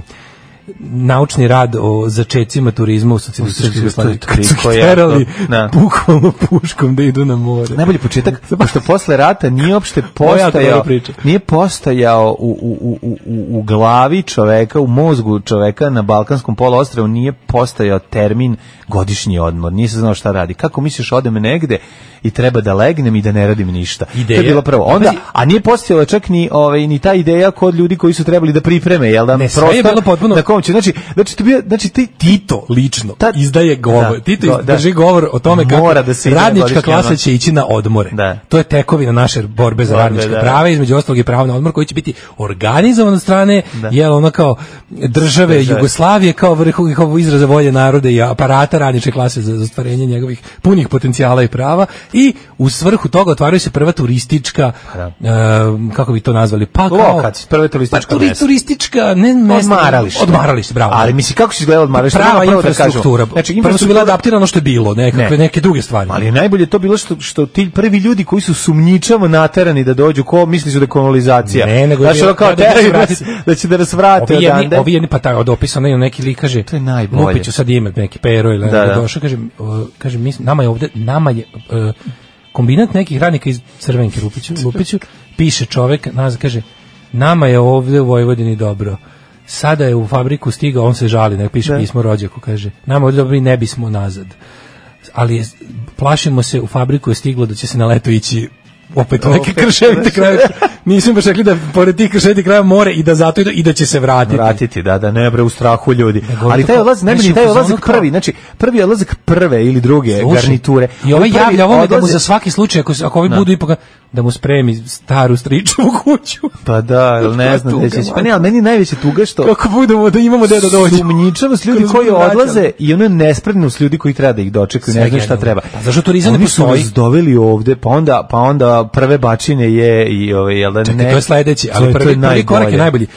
naučni rad o začecima turizma u socijalističkoj Jugoslaviji. Kad su Koliko je terali to? Da. bukvalno puškom da idu na more. Najbolji početak, pošto posle rata nije uopšte Moja dobra postojao, priča. nije postojao u, u, u, u, u glavi čoveka, u mozgu čoveka na Balkanskom poluostrvu nije postojao termin godišnji odmor. Nije se znao šta radi. Kako misliš, odem negde i treba da legnem i da ne radim ništa. Ideja. To je bilo prvo. Onda, a nije postojala čak ni, ovaj, ni ta ideja kod ljudi koji su trebali da pripreme, jel da? Ne, sve je bilo potpuno- Na kom će, znači, znači, to bio, znači ti, Tito lično Ta- izdaje govor. Da, Tito go- da. drži govor o tome kako Mora da se ide na radnička godišnji klasa odmor. će ići na odmore. Da. To je tekovina naše borbe za Borbe, radnička da. prava, između ostalog i pravo na odmor koji će biti organizovan od strane Da. jel ono kao države, Države. Jugoslavije kao vrhovnog izraza volje naroda i aparata radničke klase za, za ostvarenje njegovih punih potencijala i prava i u svrhu toga otvaraju se prva turistička Da. e, kako bi to nazvali, pa kao Lokac, prve turistička pa, turi- mesta. turistička ne mesta, Odmaralište. odmaralište, bravo. Ali misli kako se izgledalo odmaralište? Prava Prvo da kažemo. infrastruktura. Znači, Prvo su bila infrastruktura- adaptirano ono što je bilo, nekakve Ne. neke druge stvari. Ali je najbolje to bilo što što ti prvi ljudi koji su sumnjičavo naterani da dođu, ko misli su da je kolonizacija. Ne, nego znači, je- ono kao da će se teraju vratiti. nas- da će da nas vrate Ovi jedni, odande. ovi jedni pa taj od opisano je neki lik kaže To je najbolje. Lupiću sad ime neki Pero ili Da, da, da. došao kaže uh, kaže mi nama je ovde nama je uh, kombinat nekih radnika iz Crvenke Lupiću Lupiću piše čovek nas kaže nama je ovde u Vojvodini dobro. Sada je u fabriku stigao, on se žali, nek piše Da. pismo rođaku, kaže nama je ovde dobro i ne bismo nazad. Ali je, plašimo se, u fabriku je stiglo da će se na leto ići opet u neke Opet. krševite krajeve. Nisam baš rekli da pored tih krševitih krajeva more i da zato idu i da će se vratiti. Vratiti, da, da, ne bre u strahu ljudi. Nego Ali taj to- odlazak, najbolji znači, taj u fazonu odlazak kao- prvi, znači prvi odlazak prve ili druge Slušaj, garniture. I ovaj prvi javlja ovome da mu odlaze- za svaki slučaj, ako, se- ako ovi Da. budu ipak, da mu spremi staru stričevu kuću. Pa da, ili ne znam Tuga, gde će. Pa man. ne, ali meni je najveće tuga što Kako budemo da imamo gde da dođe. sumnjičavost ljudi Kroz koji budu vraćali. odlaze i ono nespretnost ljudi koji treba da ih dočekaju, ne Sve znaju šta genijalno. treba. Pa zašto turizam ne Oni su postoji? nas doveli ovde, pa onda, pa onda prve bačine je i ove, jel da Čekaj, ne... to je sledeći, To ali je- to je prvi, prvi korak je najbolje. najbolji.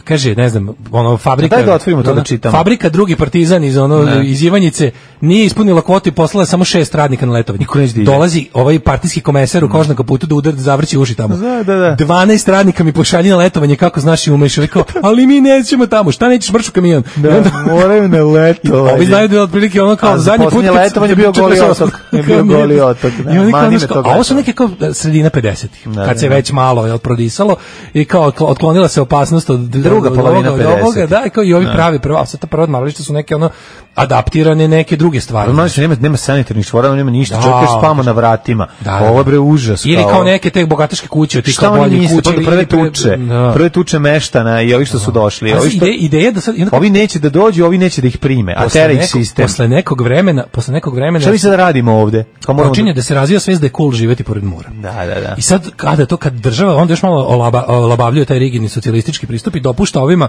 Kaže, ne znam, ono fabrika. Daj da otvorimo to da ono, čitamo. Fabrika drugi partizan iz ono Ne. iz Ivanjice nije ispunila kvotu i poslala samo šest radnika na letovanje. Niko neće da ide. Dolazi ovaj partijski komesar u kožnom kaputu da udar da zavrći uši tamo. Da, da, da. dvanaest radnika mi pošalji na letovanje kako znaš i umeš. Rekao, ali mi nećemo tamo. Šta nećeš mršu kamion? I Da, onda- moraju na letovanje. Ovi znaju da je otprilike ono kao A za zadnji put poslednje kad- letovanje je bio Goli otok. Je bio Kao Goli nije- otok, da. I oni kao, Mani me znaš, to kao, a ovo su gledao. neke kao sredina pedesetih, Da, kad da, se da. već malo je prodisalo i kao otko- otklonila se opasnost od Druga od polovina ovoga, od ovoga, pedesetih. da, i kao i ovi pravi prvo, a sad ta prva odmarališta su neke ono adaptirane neke druge stvari. Normalno što nema, nema sanitarnih čvora, nema ništa, Da. čovjek još spama na vratima. Da, da. Ovo je bre užas. Ili kao neke te bogataške kuće, ti Šta kao oni bolje misle, kuće. pa ili- prve ili pre- tuče, da. prve tuče meštana i ovi što su došli. A Ovi, što, ide, ideja da sad i onda ovi neće da dođu, ovi neće da ih prime, a posle tera ih nekog- sistem. Posle nekog vremena, posle nekog vremena Šta mi sad radimo ovde? Kao moramo počinje da se razvija svest da je cool živeti pored mora. Da, da, da. I sad kada to kad država onda još malo olaba, olabavljuje taj rigidni socijalistički pristup i dopušta ovima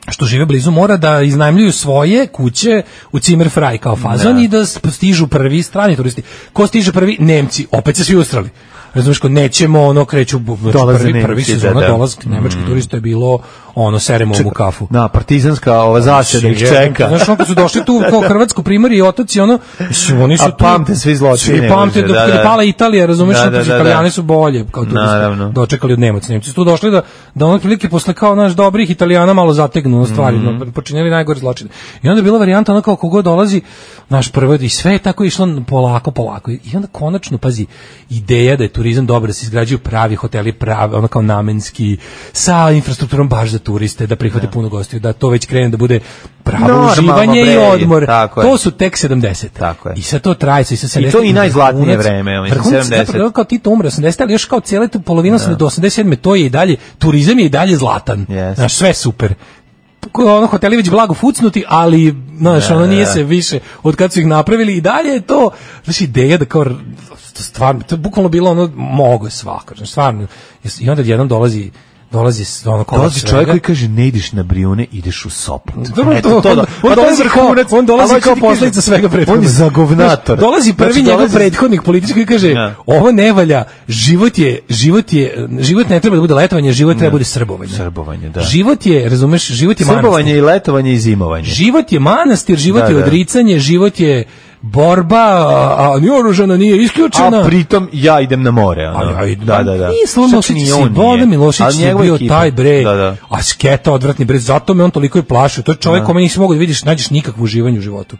što žive blizu mora da iznajmljuju svoje kuće u Zimmerfrei kao fazon Da. i da stižu prvi strani turisti. Ko stiže prvi? Nemci, opet se svi ustrali. razumiješ, ko nećemo, ono, kreću, Dolaze prvi, Nemci, prvi da, sezona da. dolazak nemačkih turista je bilo, ono, seremo u kafu. Da, partizanska ova zaseda ih čeka. Znaš, ono, kad su došli tu kao Hrvatsku primorje i otoci, ono, mislim, oni su A tu... pamte svi zločine. Svi pamte, dok je pala Italija, razumiješ, Da, da, da, Italijani da. su bolje, kao turisti, Naravno. dočekali od Nemaca. Nemci su tu došli da, da ono prilike posle kao naš dobrih Italijana malo zategnu na stvari, Mhm. no, počinjeli najgore zločine. I onda je bila varijanta ono kao kogo dolazi, naš prvo, i sve je tako išlo polako, polako. I onda konačno, pazi, ideja da je turizam dobar, da se izgrađuju pravi hoteli, pravi, ono kao namenski, sa infrastrukturom baš za turiste, da prihvate puno gostiju, da to već krene da bude pravo Normalno, uživanje bre, i odmor. tako je. To su tek sedamdesete. Tako je. I sad to traje, i sa sedamdeset. I to i najzlatnije vreme, ja mislim, sedamdeset. Kao Tito umre osamdeset, ali još kao cijela tu polovina do osamdeset sedme to je i dalje, turizam je i dalje zlatan. Yes. Znaš, sve super. Ono, hoteli već blago fucnuti, ali, znaš, ono nije se više od kad su ih napravili i dalje je to, znaš, ideja da kao, stvarno, to je bukvalno bilo ono, mogo je svako, znaš, stvarno. I onda jednom dolazi dolazi ono kolač Dolazi čovjek koji kaže ne ideš na Brijune, ideš u Sopot. Dobro, Eto, to da. on, Pa on to je dolazi kao, vrhunac, on dolazi ali kao hoću ti posljedica kažem, svega prethodnog. on je zagovnator. Dolazi prvi Znači, njegov dolazi- prethodnik politički koji kaže Ja. ovo ne valja, život je, život je, život ne treba da bude letovanje, život treba da bude srbovanje. Srbovanje, da. Život je, razumeš, život je Srbovanje manastir. i letovanje i zimovanje. Život je manastir, život Da, je da. odricanje, život je borba, a, a ni oružana nije isključena. A pritom ja idem na more, ono. A, ja, da, da, da. Nije Slobodan Čak ni Milošević, on Slobodan nije. Milošević Ali je njegova bio ekipa. taj bre, Da, da. a sketa odvratni bre, zato me on toliko i plašio. To je čovjek kome nisi mogao da vidiš, nađeš nikakvo uživanje u životu.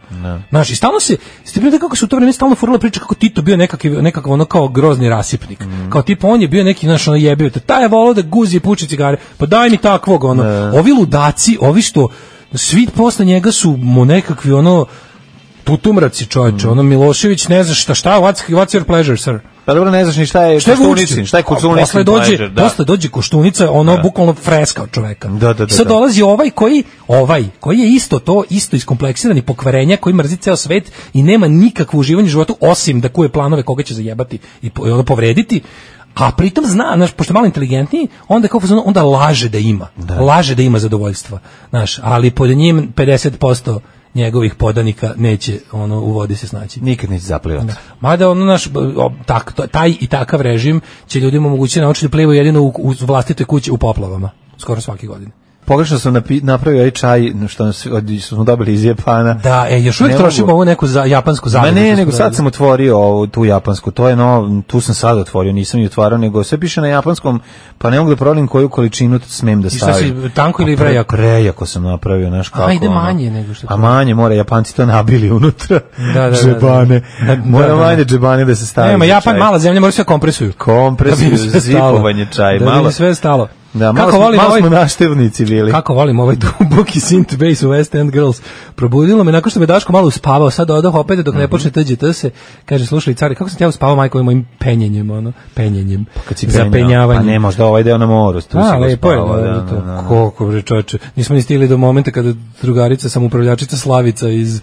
Znaš, i stalno se, ste bili kako su u to vreme stalno furala priča kako Tito bio nekakav, nekakav ono kao grozni rasipnik. Mm. Kao tipa on je bio neki, znaš, ono jebio te, taj je volao da guzi i puči cigare, pa daj mi takvog, ono. Ovi ludaci, ovi što, svi posle njega su mu nekakvi, ono, tutumraci čovječe, Mm. ono Milošević ne zna šta, šta, what's, what's your pleasure, sir? Pa dobro, ne znaš ni šta je Šta je Koštunicin, Vučić? šta je Koštunicin. Posle dođe, pleasure, da. posle dođe Koštunica, ono bukvalno freska od čoveka. Da, da, da, I sad da. dolazi ovaj koji, ovaj, koji je isto to, isto iskompleksirani pokvarenja, koji mrzi ceo svet i nema nikakvo uživanje u životu, osim da kuje planove koga će zajebati i po- i ono povrediti. A pritom zna, znaš, pošto je malo inteligentniji, onda kao fazon, onda laže da ima. Laže da ima zadovoljstva. Znaš, ali pod njim pedeset posto njegovih podanika neće ono u vodi se snaći. Nikad neće zaplivati. Mada ono naš o, tak, to- taj i takav režim će ljudima omogućiti naučiti da plivaju jedino u, u vlastitoj kući u poplavama. Skoro svake godine. Pogrešno sam napi, napravio ovaj čaj što, nas, od- što smo dobili iz Japana. Da, e, još uvijek Ne trošimo mogu. ovu neku za, japansku Ma zadrugu. ne, koju nego smo sad radili. sam otvorio ovu, tu japansku, to je no, tu sam sad otvorio, nisam ju otvarao, nego sve piše na japanskom, pa ne mogu da provalim koju količinu smem da I šta stavim. si, tanko ili Pa pre- prejako? Prejako sam napravio, znaš kako. A, ide ono. manje nego što A to- manje, mora, Japanci to nabili unutra. Da, da, da, džebane. da. Da, Mora da, da. manje džebane da se stavi. Nema, za Japan čaj. mala zemlja, mora sve kompresuju. Kompresiju, Da bi sve stalo. zipovanje čaj, Da bi malo. sve stalo. Da, malo, Kako smo, volim malo ovaj- smo naštevnici bili. Kako volim ovaj duboki synth bass u West End Girls. Probudilo me nakon što me Daško malo uspavao, sad odoh opet dok ne počne T G T se. Kaže, slušaj, cari, kako sam te ja uspavao majko mojim penjenjem, ono, penjenjem, Kad si penjao, zapenjavanjem. Pa ne, možda ovaj deo na moru. Tu A, si lepo je, uspavao, da, da, to. da, da. Koliko bre čoveče. Nismo ni stigli do momenta kada drugarica, samoupravljačica Slavica iz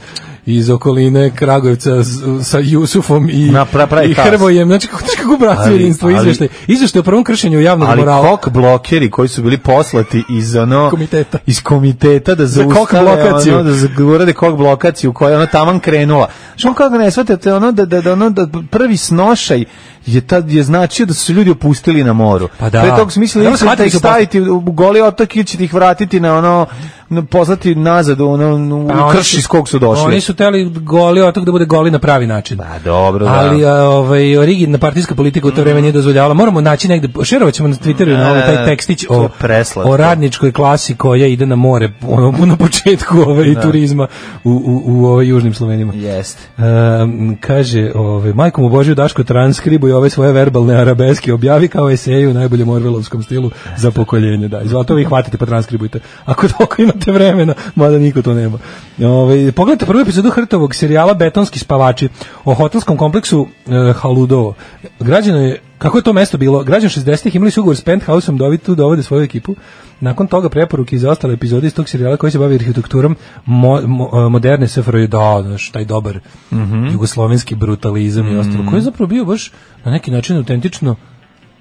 iz okoline Kragujevca s- sa Jusufom i, Na, pra- pravi i tas. Hrvojem. Znači, kako, kako bratstvo Ali- jedinstvo, ali- izveštaj. Izveštaj o prvom kršenju javnog Ali morala. kok blokeri koji su bili poslati iz ono Komiteta. iz komiteta da Za kok zaustave blokaciju. ono, da za- urade kok blokaciju koja je ono taman krenula. Što kako ne shvatate ono da da da ono da prvi snošaj je tad je značio da su se ljudi opustili na moru. Pa da. Pre tog smisla Evo, da shvatili ih su staviti u goli otok ili ćete ih vratiti na ono na- poslati nazad u ono u Pa oni krš su- iz kog su došli. Oni su teli goli otok da bude goli na pravi način. Pa dobro, da. Ali a, ovaj origidna partijska politika u to vreme nije dozvoljavala. Moramo naći negde, šerovaćemo na Twitteru na ovaj taj tekstić to o je preslatko. o radničkoj klasi koja ide na more ono na početku ovaj turizma u u u ovaj južnim Slovenima. Jeste. Um, kaže, ovaj majkom u Božju Daško transkribuje ove svoje verbalne arabeske, objavi kao eseju u najboljem orvelovskom stilu za pokoljenje, da. Izvolite vi hvatite pa transkribujte. Ako toliko imate vremena, mada niko to nema. Ovaj pogledajte prvu epizodu Hrtovog serijala Betonski spavači o hotelskom kompleksu e, Haludovo. Građano je kako je to mesto bilo? Građani šezdesetih imali su ugovor s Penthouseom da ovi tu dovode svoju ekipu. Nakon toga preporuke za ostale epizode iz tog serijala koji se bavi arhitekturom mo, mo, moderne S F R J, da, znaš, taj dobar Mhm. jugoslovenski brutalizam i ostalo, koji je zapravo bio baš na neki način autentično,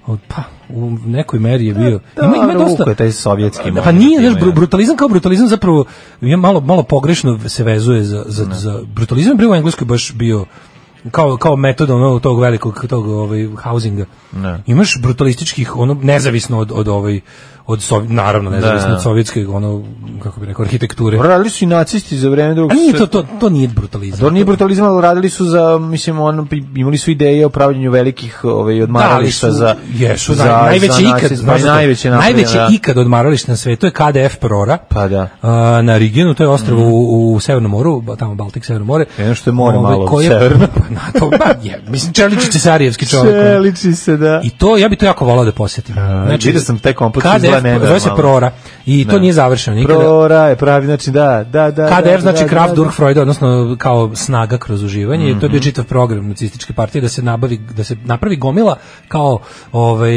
od- pa, u nekoj meri je bio. Ima, ima Dobro, dosta, uko je taj sovjetski pa moment, nije, znaš, ima, bru- ja. brutalizam kao brutalizam zapravo je malo, malo pogrešno se vezuje za, za, za brutalizam je bio u Engleskoj baš bio kao, kao metod ono, tog velikog tog, ovaj, housinga. Ne. Imaš brutalističkih, ono, nezavisno od, od ovaj, od Sov... naravno nezavisno da. od sovjetske, ono, kako bi rekao, arhitekture. Radili su i nacisti za vreme drugog. A nije to, to, to nije brutalizam. To nije brutalizam, ali radili su za, mislim, on, imali su ideje o pravljenju velikih ovaj, odmarališta da, su, za... Jesu, za, najveće za ikad, nacist, pa najveće, najveće da. ikad odmaralište na svetu je K D F Prora. Pa da. A, na Rigenu, to je ostrvo mm. u, u Severnom moru, tamo Baltik, Severno more. Jedno što je more ove, malo koje, severno. Na to, ba, je, mislim, Čeličić je Sarijevski čovjek. Čeliči se, da. I to, ja bi to jako volao da posjetim. Znači, vidio sam taj kompleks izgleda nenormalno. Zove se Prora. I to da. nije završeno nikada. Prora je pravi, znači da, da, da. K D F da, znači da, Kraft da, durch Freude, odnosno kao snaga kroz uživanje. Mm-hmm. I to je bio čitav program nacističke partije da se nabavi, da se napravi gomila kao ovaj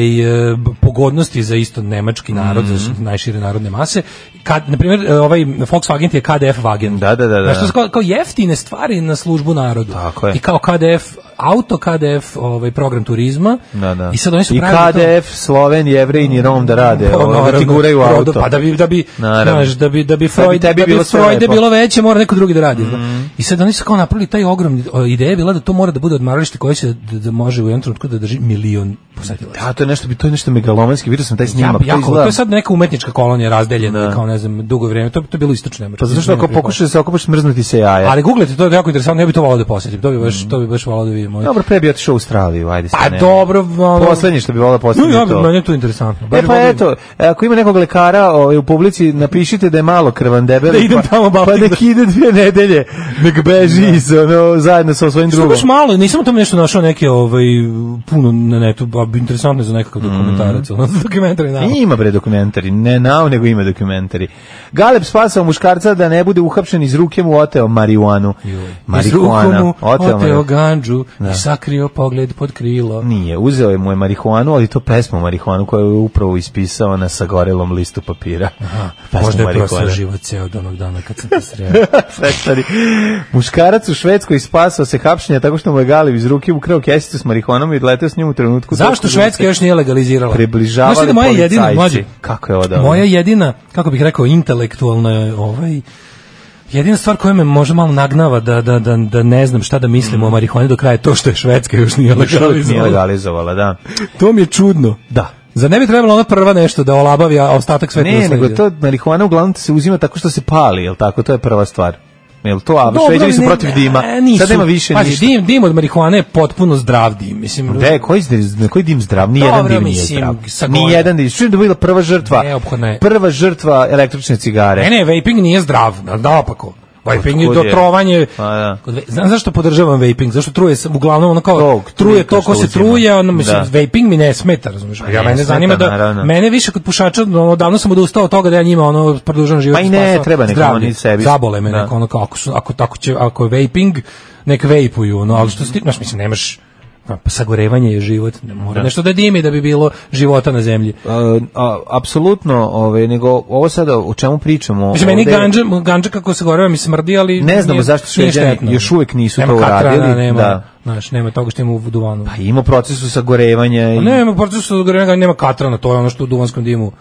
pogodnosti za isto nemački narod, mm-hmm. za najšire narodne mase. Kad na primjer ovaj Volkswagen je K D F Wagen. Da, da, da, da. Znači kao, kao jeftine stvari na službu narodu. Tako je. I kao K D F auto, K D F ovaj program turizma. Da, da. I sad oni su I pravili K D F to... Sloven, Jevrej i Rom da rade, pa, ovo, da ti guraju auto. Pa da bi da bi znaš, da bi da bi Freud da bi, da bi Freud bilo, bilo veće, mora neko drugi da radi. Mm. I sad oni su kao napravili taj ogromni ideja je bila da to mora da bude odmaralište koje se da, da može u jednom trenutku da drži milion posetilaca. Da, to je nešto, to je nešto megalomanski. Vidio sam taj snimak. Ja, jako, to je sad neka umetnička kolonija razdeljena, da. Kao ne znam, dugo vrijeme. To to je bilo istočno Nemačko. Pa zato što ako pokušaš da se okopaš, smrznuti se jaja. Ali guglajte, to je jako interesantno, ja bih to voleo da posjetim. To bi baš mm. to bi baš voleo da vidim. Dobro, pre bi otišao u Australiju, ajde. Pa dobro, ono... poslednje što bi voleo posjetiti. No, ja, to. Meni je to interesantno. E pa eto, ako ima nekog lekara ovaj, u publici, napišite da je malo krvan debel, da idem tamo pa, pa nek ide dvije nedelje, nek beži da. iz, ono, zajedno sa svojim drugom. Što baš malo, nisam tamo nešto našao neke ovaj, puno na netu, a interesantno je za nekakav dokumentarac, mm. ono, dokumentari nao. Ima bre dokumentari, ne nao, nego ima dokumentari. Galeb spasao muškarca da ne bude uhapšen, iz ruke mu oteo marihuanu. Marihuana. Oteo, oteo ganđu da. I sakrio pogled pod krilo. Nije, uzeo je mu je marihuanu, ali to pesmu marihuanu koju je upravo ispisao na sagorelom listu papira. Aha, možda je prosao život ceo od onog dana kad sam te sreo. Muškarac u Švedskoj spasao se hapšenja tako što mu je Galeb iz ruke ukrao kesicu s marihuanom i odleteo s njim u trenutku. Zašto Švedska još nije legalizirala? Približavali da moja jedina, mlađe, kako je odavno? Moja jedina, kako bih rekao, intelektualna ovaj jedina stvar koja me možda malo nagnava da, da, da, da ne znam šta da mislim mm. o marihuani do kraja je to što je Švedska još nije legalizovala. Nije legalizovala, da. To mi je čudno. Da. Za ne bi trebalo ona prva nešto da olabavi, a ostatak sveta ne, nego to marihuana uglavnom se uzima tako što se pali, jel tako? To je prva stvar. Jel to, a Šveđani su protiv dima. Nisu. Sad nema više Pazi, ništa. Dim, dim od marihuane je potpuno zdrav dim. Mislim, de, koji, koji dim zdrav? Ni jedan dim nije zdrav. Ni jedan dim. Što je bila prva žrtva? Prva žrtva električne cigare. Ne, ne, vaping nije zdrav. Naopako. Vaping je do trovanje. Da. Znam zašto podržavam vaping, zašto truje uglavnom ono kao Tog, truje to ko se truje, ono mislim da. Vaping mi ne smeta, razumiješ? Ja mene zanima da naravno. Mene više kod pušača, ono davno sam odustao od toga da ja njima ono produžavam život. Pa i ne, treba neko oni sebi. Zabole me neko ono kao ako su ako tako će ako je vaping nek vejpuju, ono, ali što ti, znaš, mislim nemaš pa sagorevanje je život, ne mora da. Nešto da dimi da bi bilo života na zemlji. A, a, apsolutno, ove, nego ovo sada o čemu pričamo? Mislim, meni ganđa, ganđa kako se goreva mi smrdi, ali ne znamo zašto Šveđani još uvijek nisu nema to uradili. Nema nema, da. Znaš, nema toga što ima u duvanu. Pa ima procesu sagorevanja. I... Nema procesu sagorevanja, nema katrana, to je ono što u duvanskom dimu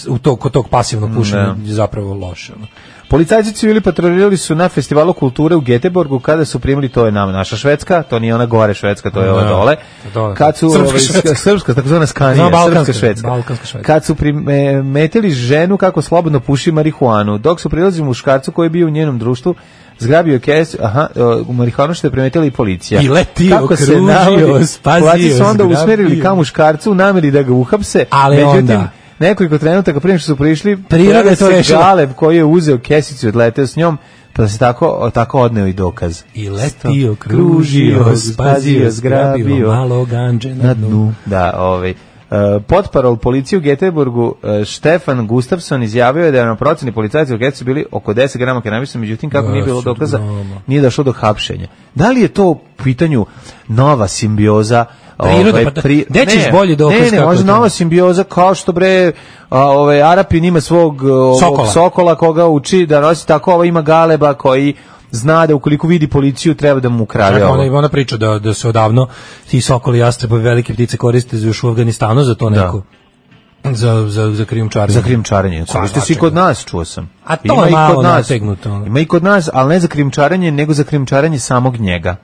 u tog, kod tog pasivnog pušenja je zapravo loše. Ono. Policajci civili patrolirali su na festivalu kulture u Göteborgu kada su primili, to je nam naša Švedska, to nije ona gore Švedska, to je ova dole. dole. Kad su srpska, ovaj, švedska. srpska, takozvana Skanija, balkanska, srpska Švedska. Balkanska švedska. Kad su primetili ženu kako slobodno puši marihuanu, dok su prilazili muškarcu koji je bio u njenom društvu, zgrabio kes, aha, u marihuanu što je primetila i policija. I letio, kako kružio, se navodi, spazio, su onda zgrabio. Usmerili ka muškarcu u nameri da ga uhapse, ali međutim, onda nekoliko trenutaka prije što su prišli, priroda je to rešila. Galeb koji je uzeo kesicu i odleteo s njom, pa se tako, tako odneo i dokaz. I letio, kružio, spazio, zgrabio, malo ganđe na dnu. Da, ovaj. Uh, potparol policije u Göteborgu uh, Štefan Gustafsson izjavio je da je na proceni policajci u Göteborgu bili oko deset grama kanabisa, međutim kako nije bilo dokaza, nije došlo do hapšenja. Da li je to u pitanju nova simbioza? Priroda, ovaj, pa pri... gde ćeš bolji dokaz? Ne, ne, možda nova simbioza kao što bre a, ovaj, Arapin ima svog sokola. sokola koga uči da nosi, tako ovo ima Galeba koji zna da ukoliko vidi policiju treba da mu ukrade ovo. Ona, ona priča da, da se odavno ti sokoli, jastrebovi, velike ptice koriste još u Afganistanu za to neko. Da. Za, za, za krijumčarenje. Za krijumčarenje. Koriste se i kod nas, čuo sam. A to ima je malo nategnuto. Ima i kod nas, ali ne za krijumčarenje, nego za krijumčarenje samog njega.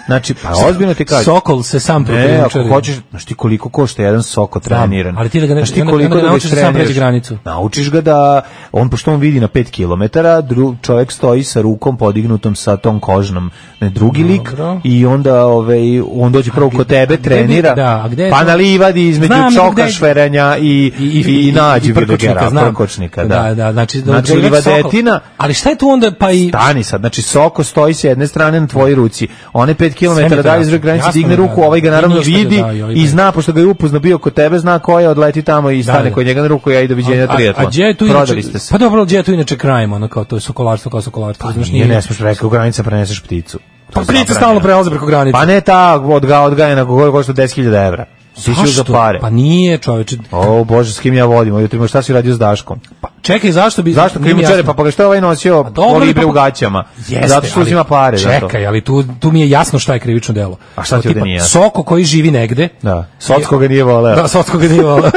Znači, pa ozbiljno ti kažem. Sokol se sam ne, ako hoćeš, znaš ti koliko košta jedan Soko treniran. Ali ti da ga ne, znaš ti onda, koliko onda da naučiš da sam pređe granicu. Naučiš ga da, on pošto on vidi na pet kilometara, dru, čovjek stoji sa rukom podignutom sa tom kožnom, ne, drugi lik, Dobro. i onda ovaj, on dođe prvo kod tebe, trenira, da, a gde pa na livadi između čoka, šverenja i, i, i, i, i nađi prkočnika, prkočnika, da. Da, da, znači, znači livadetina, ali šta je tu onda pa i... Stani sad, znači Soko stoji s jedne strane na tvojoj ruci, one pet kilometara dalje iz granice digne ruku, ovaj ga naravno vidi i zna, pošto ga je upoznao bio kod tebe, zna ko je, odleti tamo i stane kod njega na ruku, ja i doviđenja triatlon. A gdje je tu inače, pa dobro, gdje je tu inače krajem, ono kao to je sokolarstvo, kao sokolarstvo. Pa nije, ne smiješ rekao, u granica preneseš pticu. Pa ptice stalno prelaze preko granice. Pa ne ta odga, odgajena, koja košta deset hiljada evra. Siću za pare. Pa nije, čoveče. O Bože, s kim ja vodim? Jutro šta si radio s Daškom? Pa čekaj, zašto bi Zašto krimučare? Pa pa što je ovaj nosio kolibre u gaćama? Zato što uzima pare za to. Čekaj, ali tu tu mi je jasno šta je krivično delo. A šta ti ovde nije? Soko koji živi negde. Da. Socko ga nije voleo. Da, Socko ga nije voleo.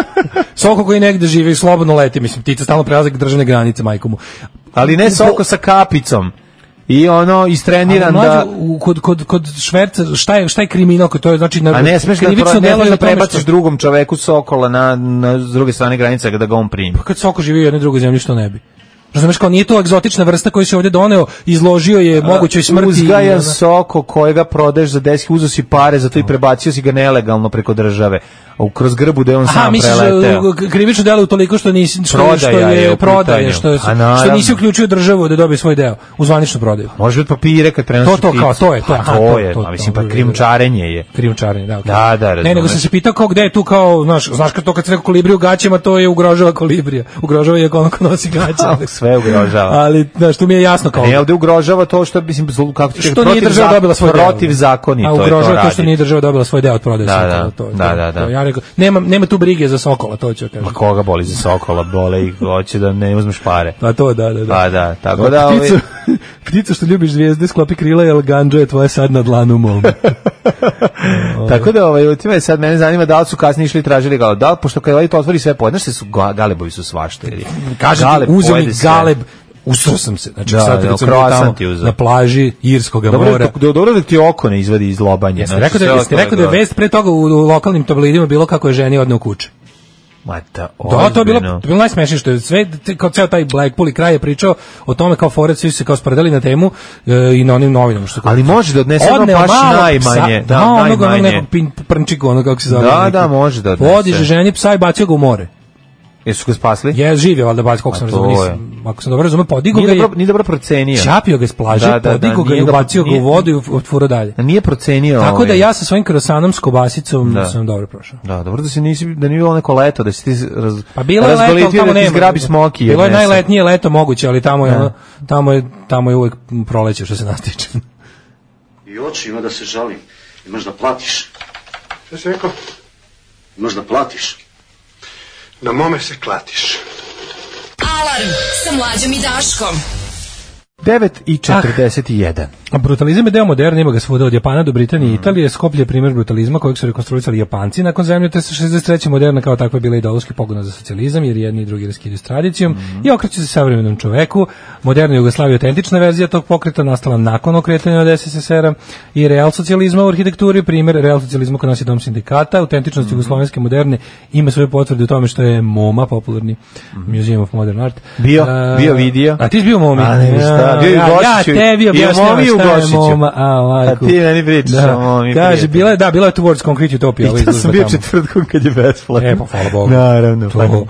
Soko koji negde živi i slobodno leti, mislim, ptica stalno prelazi državne granice, majko mu. Ali ne Soko sa kapicom. I ono istreniran da kod kod kod šverca šta je šta je kriminal, to je znači na a ne smeš da delo da prebaciš drugom čoveku sokola na na s druge strane granice kada ga on primi. Pa kad Soko živi u jednoj drugoj zemlji, što ne bi? Razumeš, kao nije to egzotična vrsta koju se ovdje doneo, izložio je mogućoj smrti. Uzgajan Soko kojega prodaješ za deset, uzo si pare, zato i prebacio si ga nelegalno preko države. Kroz grbu da je on Aha, sam preleteo. Aha, misliš krivično delo utoliko što nisi što, što je prodaje, što, što nisi uključio državu da dobije svoj deo u zvaničnu prodaju. Može biti papire kad prenosiš. To to kao to je, to, aha, to je, a mislim pa krijumčarenje je. Krijumčarenje, da. Okay. Da, da, razumeš. Ne, nego sam se pitao kao gde je tu kao, znaš, znaš kad to kad se reko kolibri u gaćama, to je ugrožava kolibrija. Ugrožava je ono ko nosi gaće. Sve ugrožava. Ali znaš, tu mi je jasno kao. Ne, ovde ugrožava to što mislim kako ti što nije država dobila svoj deo. Protiv zakoni to je. A ugrožava to što nije država dobila svoj deo od prodaje. Da, da, da. Ja rekao, nema nema tu brige za Sokola, to ću kažem. Ma koga boli za Sokola, bole ih, hoće da ne uzmeš pare. Pa to, da, da, da. Pa da, tako da... Pticu, ovi... pticu što ljubiš zvijezde, sklopi krila, jel ganđo je tvoje sad na dlanu mom. Tako da, ovaj, time sad mene zanima da li su kasnije išli i tražili galeb. Da li, pošto kada ovaj to otvori sve pojede, znaš se su galebovi su svašta. Kaže ti, uzeo mi galeb, usro sam se, znači da, sad da, recimo tamo na plaži Irskog mora. Dobro, dobro da ti oko ne izvadi iz lobanje. Jeste rekao da, jeste rekao da je vest pre toga u, u lokalnim tabloidima bilo kako je ženi odneo kuće. Ma da, da, to je bilo, to je bilo najsmešnije što je sve, kao ceo taj Blackpool i kraj je pričao o tome kao foret, svi su se kao spredali na temu e, i na onim novinama. Što ali može da odnese ono baš najmanje. Da, da onog, onog nekog prnčika, ono kako se zove. Da, neki, da, može da odnese. Podiže ženi psa i bacio ga u more. Jesu ga spasli? Je, živio, valjda bacio, koliko sam razumio. Ako sam dobro razumio, podigo ga je... Nije dobro procenio. Čapio ga s plaže, da, da, podigo da, ga i ubacio ga u vodu i otfuro dalje. Nije procenio. Tako da ja sa svojim krosanom s kobasicom da. sam dobro prošao. Da, dobro da se nisi, da nije bilo neko leto, da si ti raz, pa bilo je leto, ali tamo da ti zgrabi smoki. Bilo je najletnije leto moguće, ali tamo je, ono, tamo je, tamo je uvek proleće što se nas tiče. I oči ima da se žalim. Imaš da platiš. Šta si rekao? Imaš da platiš. Na mome se klatiš. Alarm sa Mlađom i Daškom. devet i četrdeset jedan. A brutalizam je deo moderne, ima ga svuda od Japana do Britanije i Italije. Skoplje je primjer brutalizma kojeg su rekonstruisali Japanci nakon zemlje, te se šezdeset treće moderna kao takva bila ideološki pogon za socijalizam, jer jedni i drugi raskidaju s tradicijom mm. i okreću se savremenom čoveku. Moderna Jugoslavija je autentična verzija tog pokreta, nastala nakon okretanja od es es es er-a i real socijalizma u arhitekturi, primjer real socijalizma kod nas je dom sindikata. Autentičnost mm. jugoslovenske moderne ima svoje potvrde u tome što je MoMA, popularni mm. Museum of Modern Art. Bio, uh, bio vidio. A ti si bio MoMI? A ne, šta, bio i Gošiću. Ja tebi objašnjavam šta je MoMA. A, a ti meni pričaš da. o MoMI. Kaže, bila je, da, bila je Towards Concrete Utopia. I to sam bio četvrtkom kad je besplatno. E, pa hvala Bogu. Naravno. To,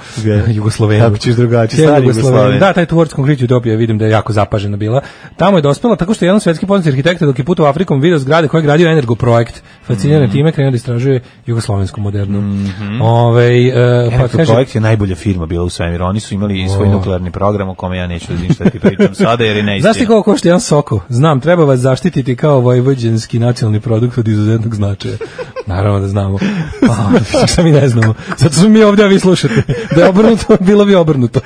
Jugoslovenija. Kako ćeš drugačije, stari Jugoslovenija. Da, taj Towards Concrete Utopia vidim da je jako zapažena bila. Tamo je dospela tako što je jedan svetski poznati arhitekta dok je putovao Afrikom video zgrade koje je gradio Energo projekt. Fasciniran mm. time krenuo da istražuje jugoslovensku modernu. Mm -hmm. Ovaj uh, pa kaže projekt je najbolja firma bila u svemiru. Oni su imali svoj oh. nuklearni program o kome ja neću da ništa ti pričam sada jer je neistina. Znaš ti koliko košta jedan Soko? Znam, treba vas zaštititi kao vojvođanski nacionalni produkt od izuzetnog značaja. Naravno da znamo. Pa, šta mi ne znamo. Zato smo mi ovdje, a vi slušate. Da je obrnuto, bilo bi obrnuto.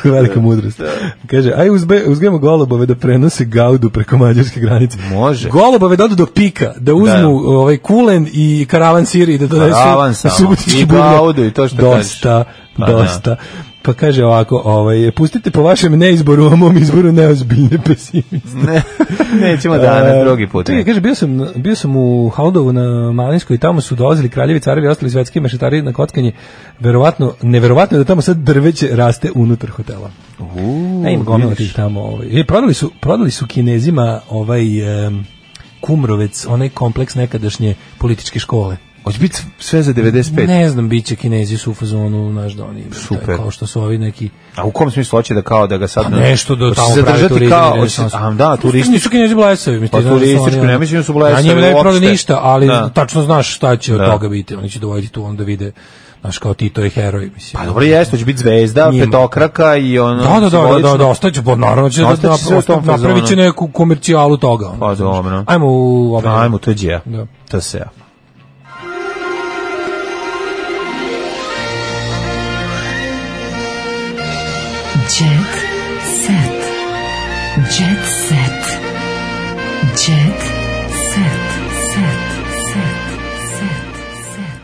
Velika mudrost. Kaže, aj uzbe, uzgajemo golubove da prenose gaudu preko mađarske granice. Može. Golubove da odu do pika, da uzmu da. ovaj kulen i karavan siri, da donesu na Subotički buvljak. I gaudu i to što dosta, kažeš. dosta. Pa kaže ovako, ovaj, pustite po vašem neizboru, a mom izboru neozbiljne pesimiste. Ne, nećemo danas, drugi put. Čekaj, kaže, bio sam, bio sam u Haldovu na Malinskoj i tamo su dolazili kraljevi, carevi i ostali svetski mešetari na kockanje. Verovatno, neverovatno je da tamo sad drveće raste unutar hotela. Uuu, ne, ima gomila tih tamo. Ovaj. I prodali su, prodali su Kinezima ovaj um, Kumrovec, onaj kompleks nekadašnje političke škole. Hoće biti sve za devedeset pet? Ne znam, bit će Kinezi su u fazonu, znaš da oni, super. Kao što su ovi neki... A u kom smislu hoće da kao da ga sad... A nešto da tamo pravi turizam. Kao, a da, turistički. Nisu Kinezi blesavi. Pa turistički, ne mislim da su blesavi. A njima ne prode ništa, ali da. Tačno znaš šta će od da. Toga biti. Oni će dovoditi tu onda vide, znaš, kao Tito je heroj, mislim. Pa dobro jeste, će biti zvezda, njima. Petokraka i ono... Da, da, da, da, da, ostaće, pa naravno će da napravit će neku komercijalu toga. Pa dobro. Ajmo u... Ajmo, to je džija. To se ja. Jet set. Jet set. Jet set. Set. Set. Set.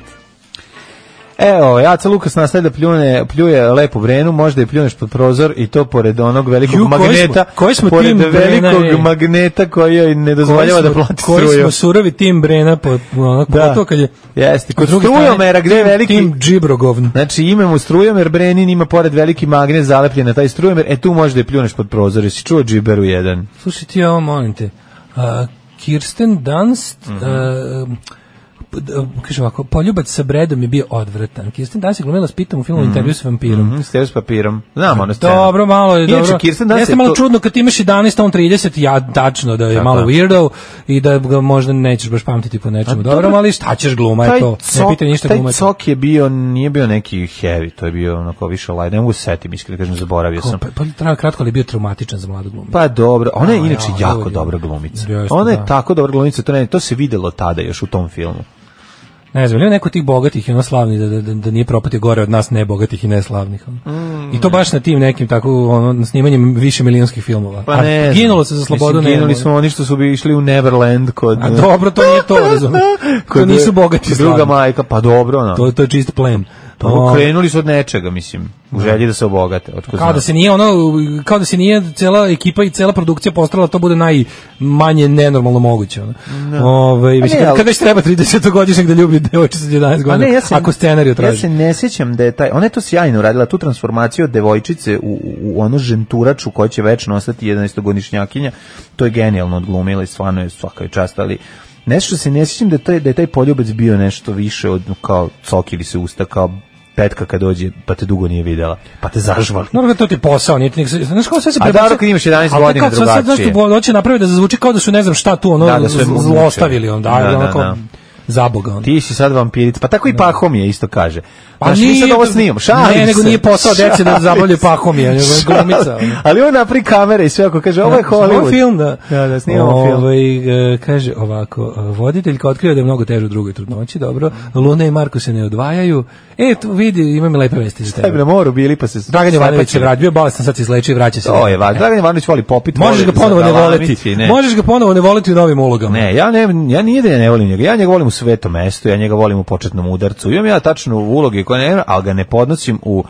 Evo, Jaca Lukas nastaje da pljune, pljuje lepu Brenu, možda i pljuneš pod prozor i to pored onog velikog Ju, magneta, koji smo, koji smo pored velikog Brena, magneta koji joj ne dozvoljava da plati struju. Koji smo surovi tim Brena, po, ono, da. To kad je... Jeste, kod strujomera gde je veliki... Tim Džibrogovn. Znači imamo strujomer, Brenin ima pored veliki magnet zalepljen na taj strujomer, e tu možda i pljuneš pod prozor, jesi čuo Džiberu jedan? Slušaj ti, ovo molim te, uh, Kirsten Dunst... Mm -hmm. uh, kaže ovako, poljubac sa Bredom je bio odvratan. Kirsten Dunst je glumila s Pitom u filmu mm -hmm. Intervju s vampirom. Mm -hmm, Intervju s papirom. Znam ono scenu. Dobro, malo je Inače, dobro. Kirsten Dunst jeste malo to... čudno kad imaš jedanaest, a on trideset, ja tačno da je tako. Malo weirdo i da ga možda nećeš baš pamtiti po nečemu. Dobro, dobro, ali šta ćeš gluma je to? Cok, ne pitaj ništa gluma. Taj cok je bio, nije bio neki heavy, to je bio onako više light. Ne mogu setim, iskreno kažem, zaboravio Ko, sam. Pa, pa treba kratko, ali je bio traumatičan za mladu glumicu. Pa dobro, ona je a, inače ja, jako dobra glumica. Ona je tako dobra glumica, to ne, to se videlo tada još u tom filmu. Ne znam, ili neko tih bogatih i ono slavnih da, da, da nije propatio gore od nas nebogatih i neslavnih. Mm, I to baš na tim nekim tako ono, na snimanjem više milionskih filmova. Pa ne, a ginulo se za slobodu. Mislim, ginuli smo oni što su bi išli u Neverland kod... A dobro, to nije to, razumiješ. To nisu bogati druga slavni. Majka, pa dobro. No. To, to je čist plen. Pa krenuli su od nečega, mislim, u želji da se obogate. Kao znam. Da se nije ono, kao da se nije cela ekipa i cela produkcija postarala to bude najmanje nenormalno moguće. Ono. No. Ove, mislim, ne, kad, kad već treba tridesetogodišnjeg da ljubi devojčicu sa jedanaest godina, ne, ja se, ako scenariju traži. Ja se ne sjećam da je taj, ona je to sjajno uradila, tu transformaciju od devojčice u, u, u onu ženturaču koja će večno ostati jedanaestogodišnjakinja, to je genijalno odglumila i stvarno je svaka čast, ali nešto se ne sjećam da je taj, da je taj poljubac bio nešto više od kao cokili se usta, kao petka kad dođe, pa te dugo nije videla, pa te zažvali. No, to ti posao, nije ti, znaš kako sve se prebacio. A dobro kad imaš jedanaest godina drugačije. Znaš što hoće napraviti da zazvuči kao da su ne znam šta tu, ono, da, da zlostavili, onda, da, da, onako, da. Zaboga. On. Ti si sad vampirica, pa tako i Pahomije isto kaže. Pa znaš, mi sad ovo snimam, šalim Ne, nego se. Nije posao dece da zabavljaju Pahomije, nego je glumica. Ali on napri kamere i sve ako kaže, ovo je Hollywood. Ovo film, da. Da, da, snimamo film. Ovaj, kaže ovako, voditeljka otkriva da je mnogo teže u drugoj trudnoći, dobro. Luna i Marko se ne odvajaju. E, tu vidi, imam lepe vesti za tebe. Šta bi na moru bili, pa se... Dragan Jovanović se vratio, bio bolestan, sad se izlečio i vraća se. To je važno. Dragan Jovanović voli popit. Možeš ga ponovo ne voleti. Možeš ga ponovo ne voleti u novim ulogama. Ne, ja ne, ja nije da ja ne volim njega. Ja njega volim u Svetom mestu, ja njega volim u Početnom udarcu. Imam ja tačno uloge koje ne, ali ga ne podnosim u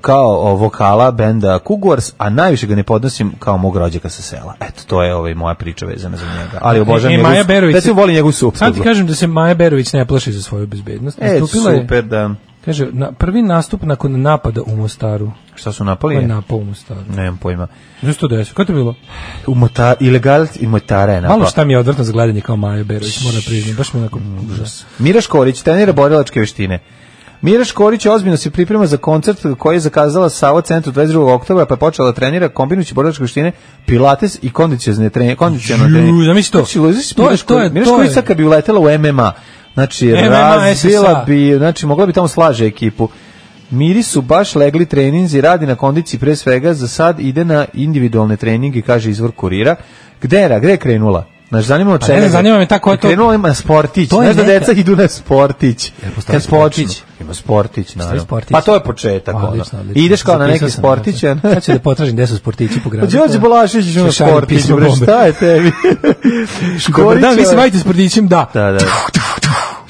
kao vokala benda Kugors, a najviše ga ne podnosim kao mog rođaka sa sela. Eto, to je ovaj moja priča vezana za njega. Ali obožavam njega. Maja Berović. Da se voli njegovu suprugu. Sad ti kažem da se Maja Berović ne plaši za svoju bezbednost. E, super, da. Kaže, na, prvi nastup nakon napada u Mostaru. Šta su napali? Ko je napao u Mostaru? Nemam pojma. Nešto desilo. Kako je bilo? U Motar, ilegal i Motara je napao. Malo šta mi je odvrtno za gledanje kao Maja Berović, moram priznati. Baš mi je onako užas. Mira Škorić, trenira borilačke veštine. Mira Škorić ozbiljno se priprema za koncert koji je zakazala Savo centru dvadeset drugog oktobra, pa je počela da trenira kombinujući borilačke veštine, pilates i kondicione treninge. Kondicionalno treninge. Da misli to. To je, to je. Mira Škorić sad kad bi uletela u M M A, znači razbila bi, znači mogla bi tamo slaže ekipu. Miri su baš legli treninzi, radi na kondiciji pre svega, za sad ide na individualne treninge, kaže izvor Kurira. Gde je, gde je krenula? Znaš, zanima od čega. Ne, zanima me tako je to. Krenula ima sportić. Znaš da deca idu na sportić. Kad počnu. Ima sportić, naravno. Pa to je početak. Odlično, odlično. Ideš kao na neki sportić. Sad ću da potražim gde su sportići po gradu. Đorđe Balašević išao na sportić. Šta je tebi? Škorić. Da, vi se bavite sportićem, da. Da, da.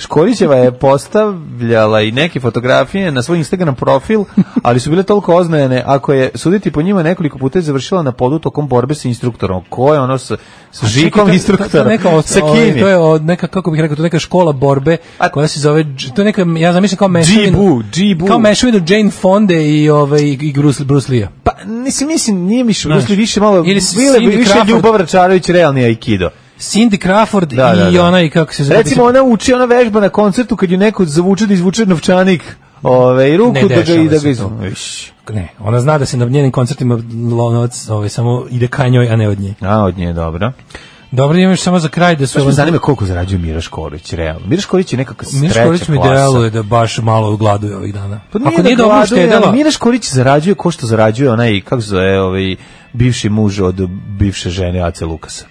Škorićeva je postavljala i neke fotografije na svoj Instagram profil, ali su bile toliko oznajene, ako je suditi po njima nekoliko puta je završila na podu tokom borbe sa instruktorom. Ko je ono sa, sa žikom to, instruktora? To, to, neka, sa ovaj, kim to je od neka, kako bih rekao, to je neka škola borbe koja se zove, to je neka, ja zamišljam kao mešavinu, kao mešavinu Jane Fonde i, ovaj, i Bruce, Bruce Lee-a. Pa, nisi, mislim, nije mi Bruce Lee više malo, ili bile više Ljubav Račarović, realni aikido. Cindy Crawford da, da, i da. ona i kako se zove. Recimo ona uči, ona vežba na koncertu kad ju neko zavuče da izvuče novčanik, ove, i ruku ne, da ga i da ga izvuče. Ne, ona zna da se na njenim koncertima novac ovaj, samo ide ka njoj, a ne od nje. A, od nje, dobro. Dobro, imaš samo za kraj da su... Baš me zanima koliko zarađuje Mira Škorić, realno. Mira Škorić je nekakva treća klasa. Mira Škorić mi deluje da baš malo gladuje ovih dana. Pa nije, Ako da nije dobro štedela... Mira Škorić zarađuje ko što zarađuje onaj, kako zove, ovaj, bivši muž od bivše žene Ace Lukasa.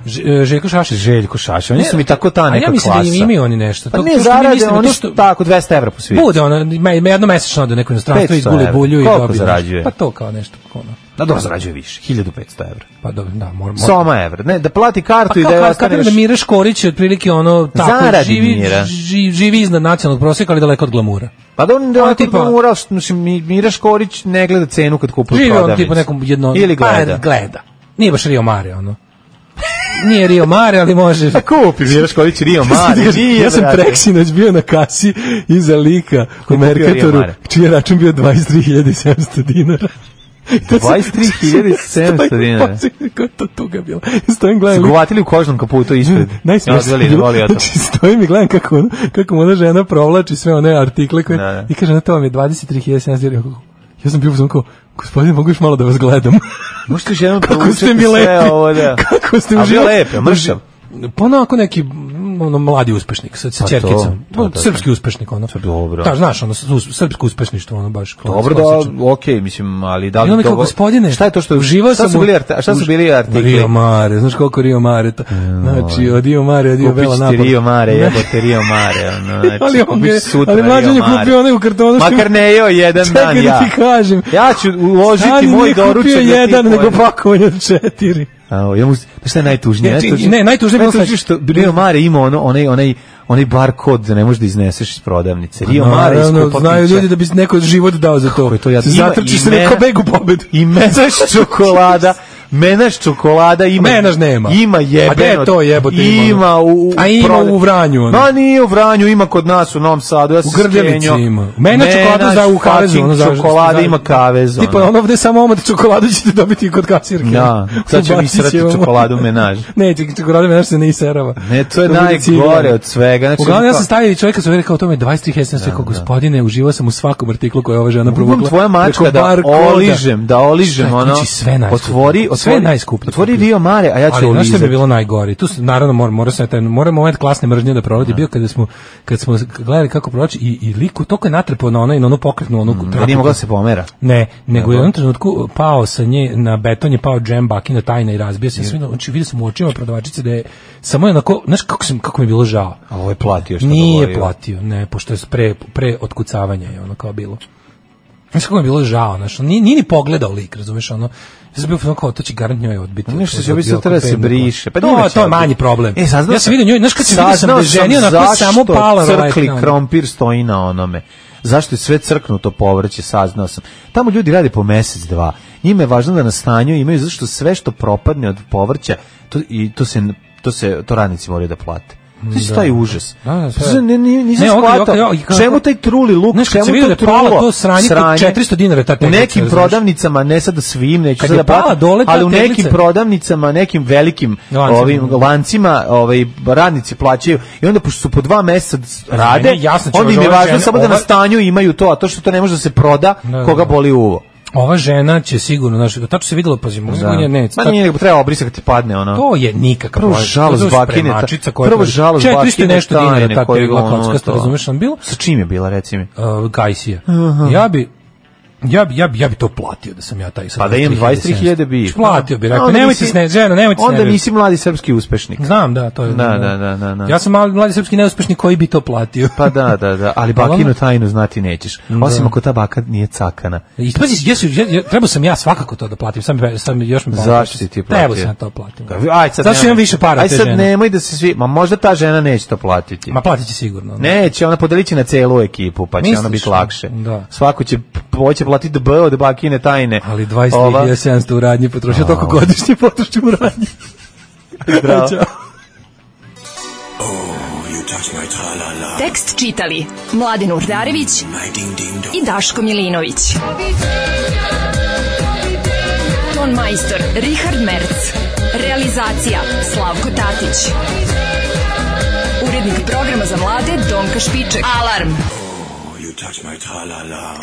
Ž, Željko Šašić. Željko Šašić. Oni su mi tako ta neka klasa. A ja mislim da imaju oni nešto. Pa to, ne to zarade, mislim, oni što... tako dvesta evra po svijetu. Bude ona, jedno mesečno ode neko inostranstvo i guli bulju i dobije. Zarađuje? Pa to kao nešto. Ono. Da, dobro zarađuje više, hiljadu petsto evra. Pa dobro, da, mora. Soma evra, ne, da plati kartu pa i da je ostane još... Pa da Mira Škorić je otprilike ono, tako, zaradi živi, Mira. Živi, živi iznad nacionalnog prosjeka, ali daleko od glamura. Pa da on daleko tipa, od glamura, Mira Škorić ne gleda cenu kad kupuje prodavnicu. Živi on tipa nekom jedno... Ili gleda. Pa, gleda. Nije baš Rio Mare, ono. Nije Rio Mare, ali može. A kupi Mira Škorić Rio Mare. Nije, ja sam preksinoć bio na kasi iza lika u Merkatoru, čiji je račun bio dvadeset tri hiljade sedamsto dinara. dvadeset tri hiljade sedamsto dinara. Kako to tuga bilo. Stojim gledam. Zgovatili u kožnom kaputu ispred. Najsmešnije. Znači stojim i gledam kako, kako mu ona žena provlači sve one artikle koje, da, da. I kaže na to vam je dvadeset tri hiljade sedamsto dinara. Ja sam bio uzman kao, gospodine, mogu još malo da vas gledam. Možete još jednom kako ste mi lepi. Ovo, da. Kako ste mi lepi. A bio lepi, mršav. Pa onako neki ono mladi uspešnik sa, sa ćerkicom. To, to, srpski uspešnik ono. Dobro. Da, znaš, ono srpsko uspešništvo ono baš. Dobro da, okej, mislim, ali da li to gospodine, šta je to što uživao sam su bili šta su bili artikli? Rio Mare, znaš koliko Rio Mare to. Znači, od Rio Mare, od Rio Bela napad. Rio Mare, jebote Rio Mare, ono. Znači, ali on je, ali mlađan je kupio onaj u kartonu. Makar ne jeo jedan dan ja. Čekaj da ti kažem. Ja ću uložiti moj doručak. Nije kupio jedan, nego pakovanje od četiri. A, ja mu, šta je najtužnije? Ne, ne, ne najtužnije bilo znači što Rio Mare ima ono, onaj, onaj, onaj bar kod da ne možeš da izneseš iz prodavnice. Rio no, Mare iskupa pića. Znaju ljudi da bi neko život dao za to. Kako je to jadno. Zatrči se neko begu pobedu. I menaš čokolada. Menaš čokolada ima. Menaš nema. Ima jebeno. A gde je to jebote ima? Ima u, u A ima prodav... u Vranju. Ono. Ma nije u Vranju, ima kod nas u Novom Sadu. Ja u Grbljevici ima. Menaš čokoladu za u kavezu. Ono, čokolada ima kavez. Tipa ono ovde samo omad čokoladu ćete dobiti kod kasirke. Da, sad ću mi srati čokoladu menaž. Ne, čokoladu menaž se ne iserava. Ne, to je najgore od svega. Znači, uglavnom ja sam stavio čovjeka su rekao o tome dvadeset tri hiljade, rekao gospodine, uživao sam u svakom artiklu koji je ova žena provukla. Tvoja mačka da oližem, da oližem ono. Otvori, sve najskuplje. Otvori Rio Mare, a ja ću olizati. Ali znaš što bi bilo najgore? Tu naravno mora mora se taj mora moment klasne mržnje da proladi bio kada smo kad smo gledali kako prolači i i liku toliko je natrpao na onaj na onu pokretnu onu mm, nije mogla se pomera. Ne, nego je u jednom trenutku pao sa nje na beton je pao džem bakina tajna i razbio se sve. Znači vidio sam u očima prodavačice da je samo je onako, znaš kako sam kako mi je bilo žao. A ovo je platio što nije govorio. Platio, ne, pošto je pre pre otkucavanja je ono kao bilo. Znaš kako mi je bilo žao, znaš, nije, nije ni pogledao lik, razumeš, ono, ja sam bio kao, to će garant njoj odbiti. Nešto će biti treba da se briše. Pa to, to je manji problem. E, saznao ja sam vidio njoj, znaš kad sam vidio sam da ženio na koje samo pala. Crkli krompir stoji na onome. Zašto je sve crknuto povrće, saznao sam. Tamo ljudi rade po mesec, dva. Njima je važno da na stanju imaju, zašto sve što propadne od povrća, to, i to se, to se, to radnici moraju da plate. Znači, taj užas. Da, da, ne, ne, nisam ne, shvatao. Okay, okay, okay. Čemu taj truli luk? Znaš, čemu to trulo? To sranje, sranje četiristo dinara. Ta u nekim znaš. Prodavnicama, ne sad da svim, neću sad da platim, ali u nekim teglica. Prodavnicama, nekim velikim lancima. Ovim lancima ovaj, radnici plaćaju i onda, pošto su po dva meseca rade, ne, onda im je važno žena, samo ova... da na stanju imaju to, a to što to ne može da se proda, da, koga boli uvo. Ova žena će sigurno, znači, tačno se videlo, pa zimo, ne, ne, ma nije, nego treba obrisati kad ti padne, ono. To je nikakav prvo žalost bakine, prvo žalost bakine, četiristo nešto dinara, tako je bila kockasta, razumeš, on bilo? Sa čim je bila, reci mi? Uh, Gajsija. Ja bi, Ja bi, ja bi, ja bi to platio da sam ja taj sad. Pa da imam dvadeset tri hiljade bi. Platio bi, rekao, nemojte se ne, ženo, nemojte se onda nisi mladi srpski uspešnik. Znam, da, to je. Da, da, da, da, da. Ja sam mladi, mladi srpski neuspešnik koji bi to platio. Pa da, da, da, ali bakinu tajnu znati nećeš. Osim ako ta baka nije cakana. I pazi, jesu, ja, trebao sam ja svakako to da platim, sam, sam još mi platio. Zašto si ti platio? Trebao sam to platim. Aj sad. Zašto imam više para aj te sad žene? Nemoj da se svi, ma možda ta žena neće to platiti. Ma platit će sigurno. Da. Neće, ona podeliće na celu ekipu, pa će Misliš, ona biti lakše. Da. Svako će hoće platiti B od bakine tajne. Ali dvadeset tri hiljade sedamsto u radnji potrošio, toliko godišnje potrošio u radnji. Bravo. Tekst čitali Mladen Urdarević i Daško Milinović. Ton majstor Richard Merc. Realizacija Slavko Tatić. Urednik programa za mlade Donka Špiček. Alarm! You touch my tra-la-la.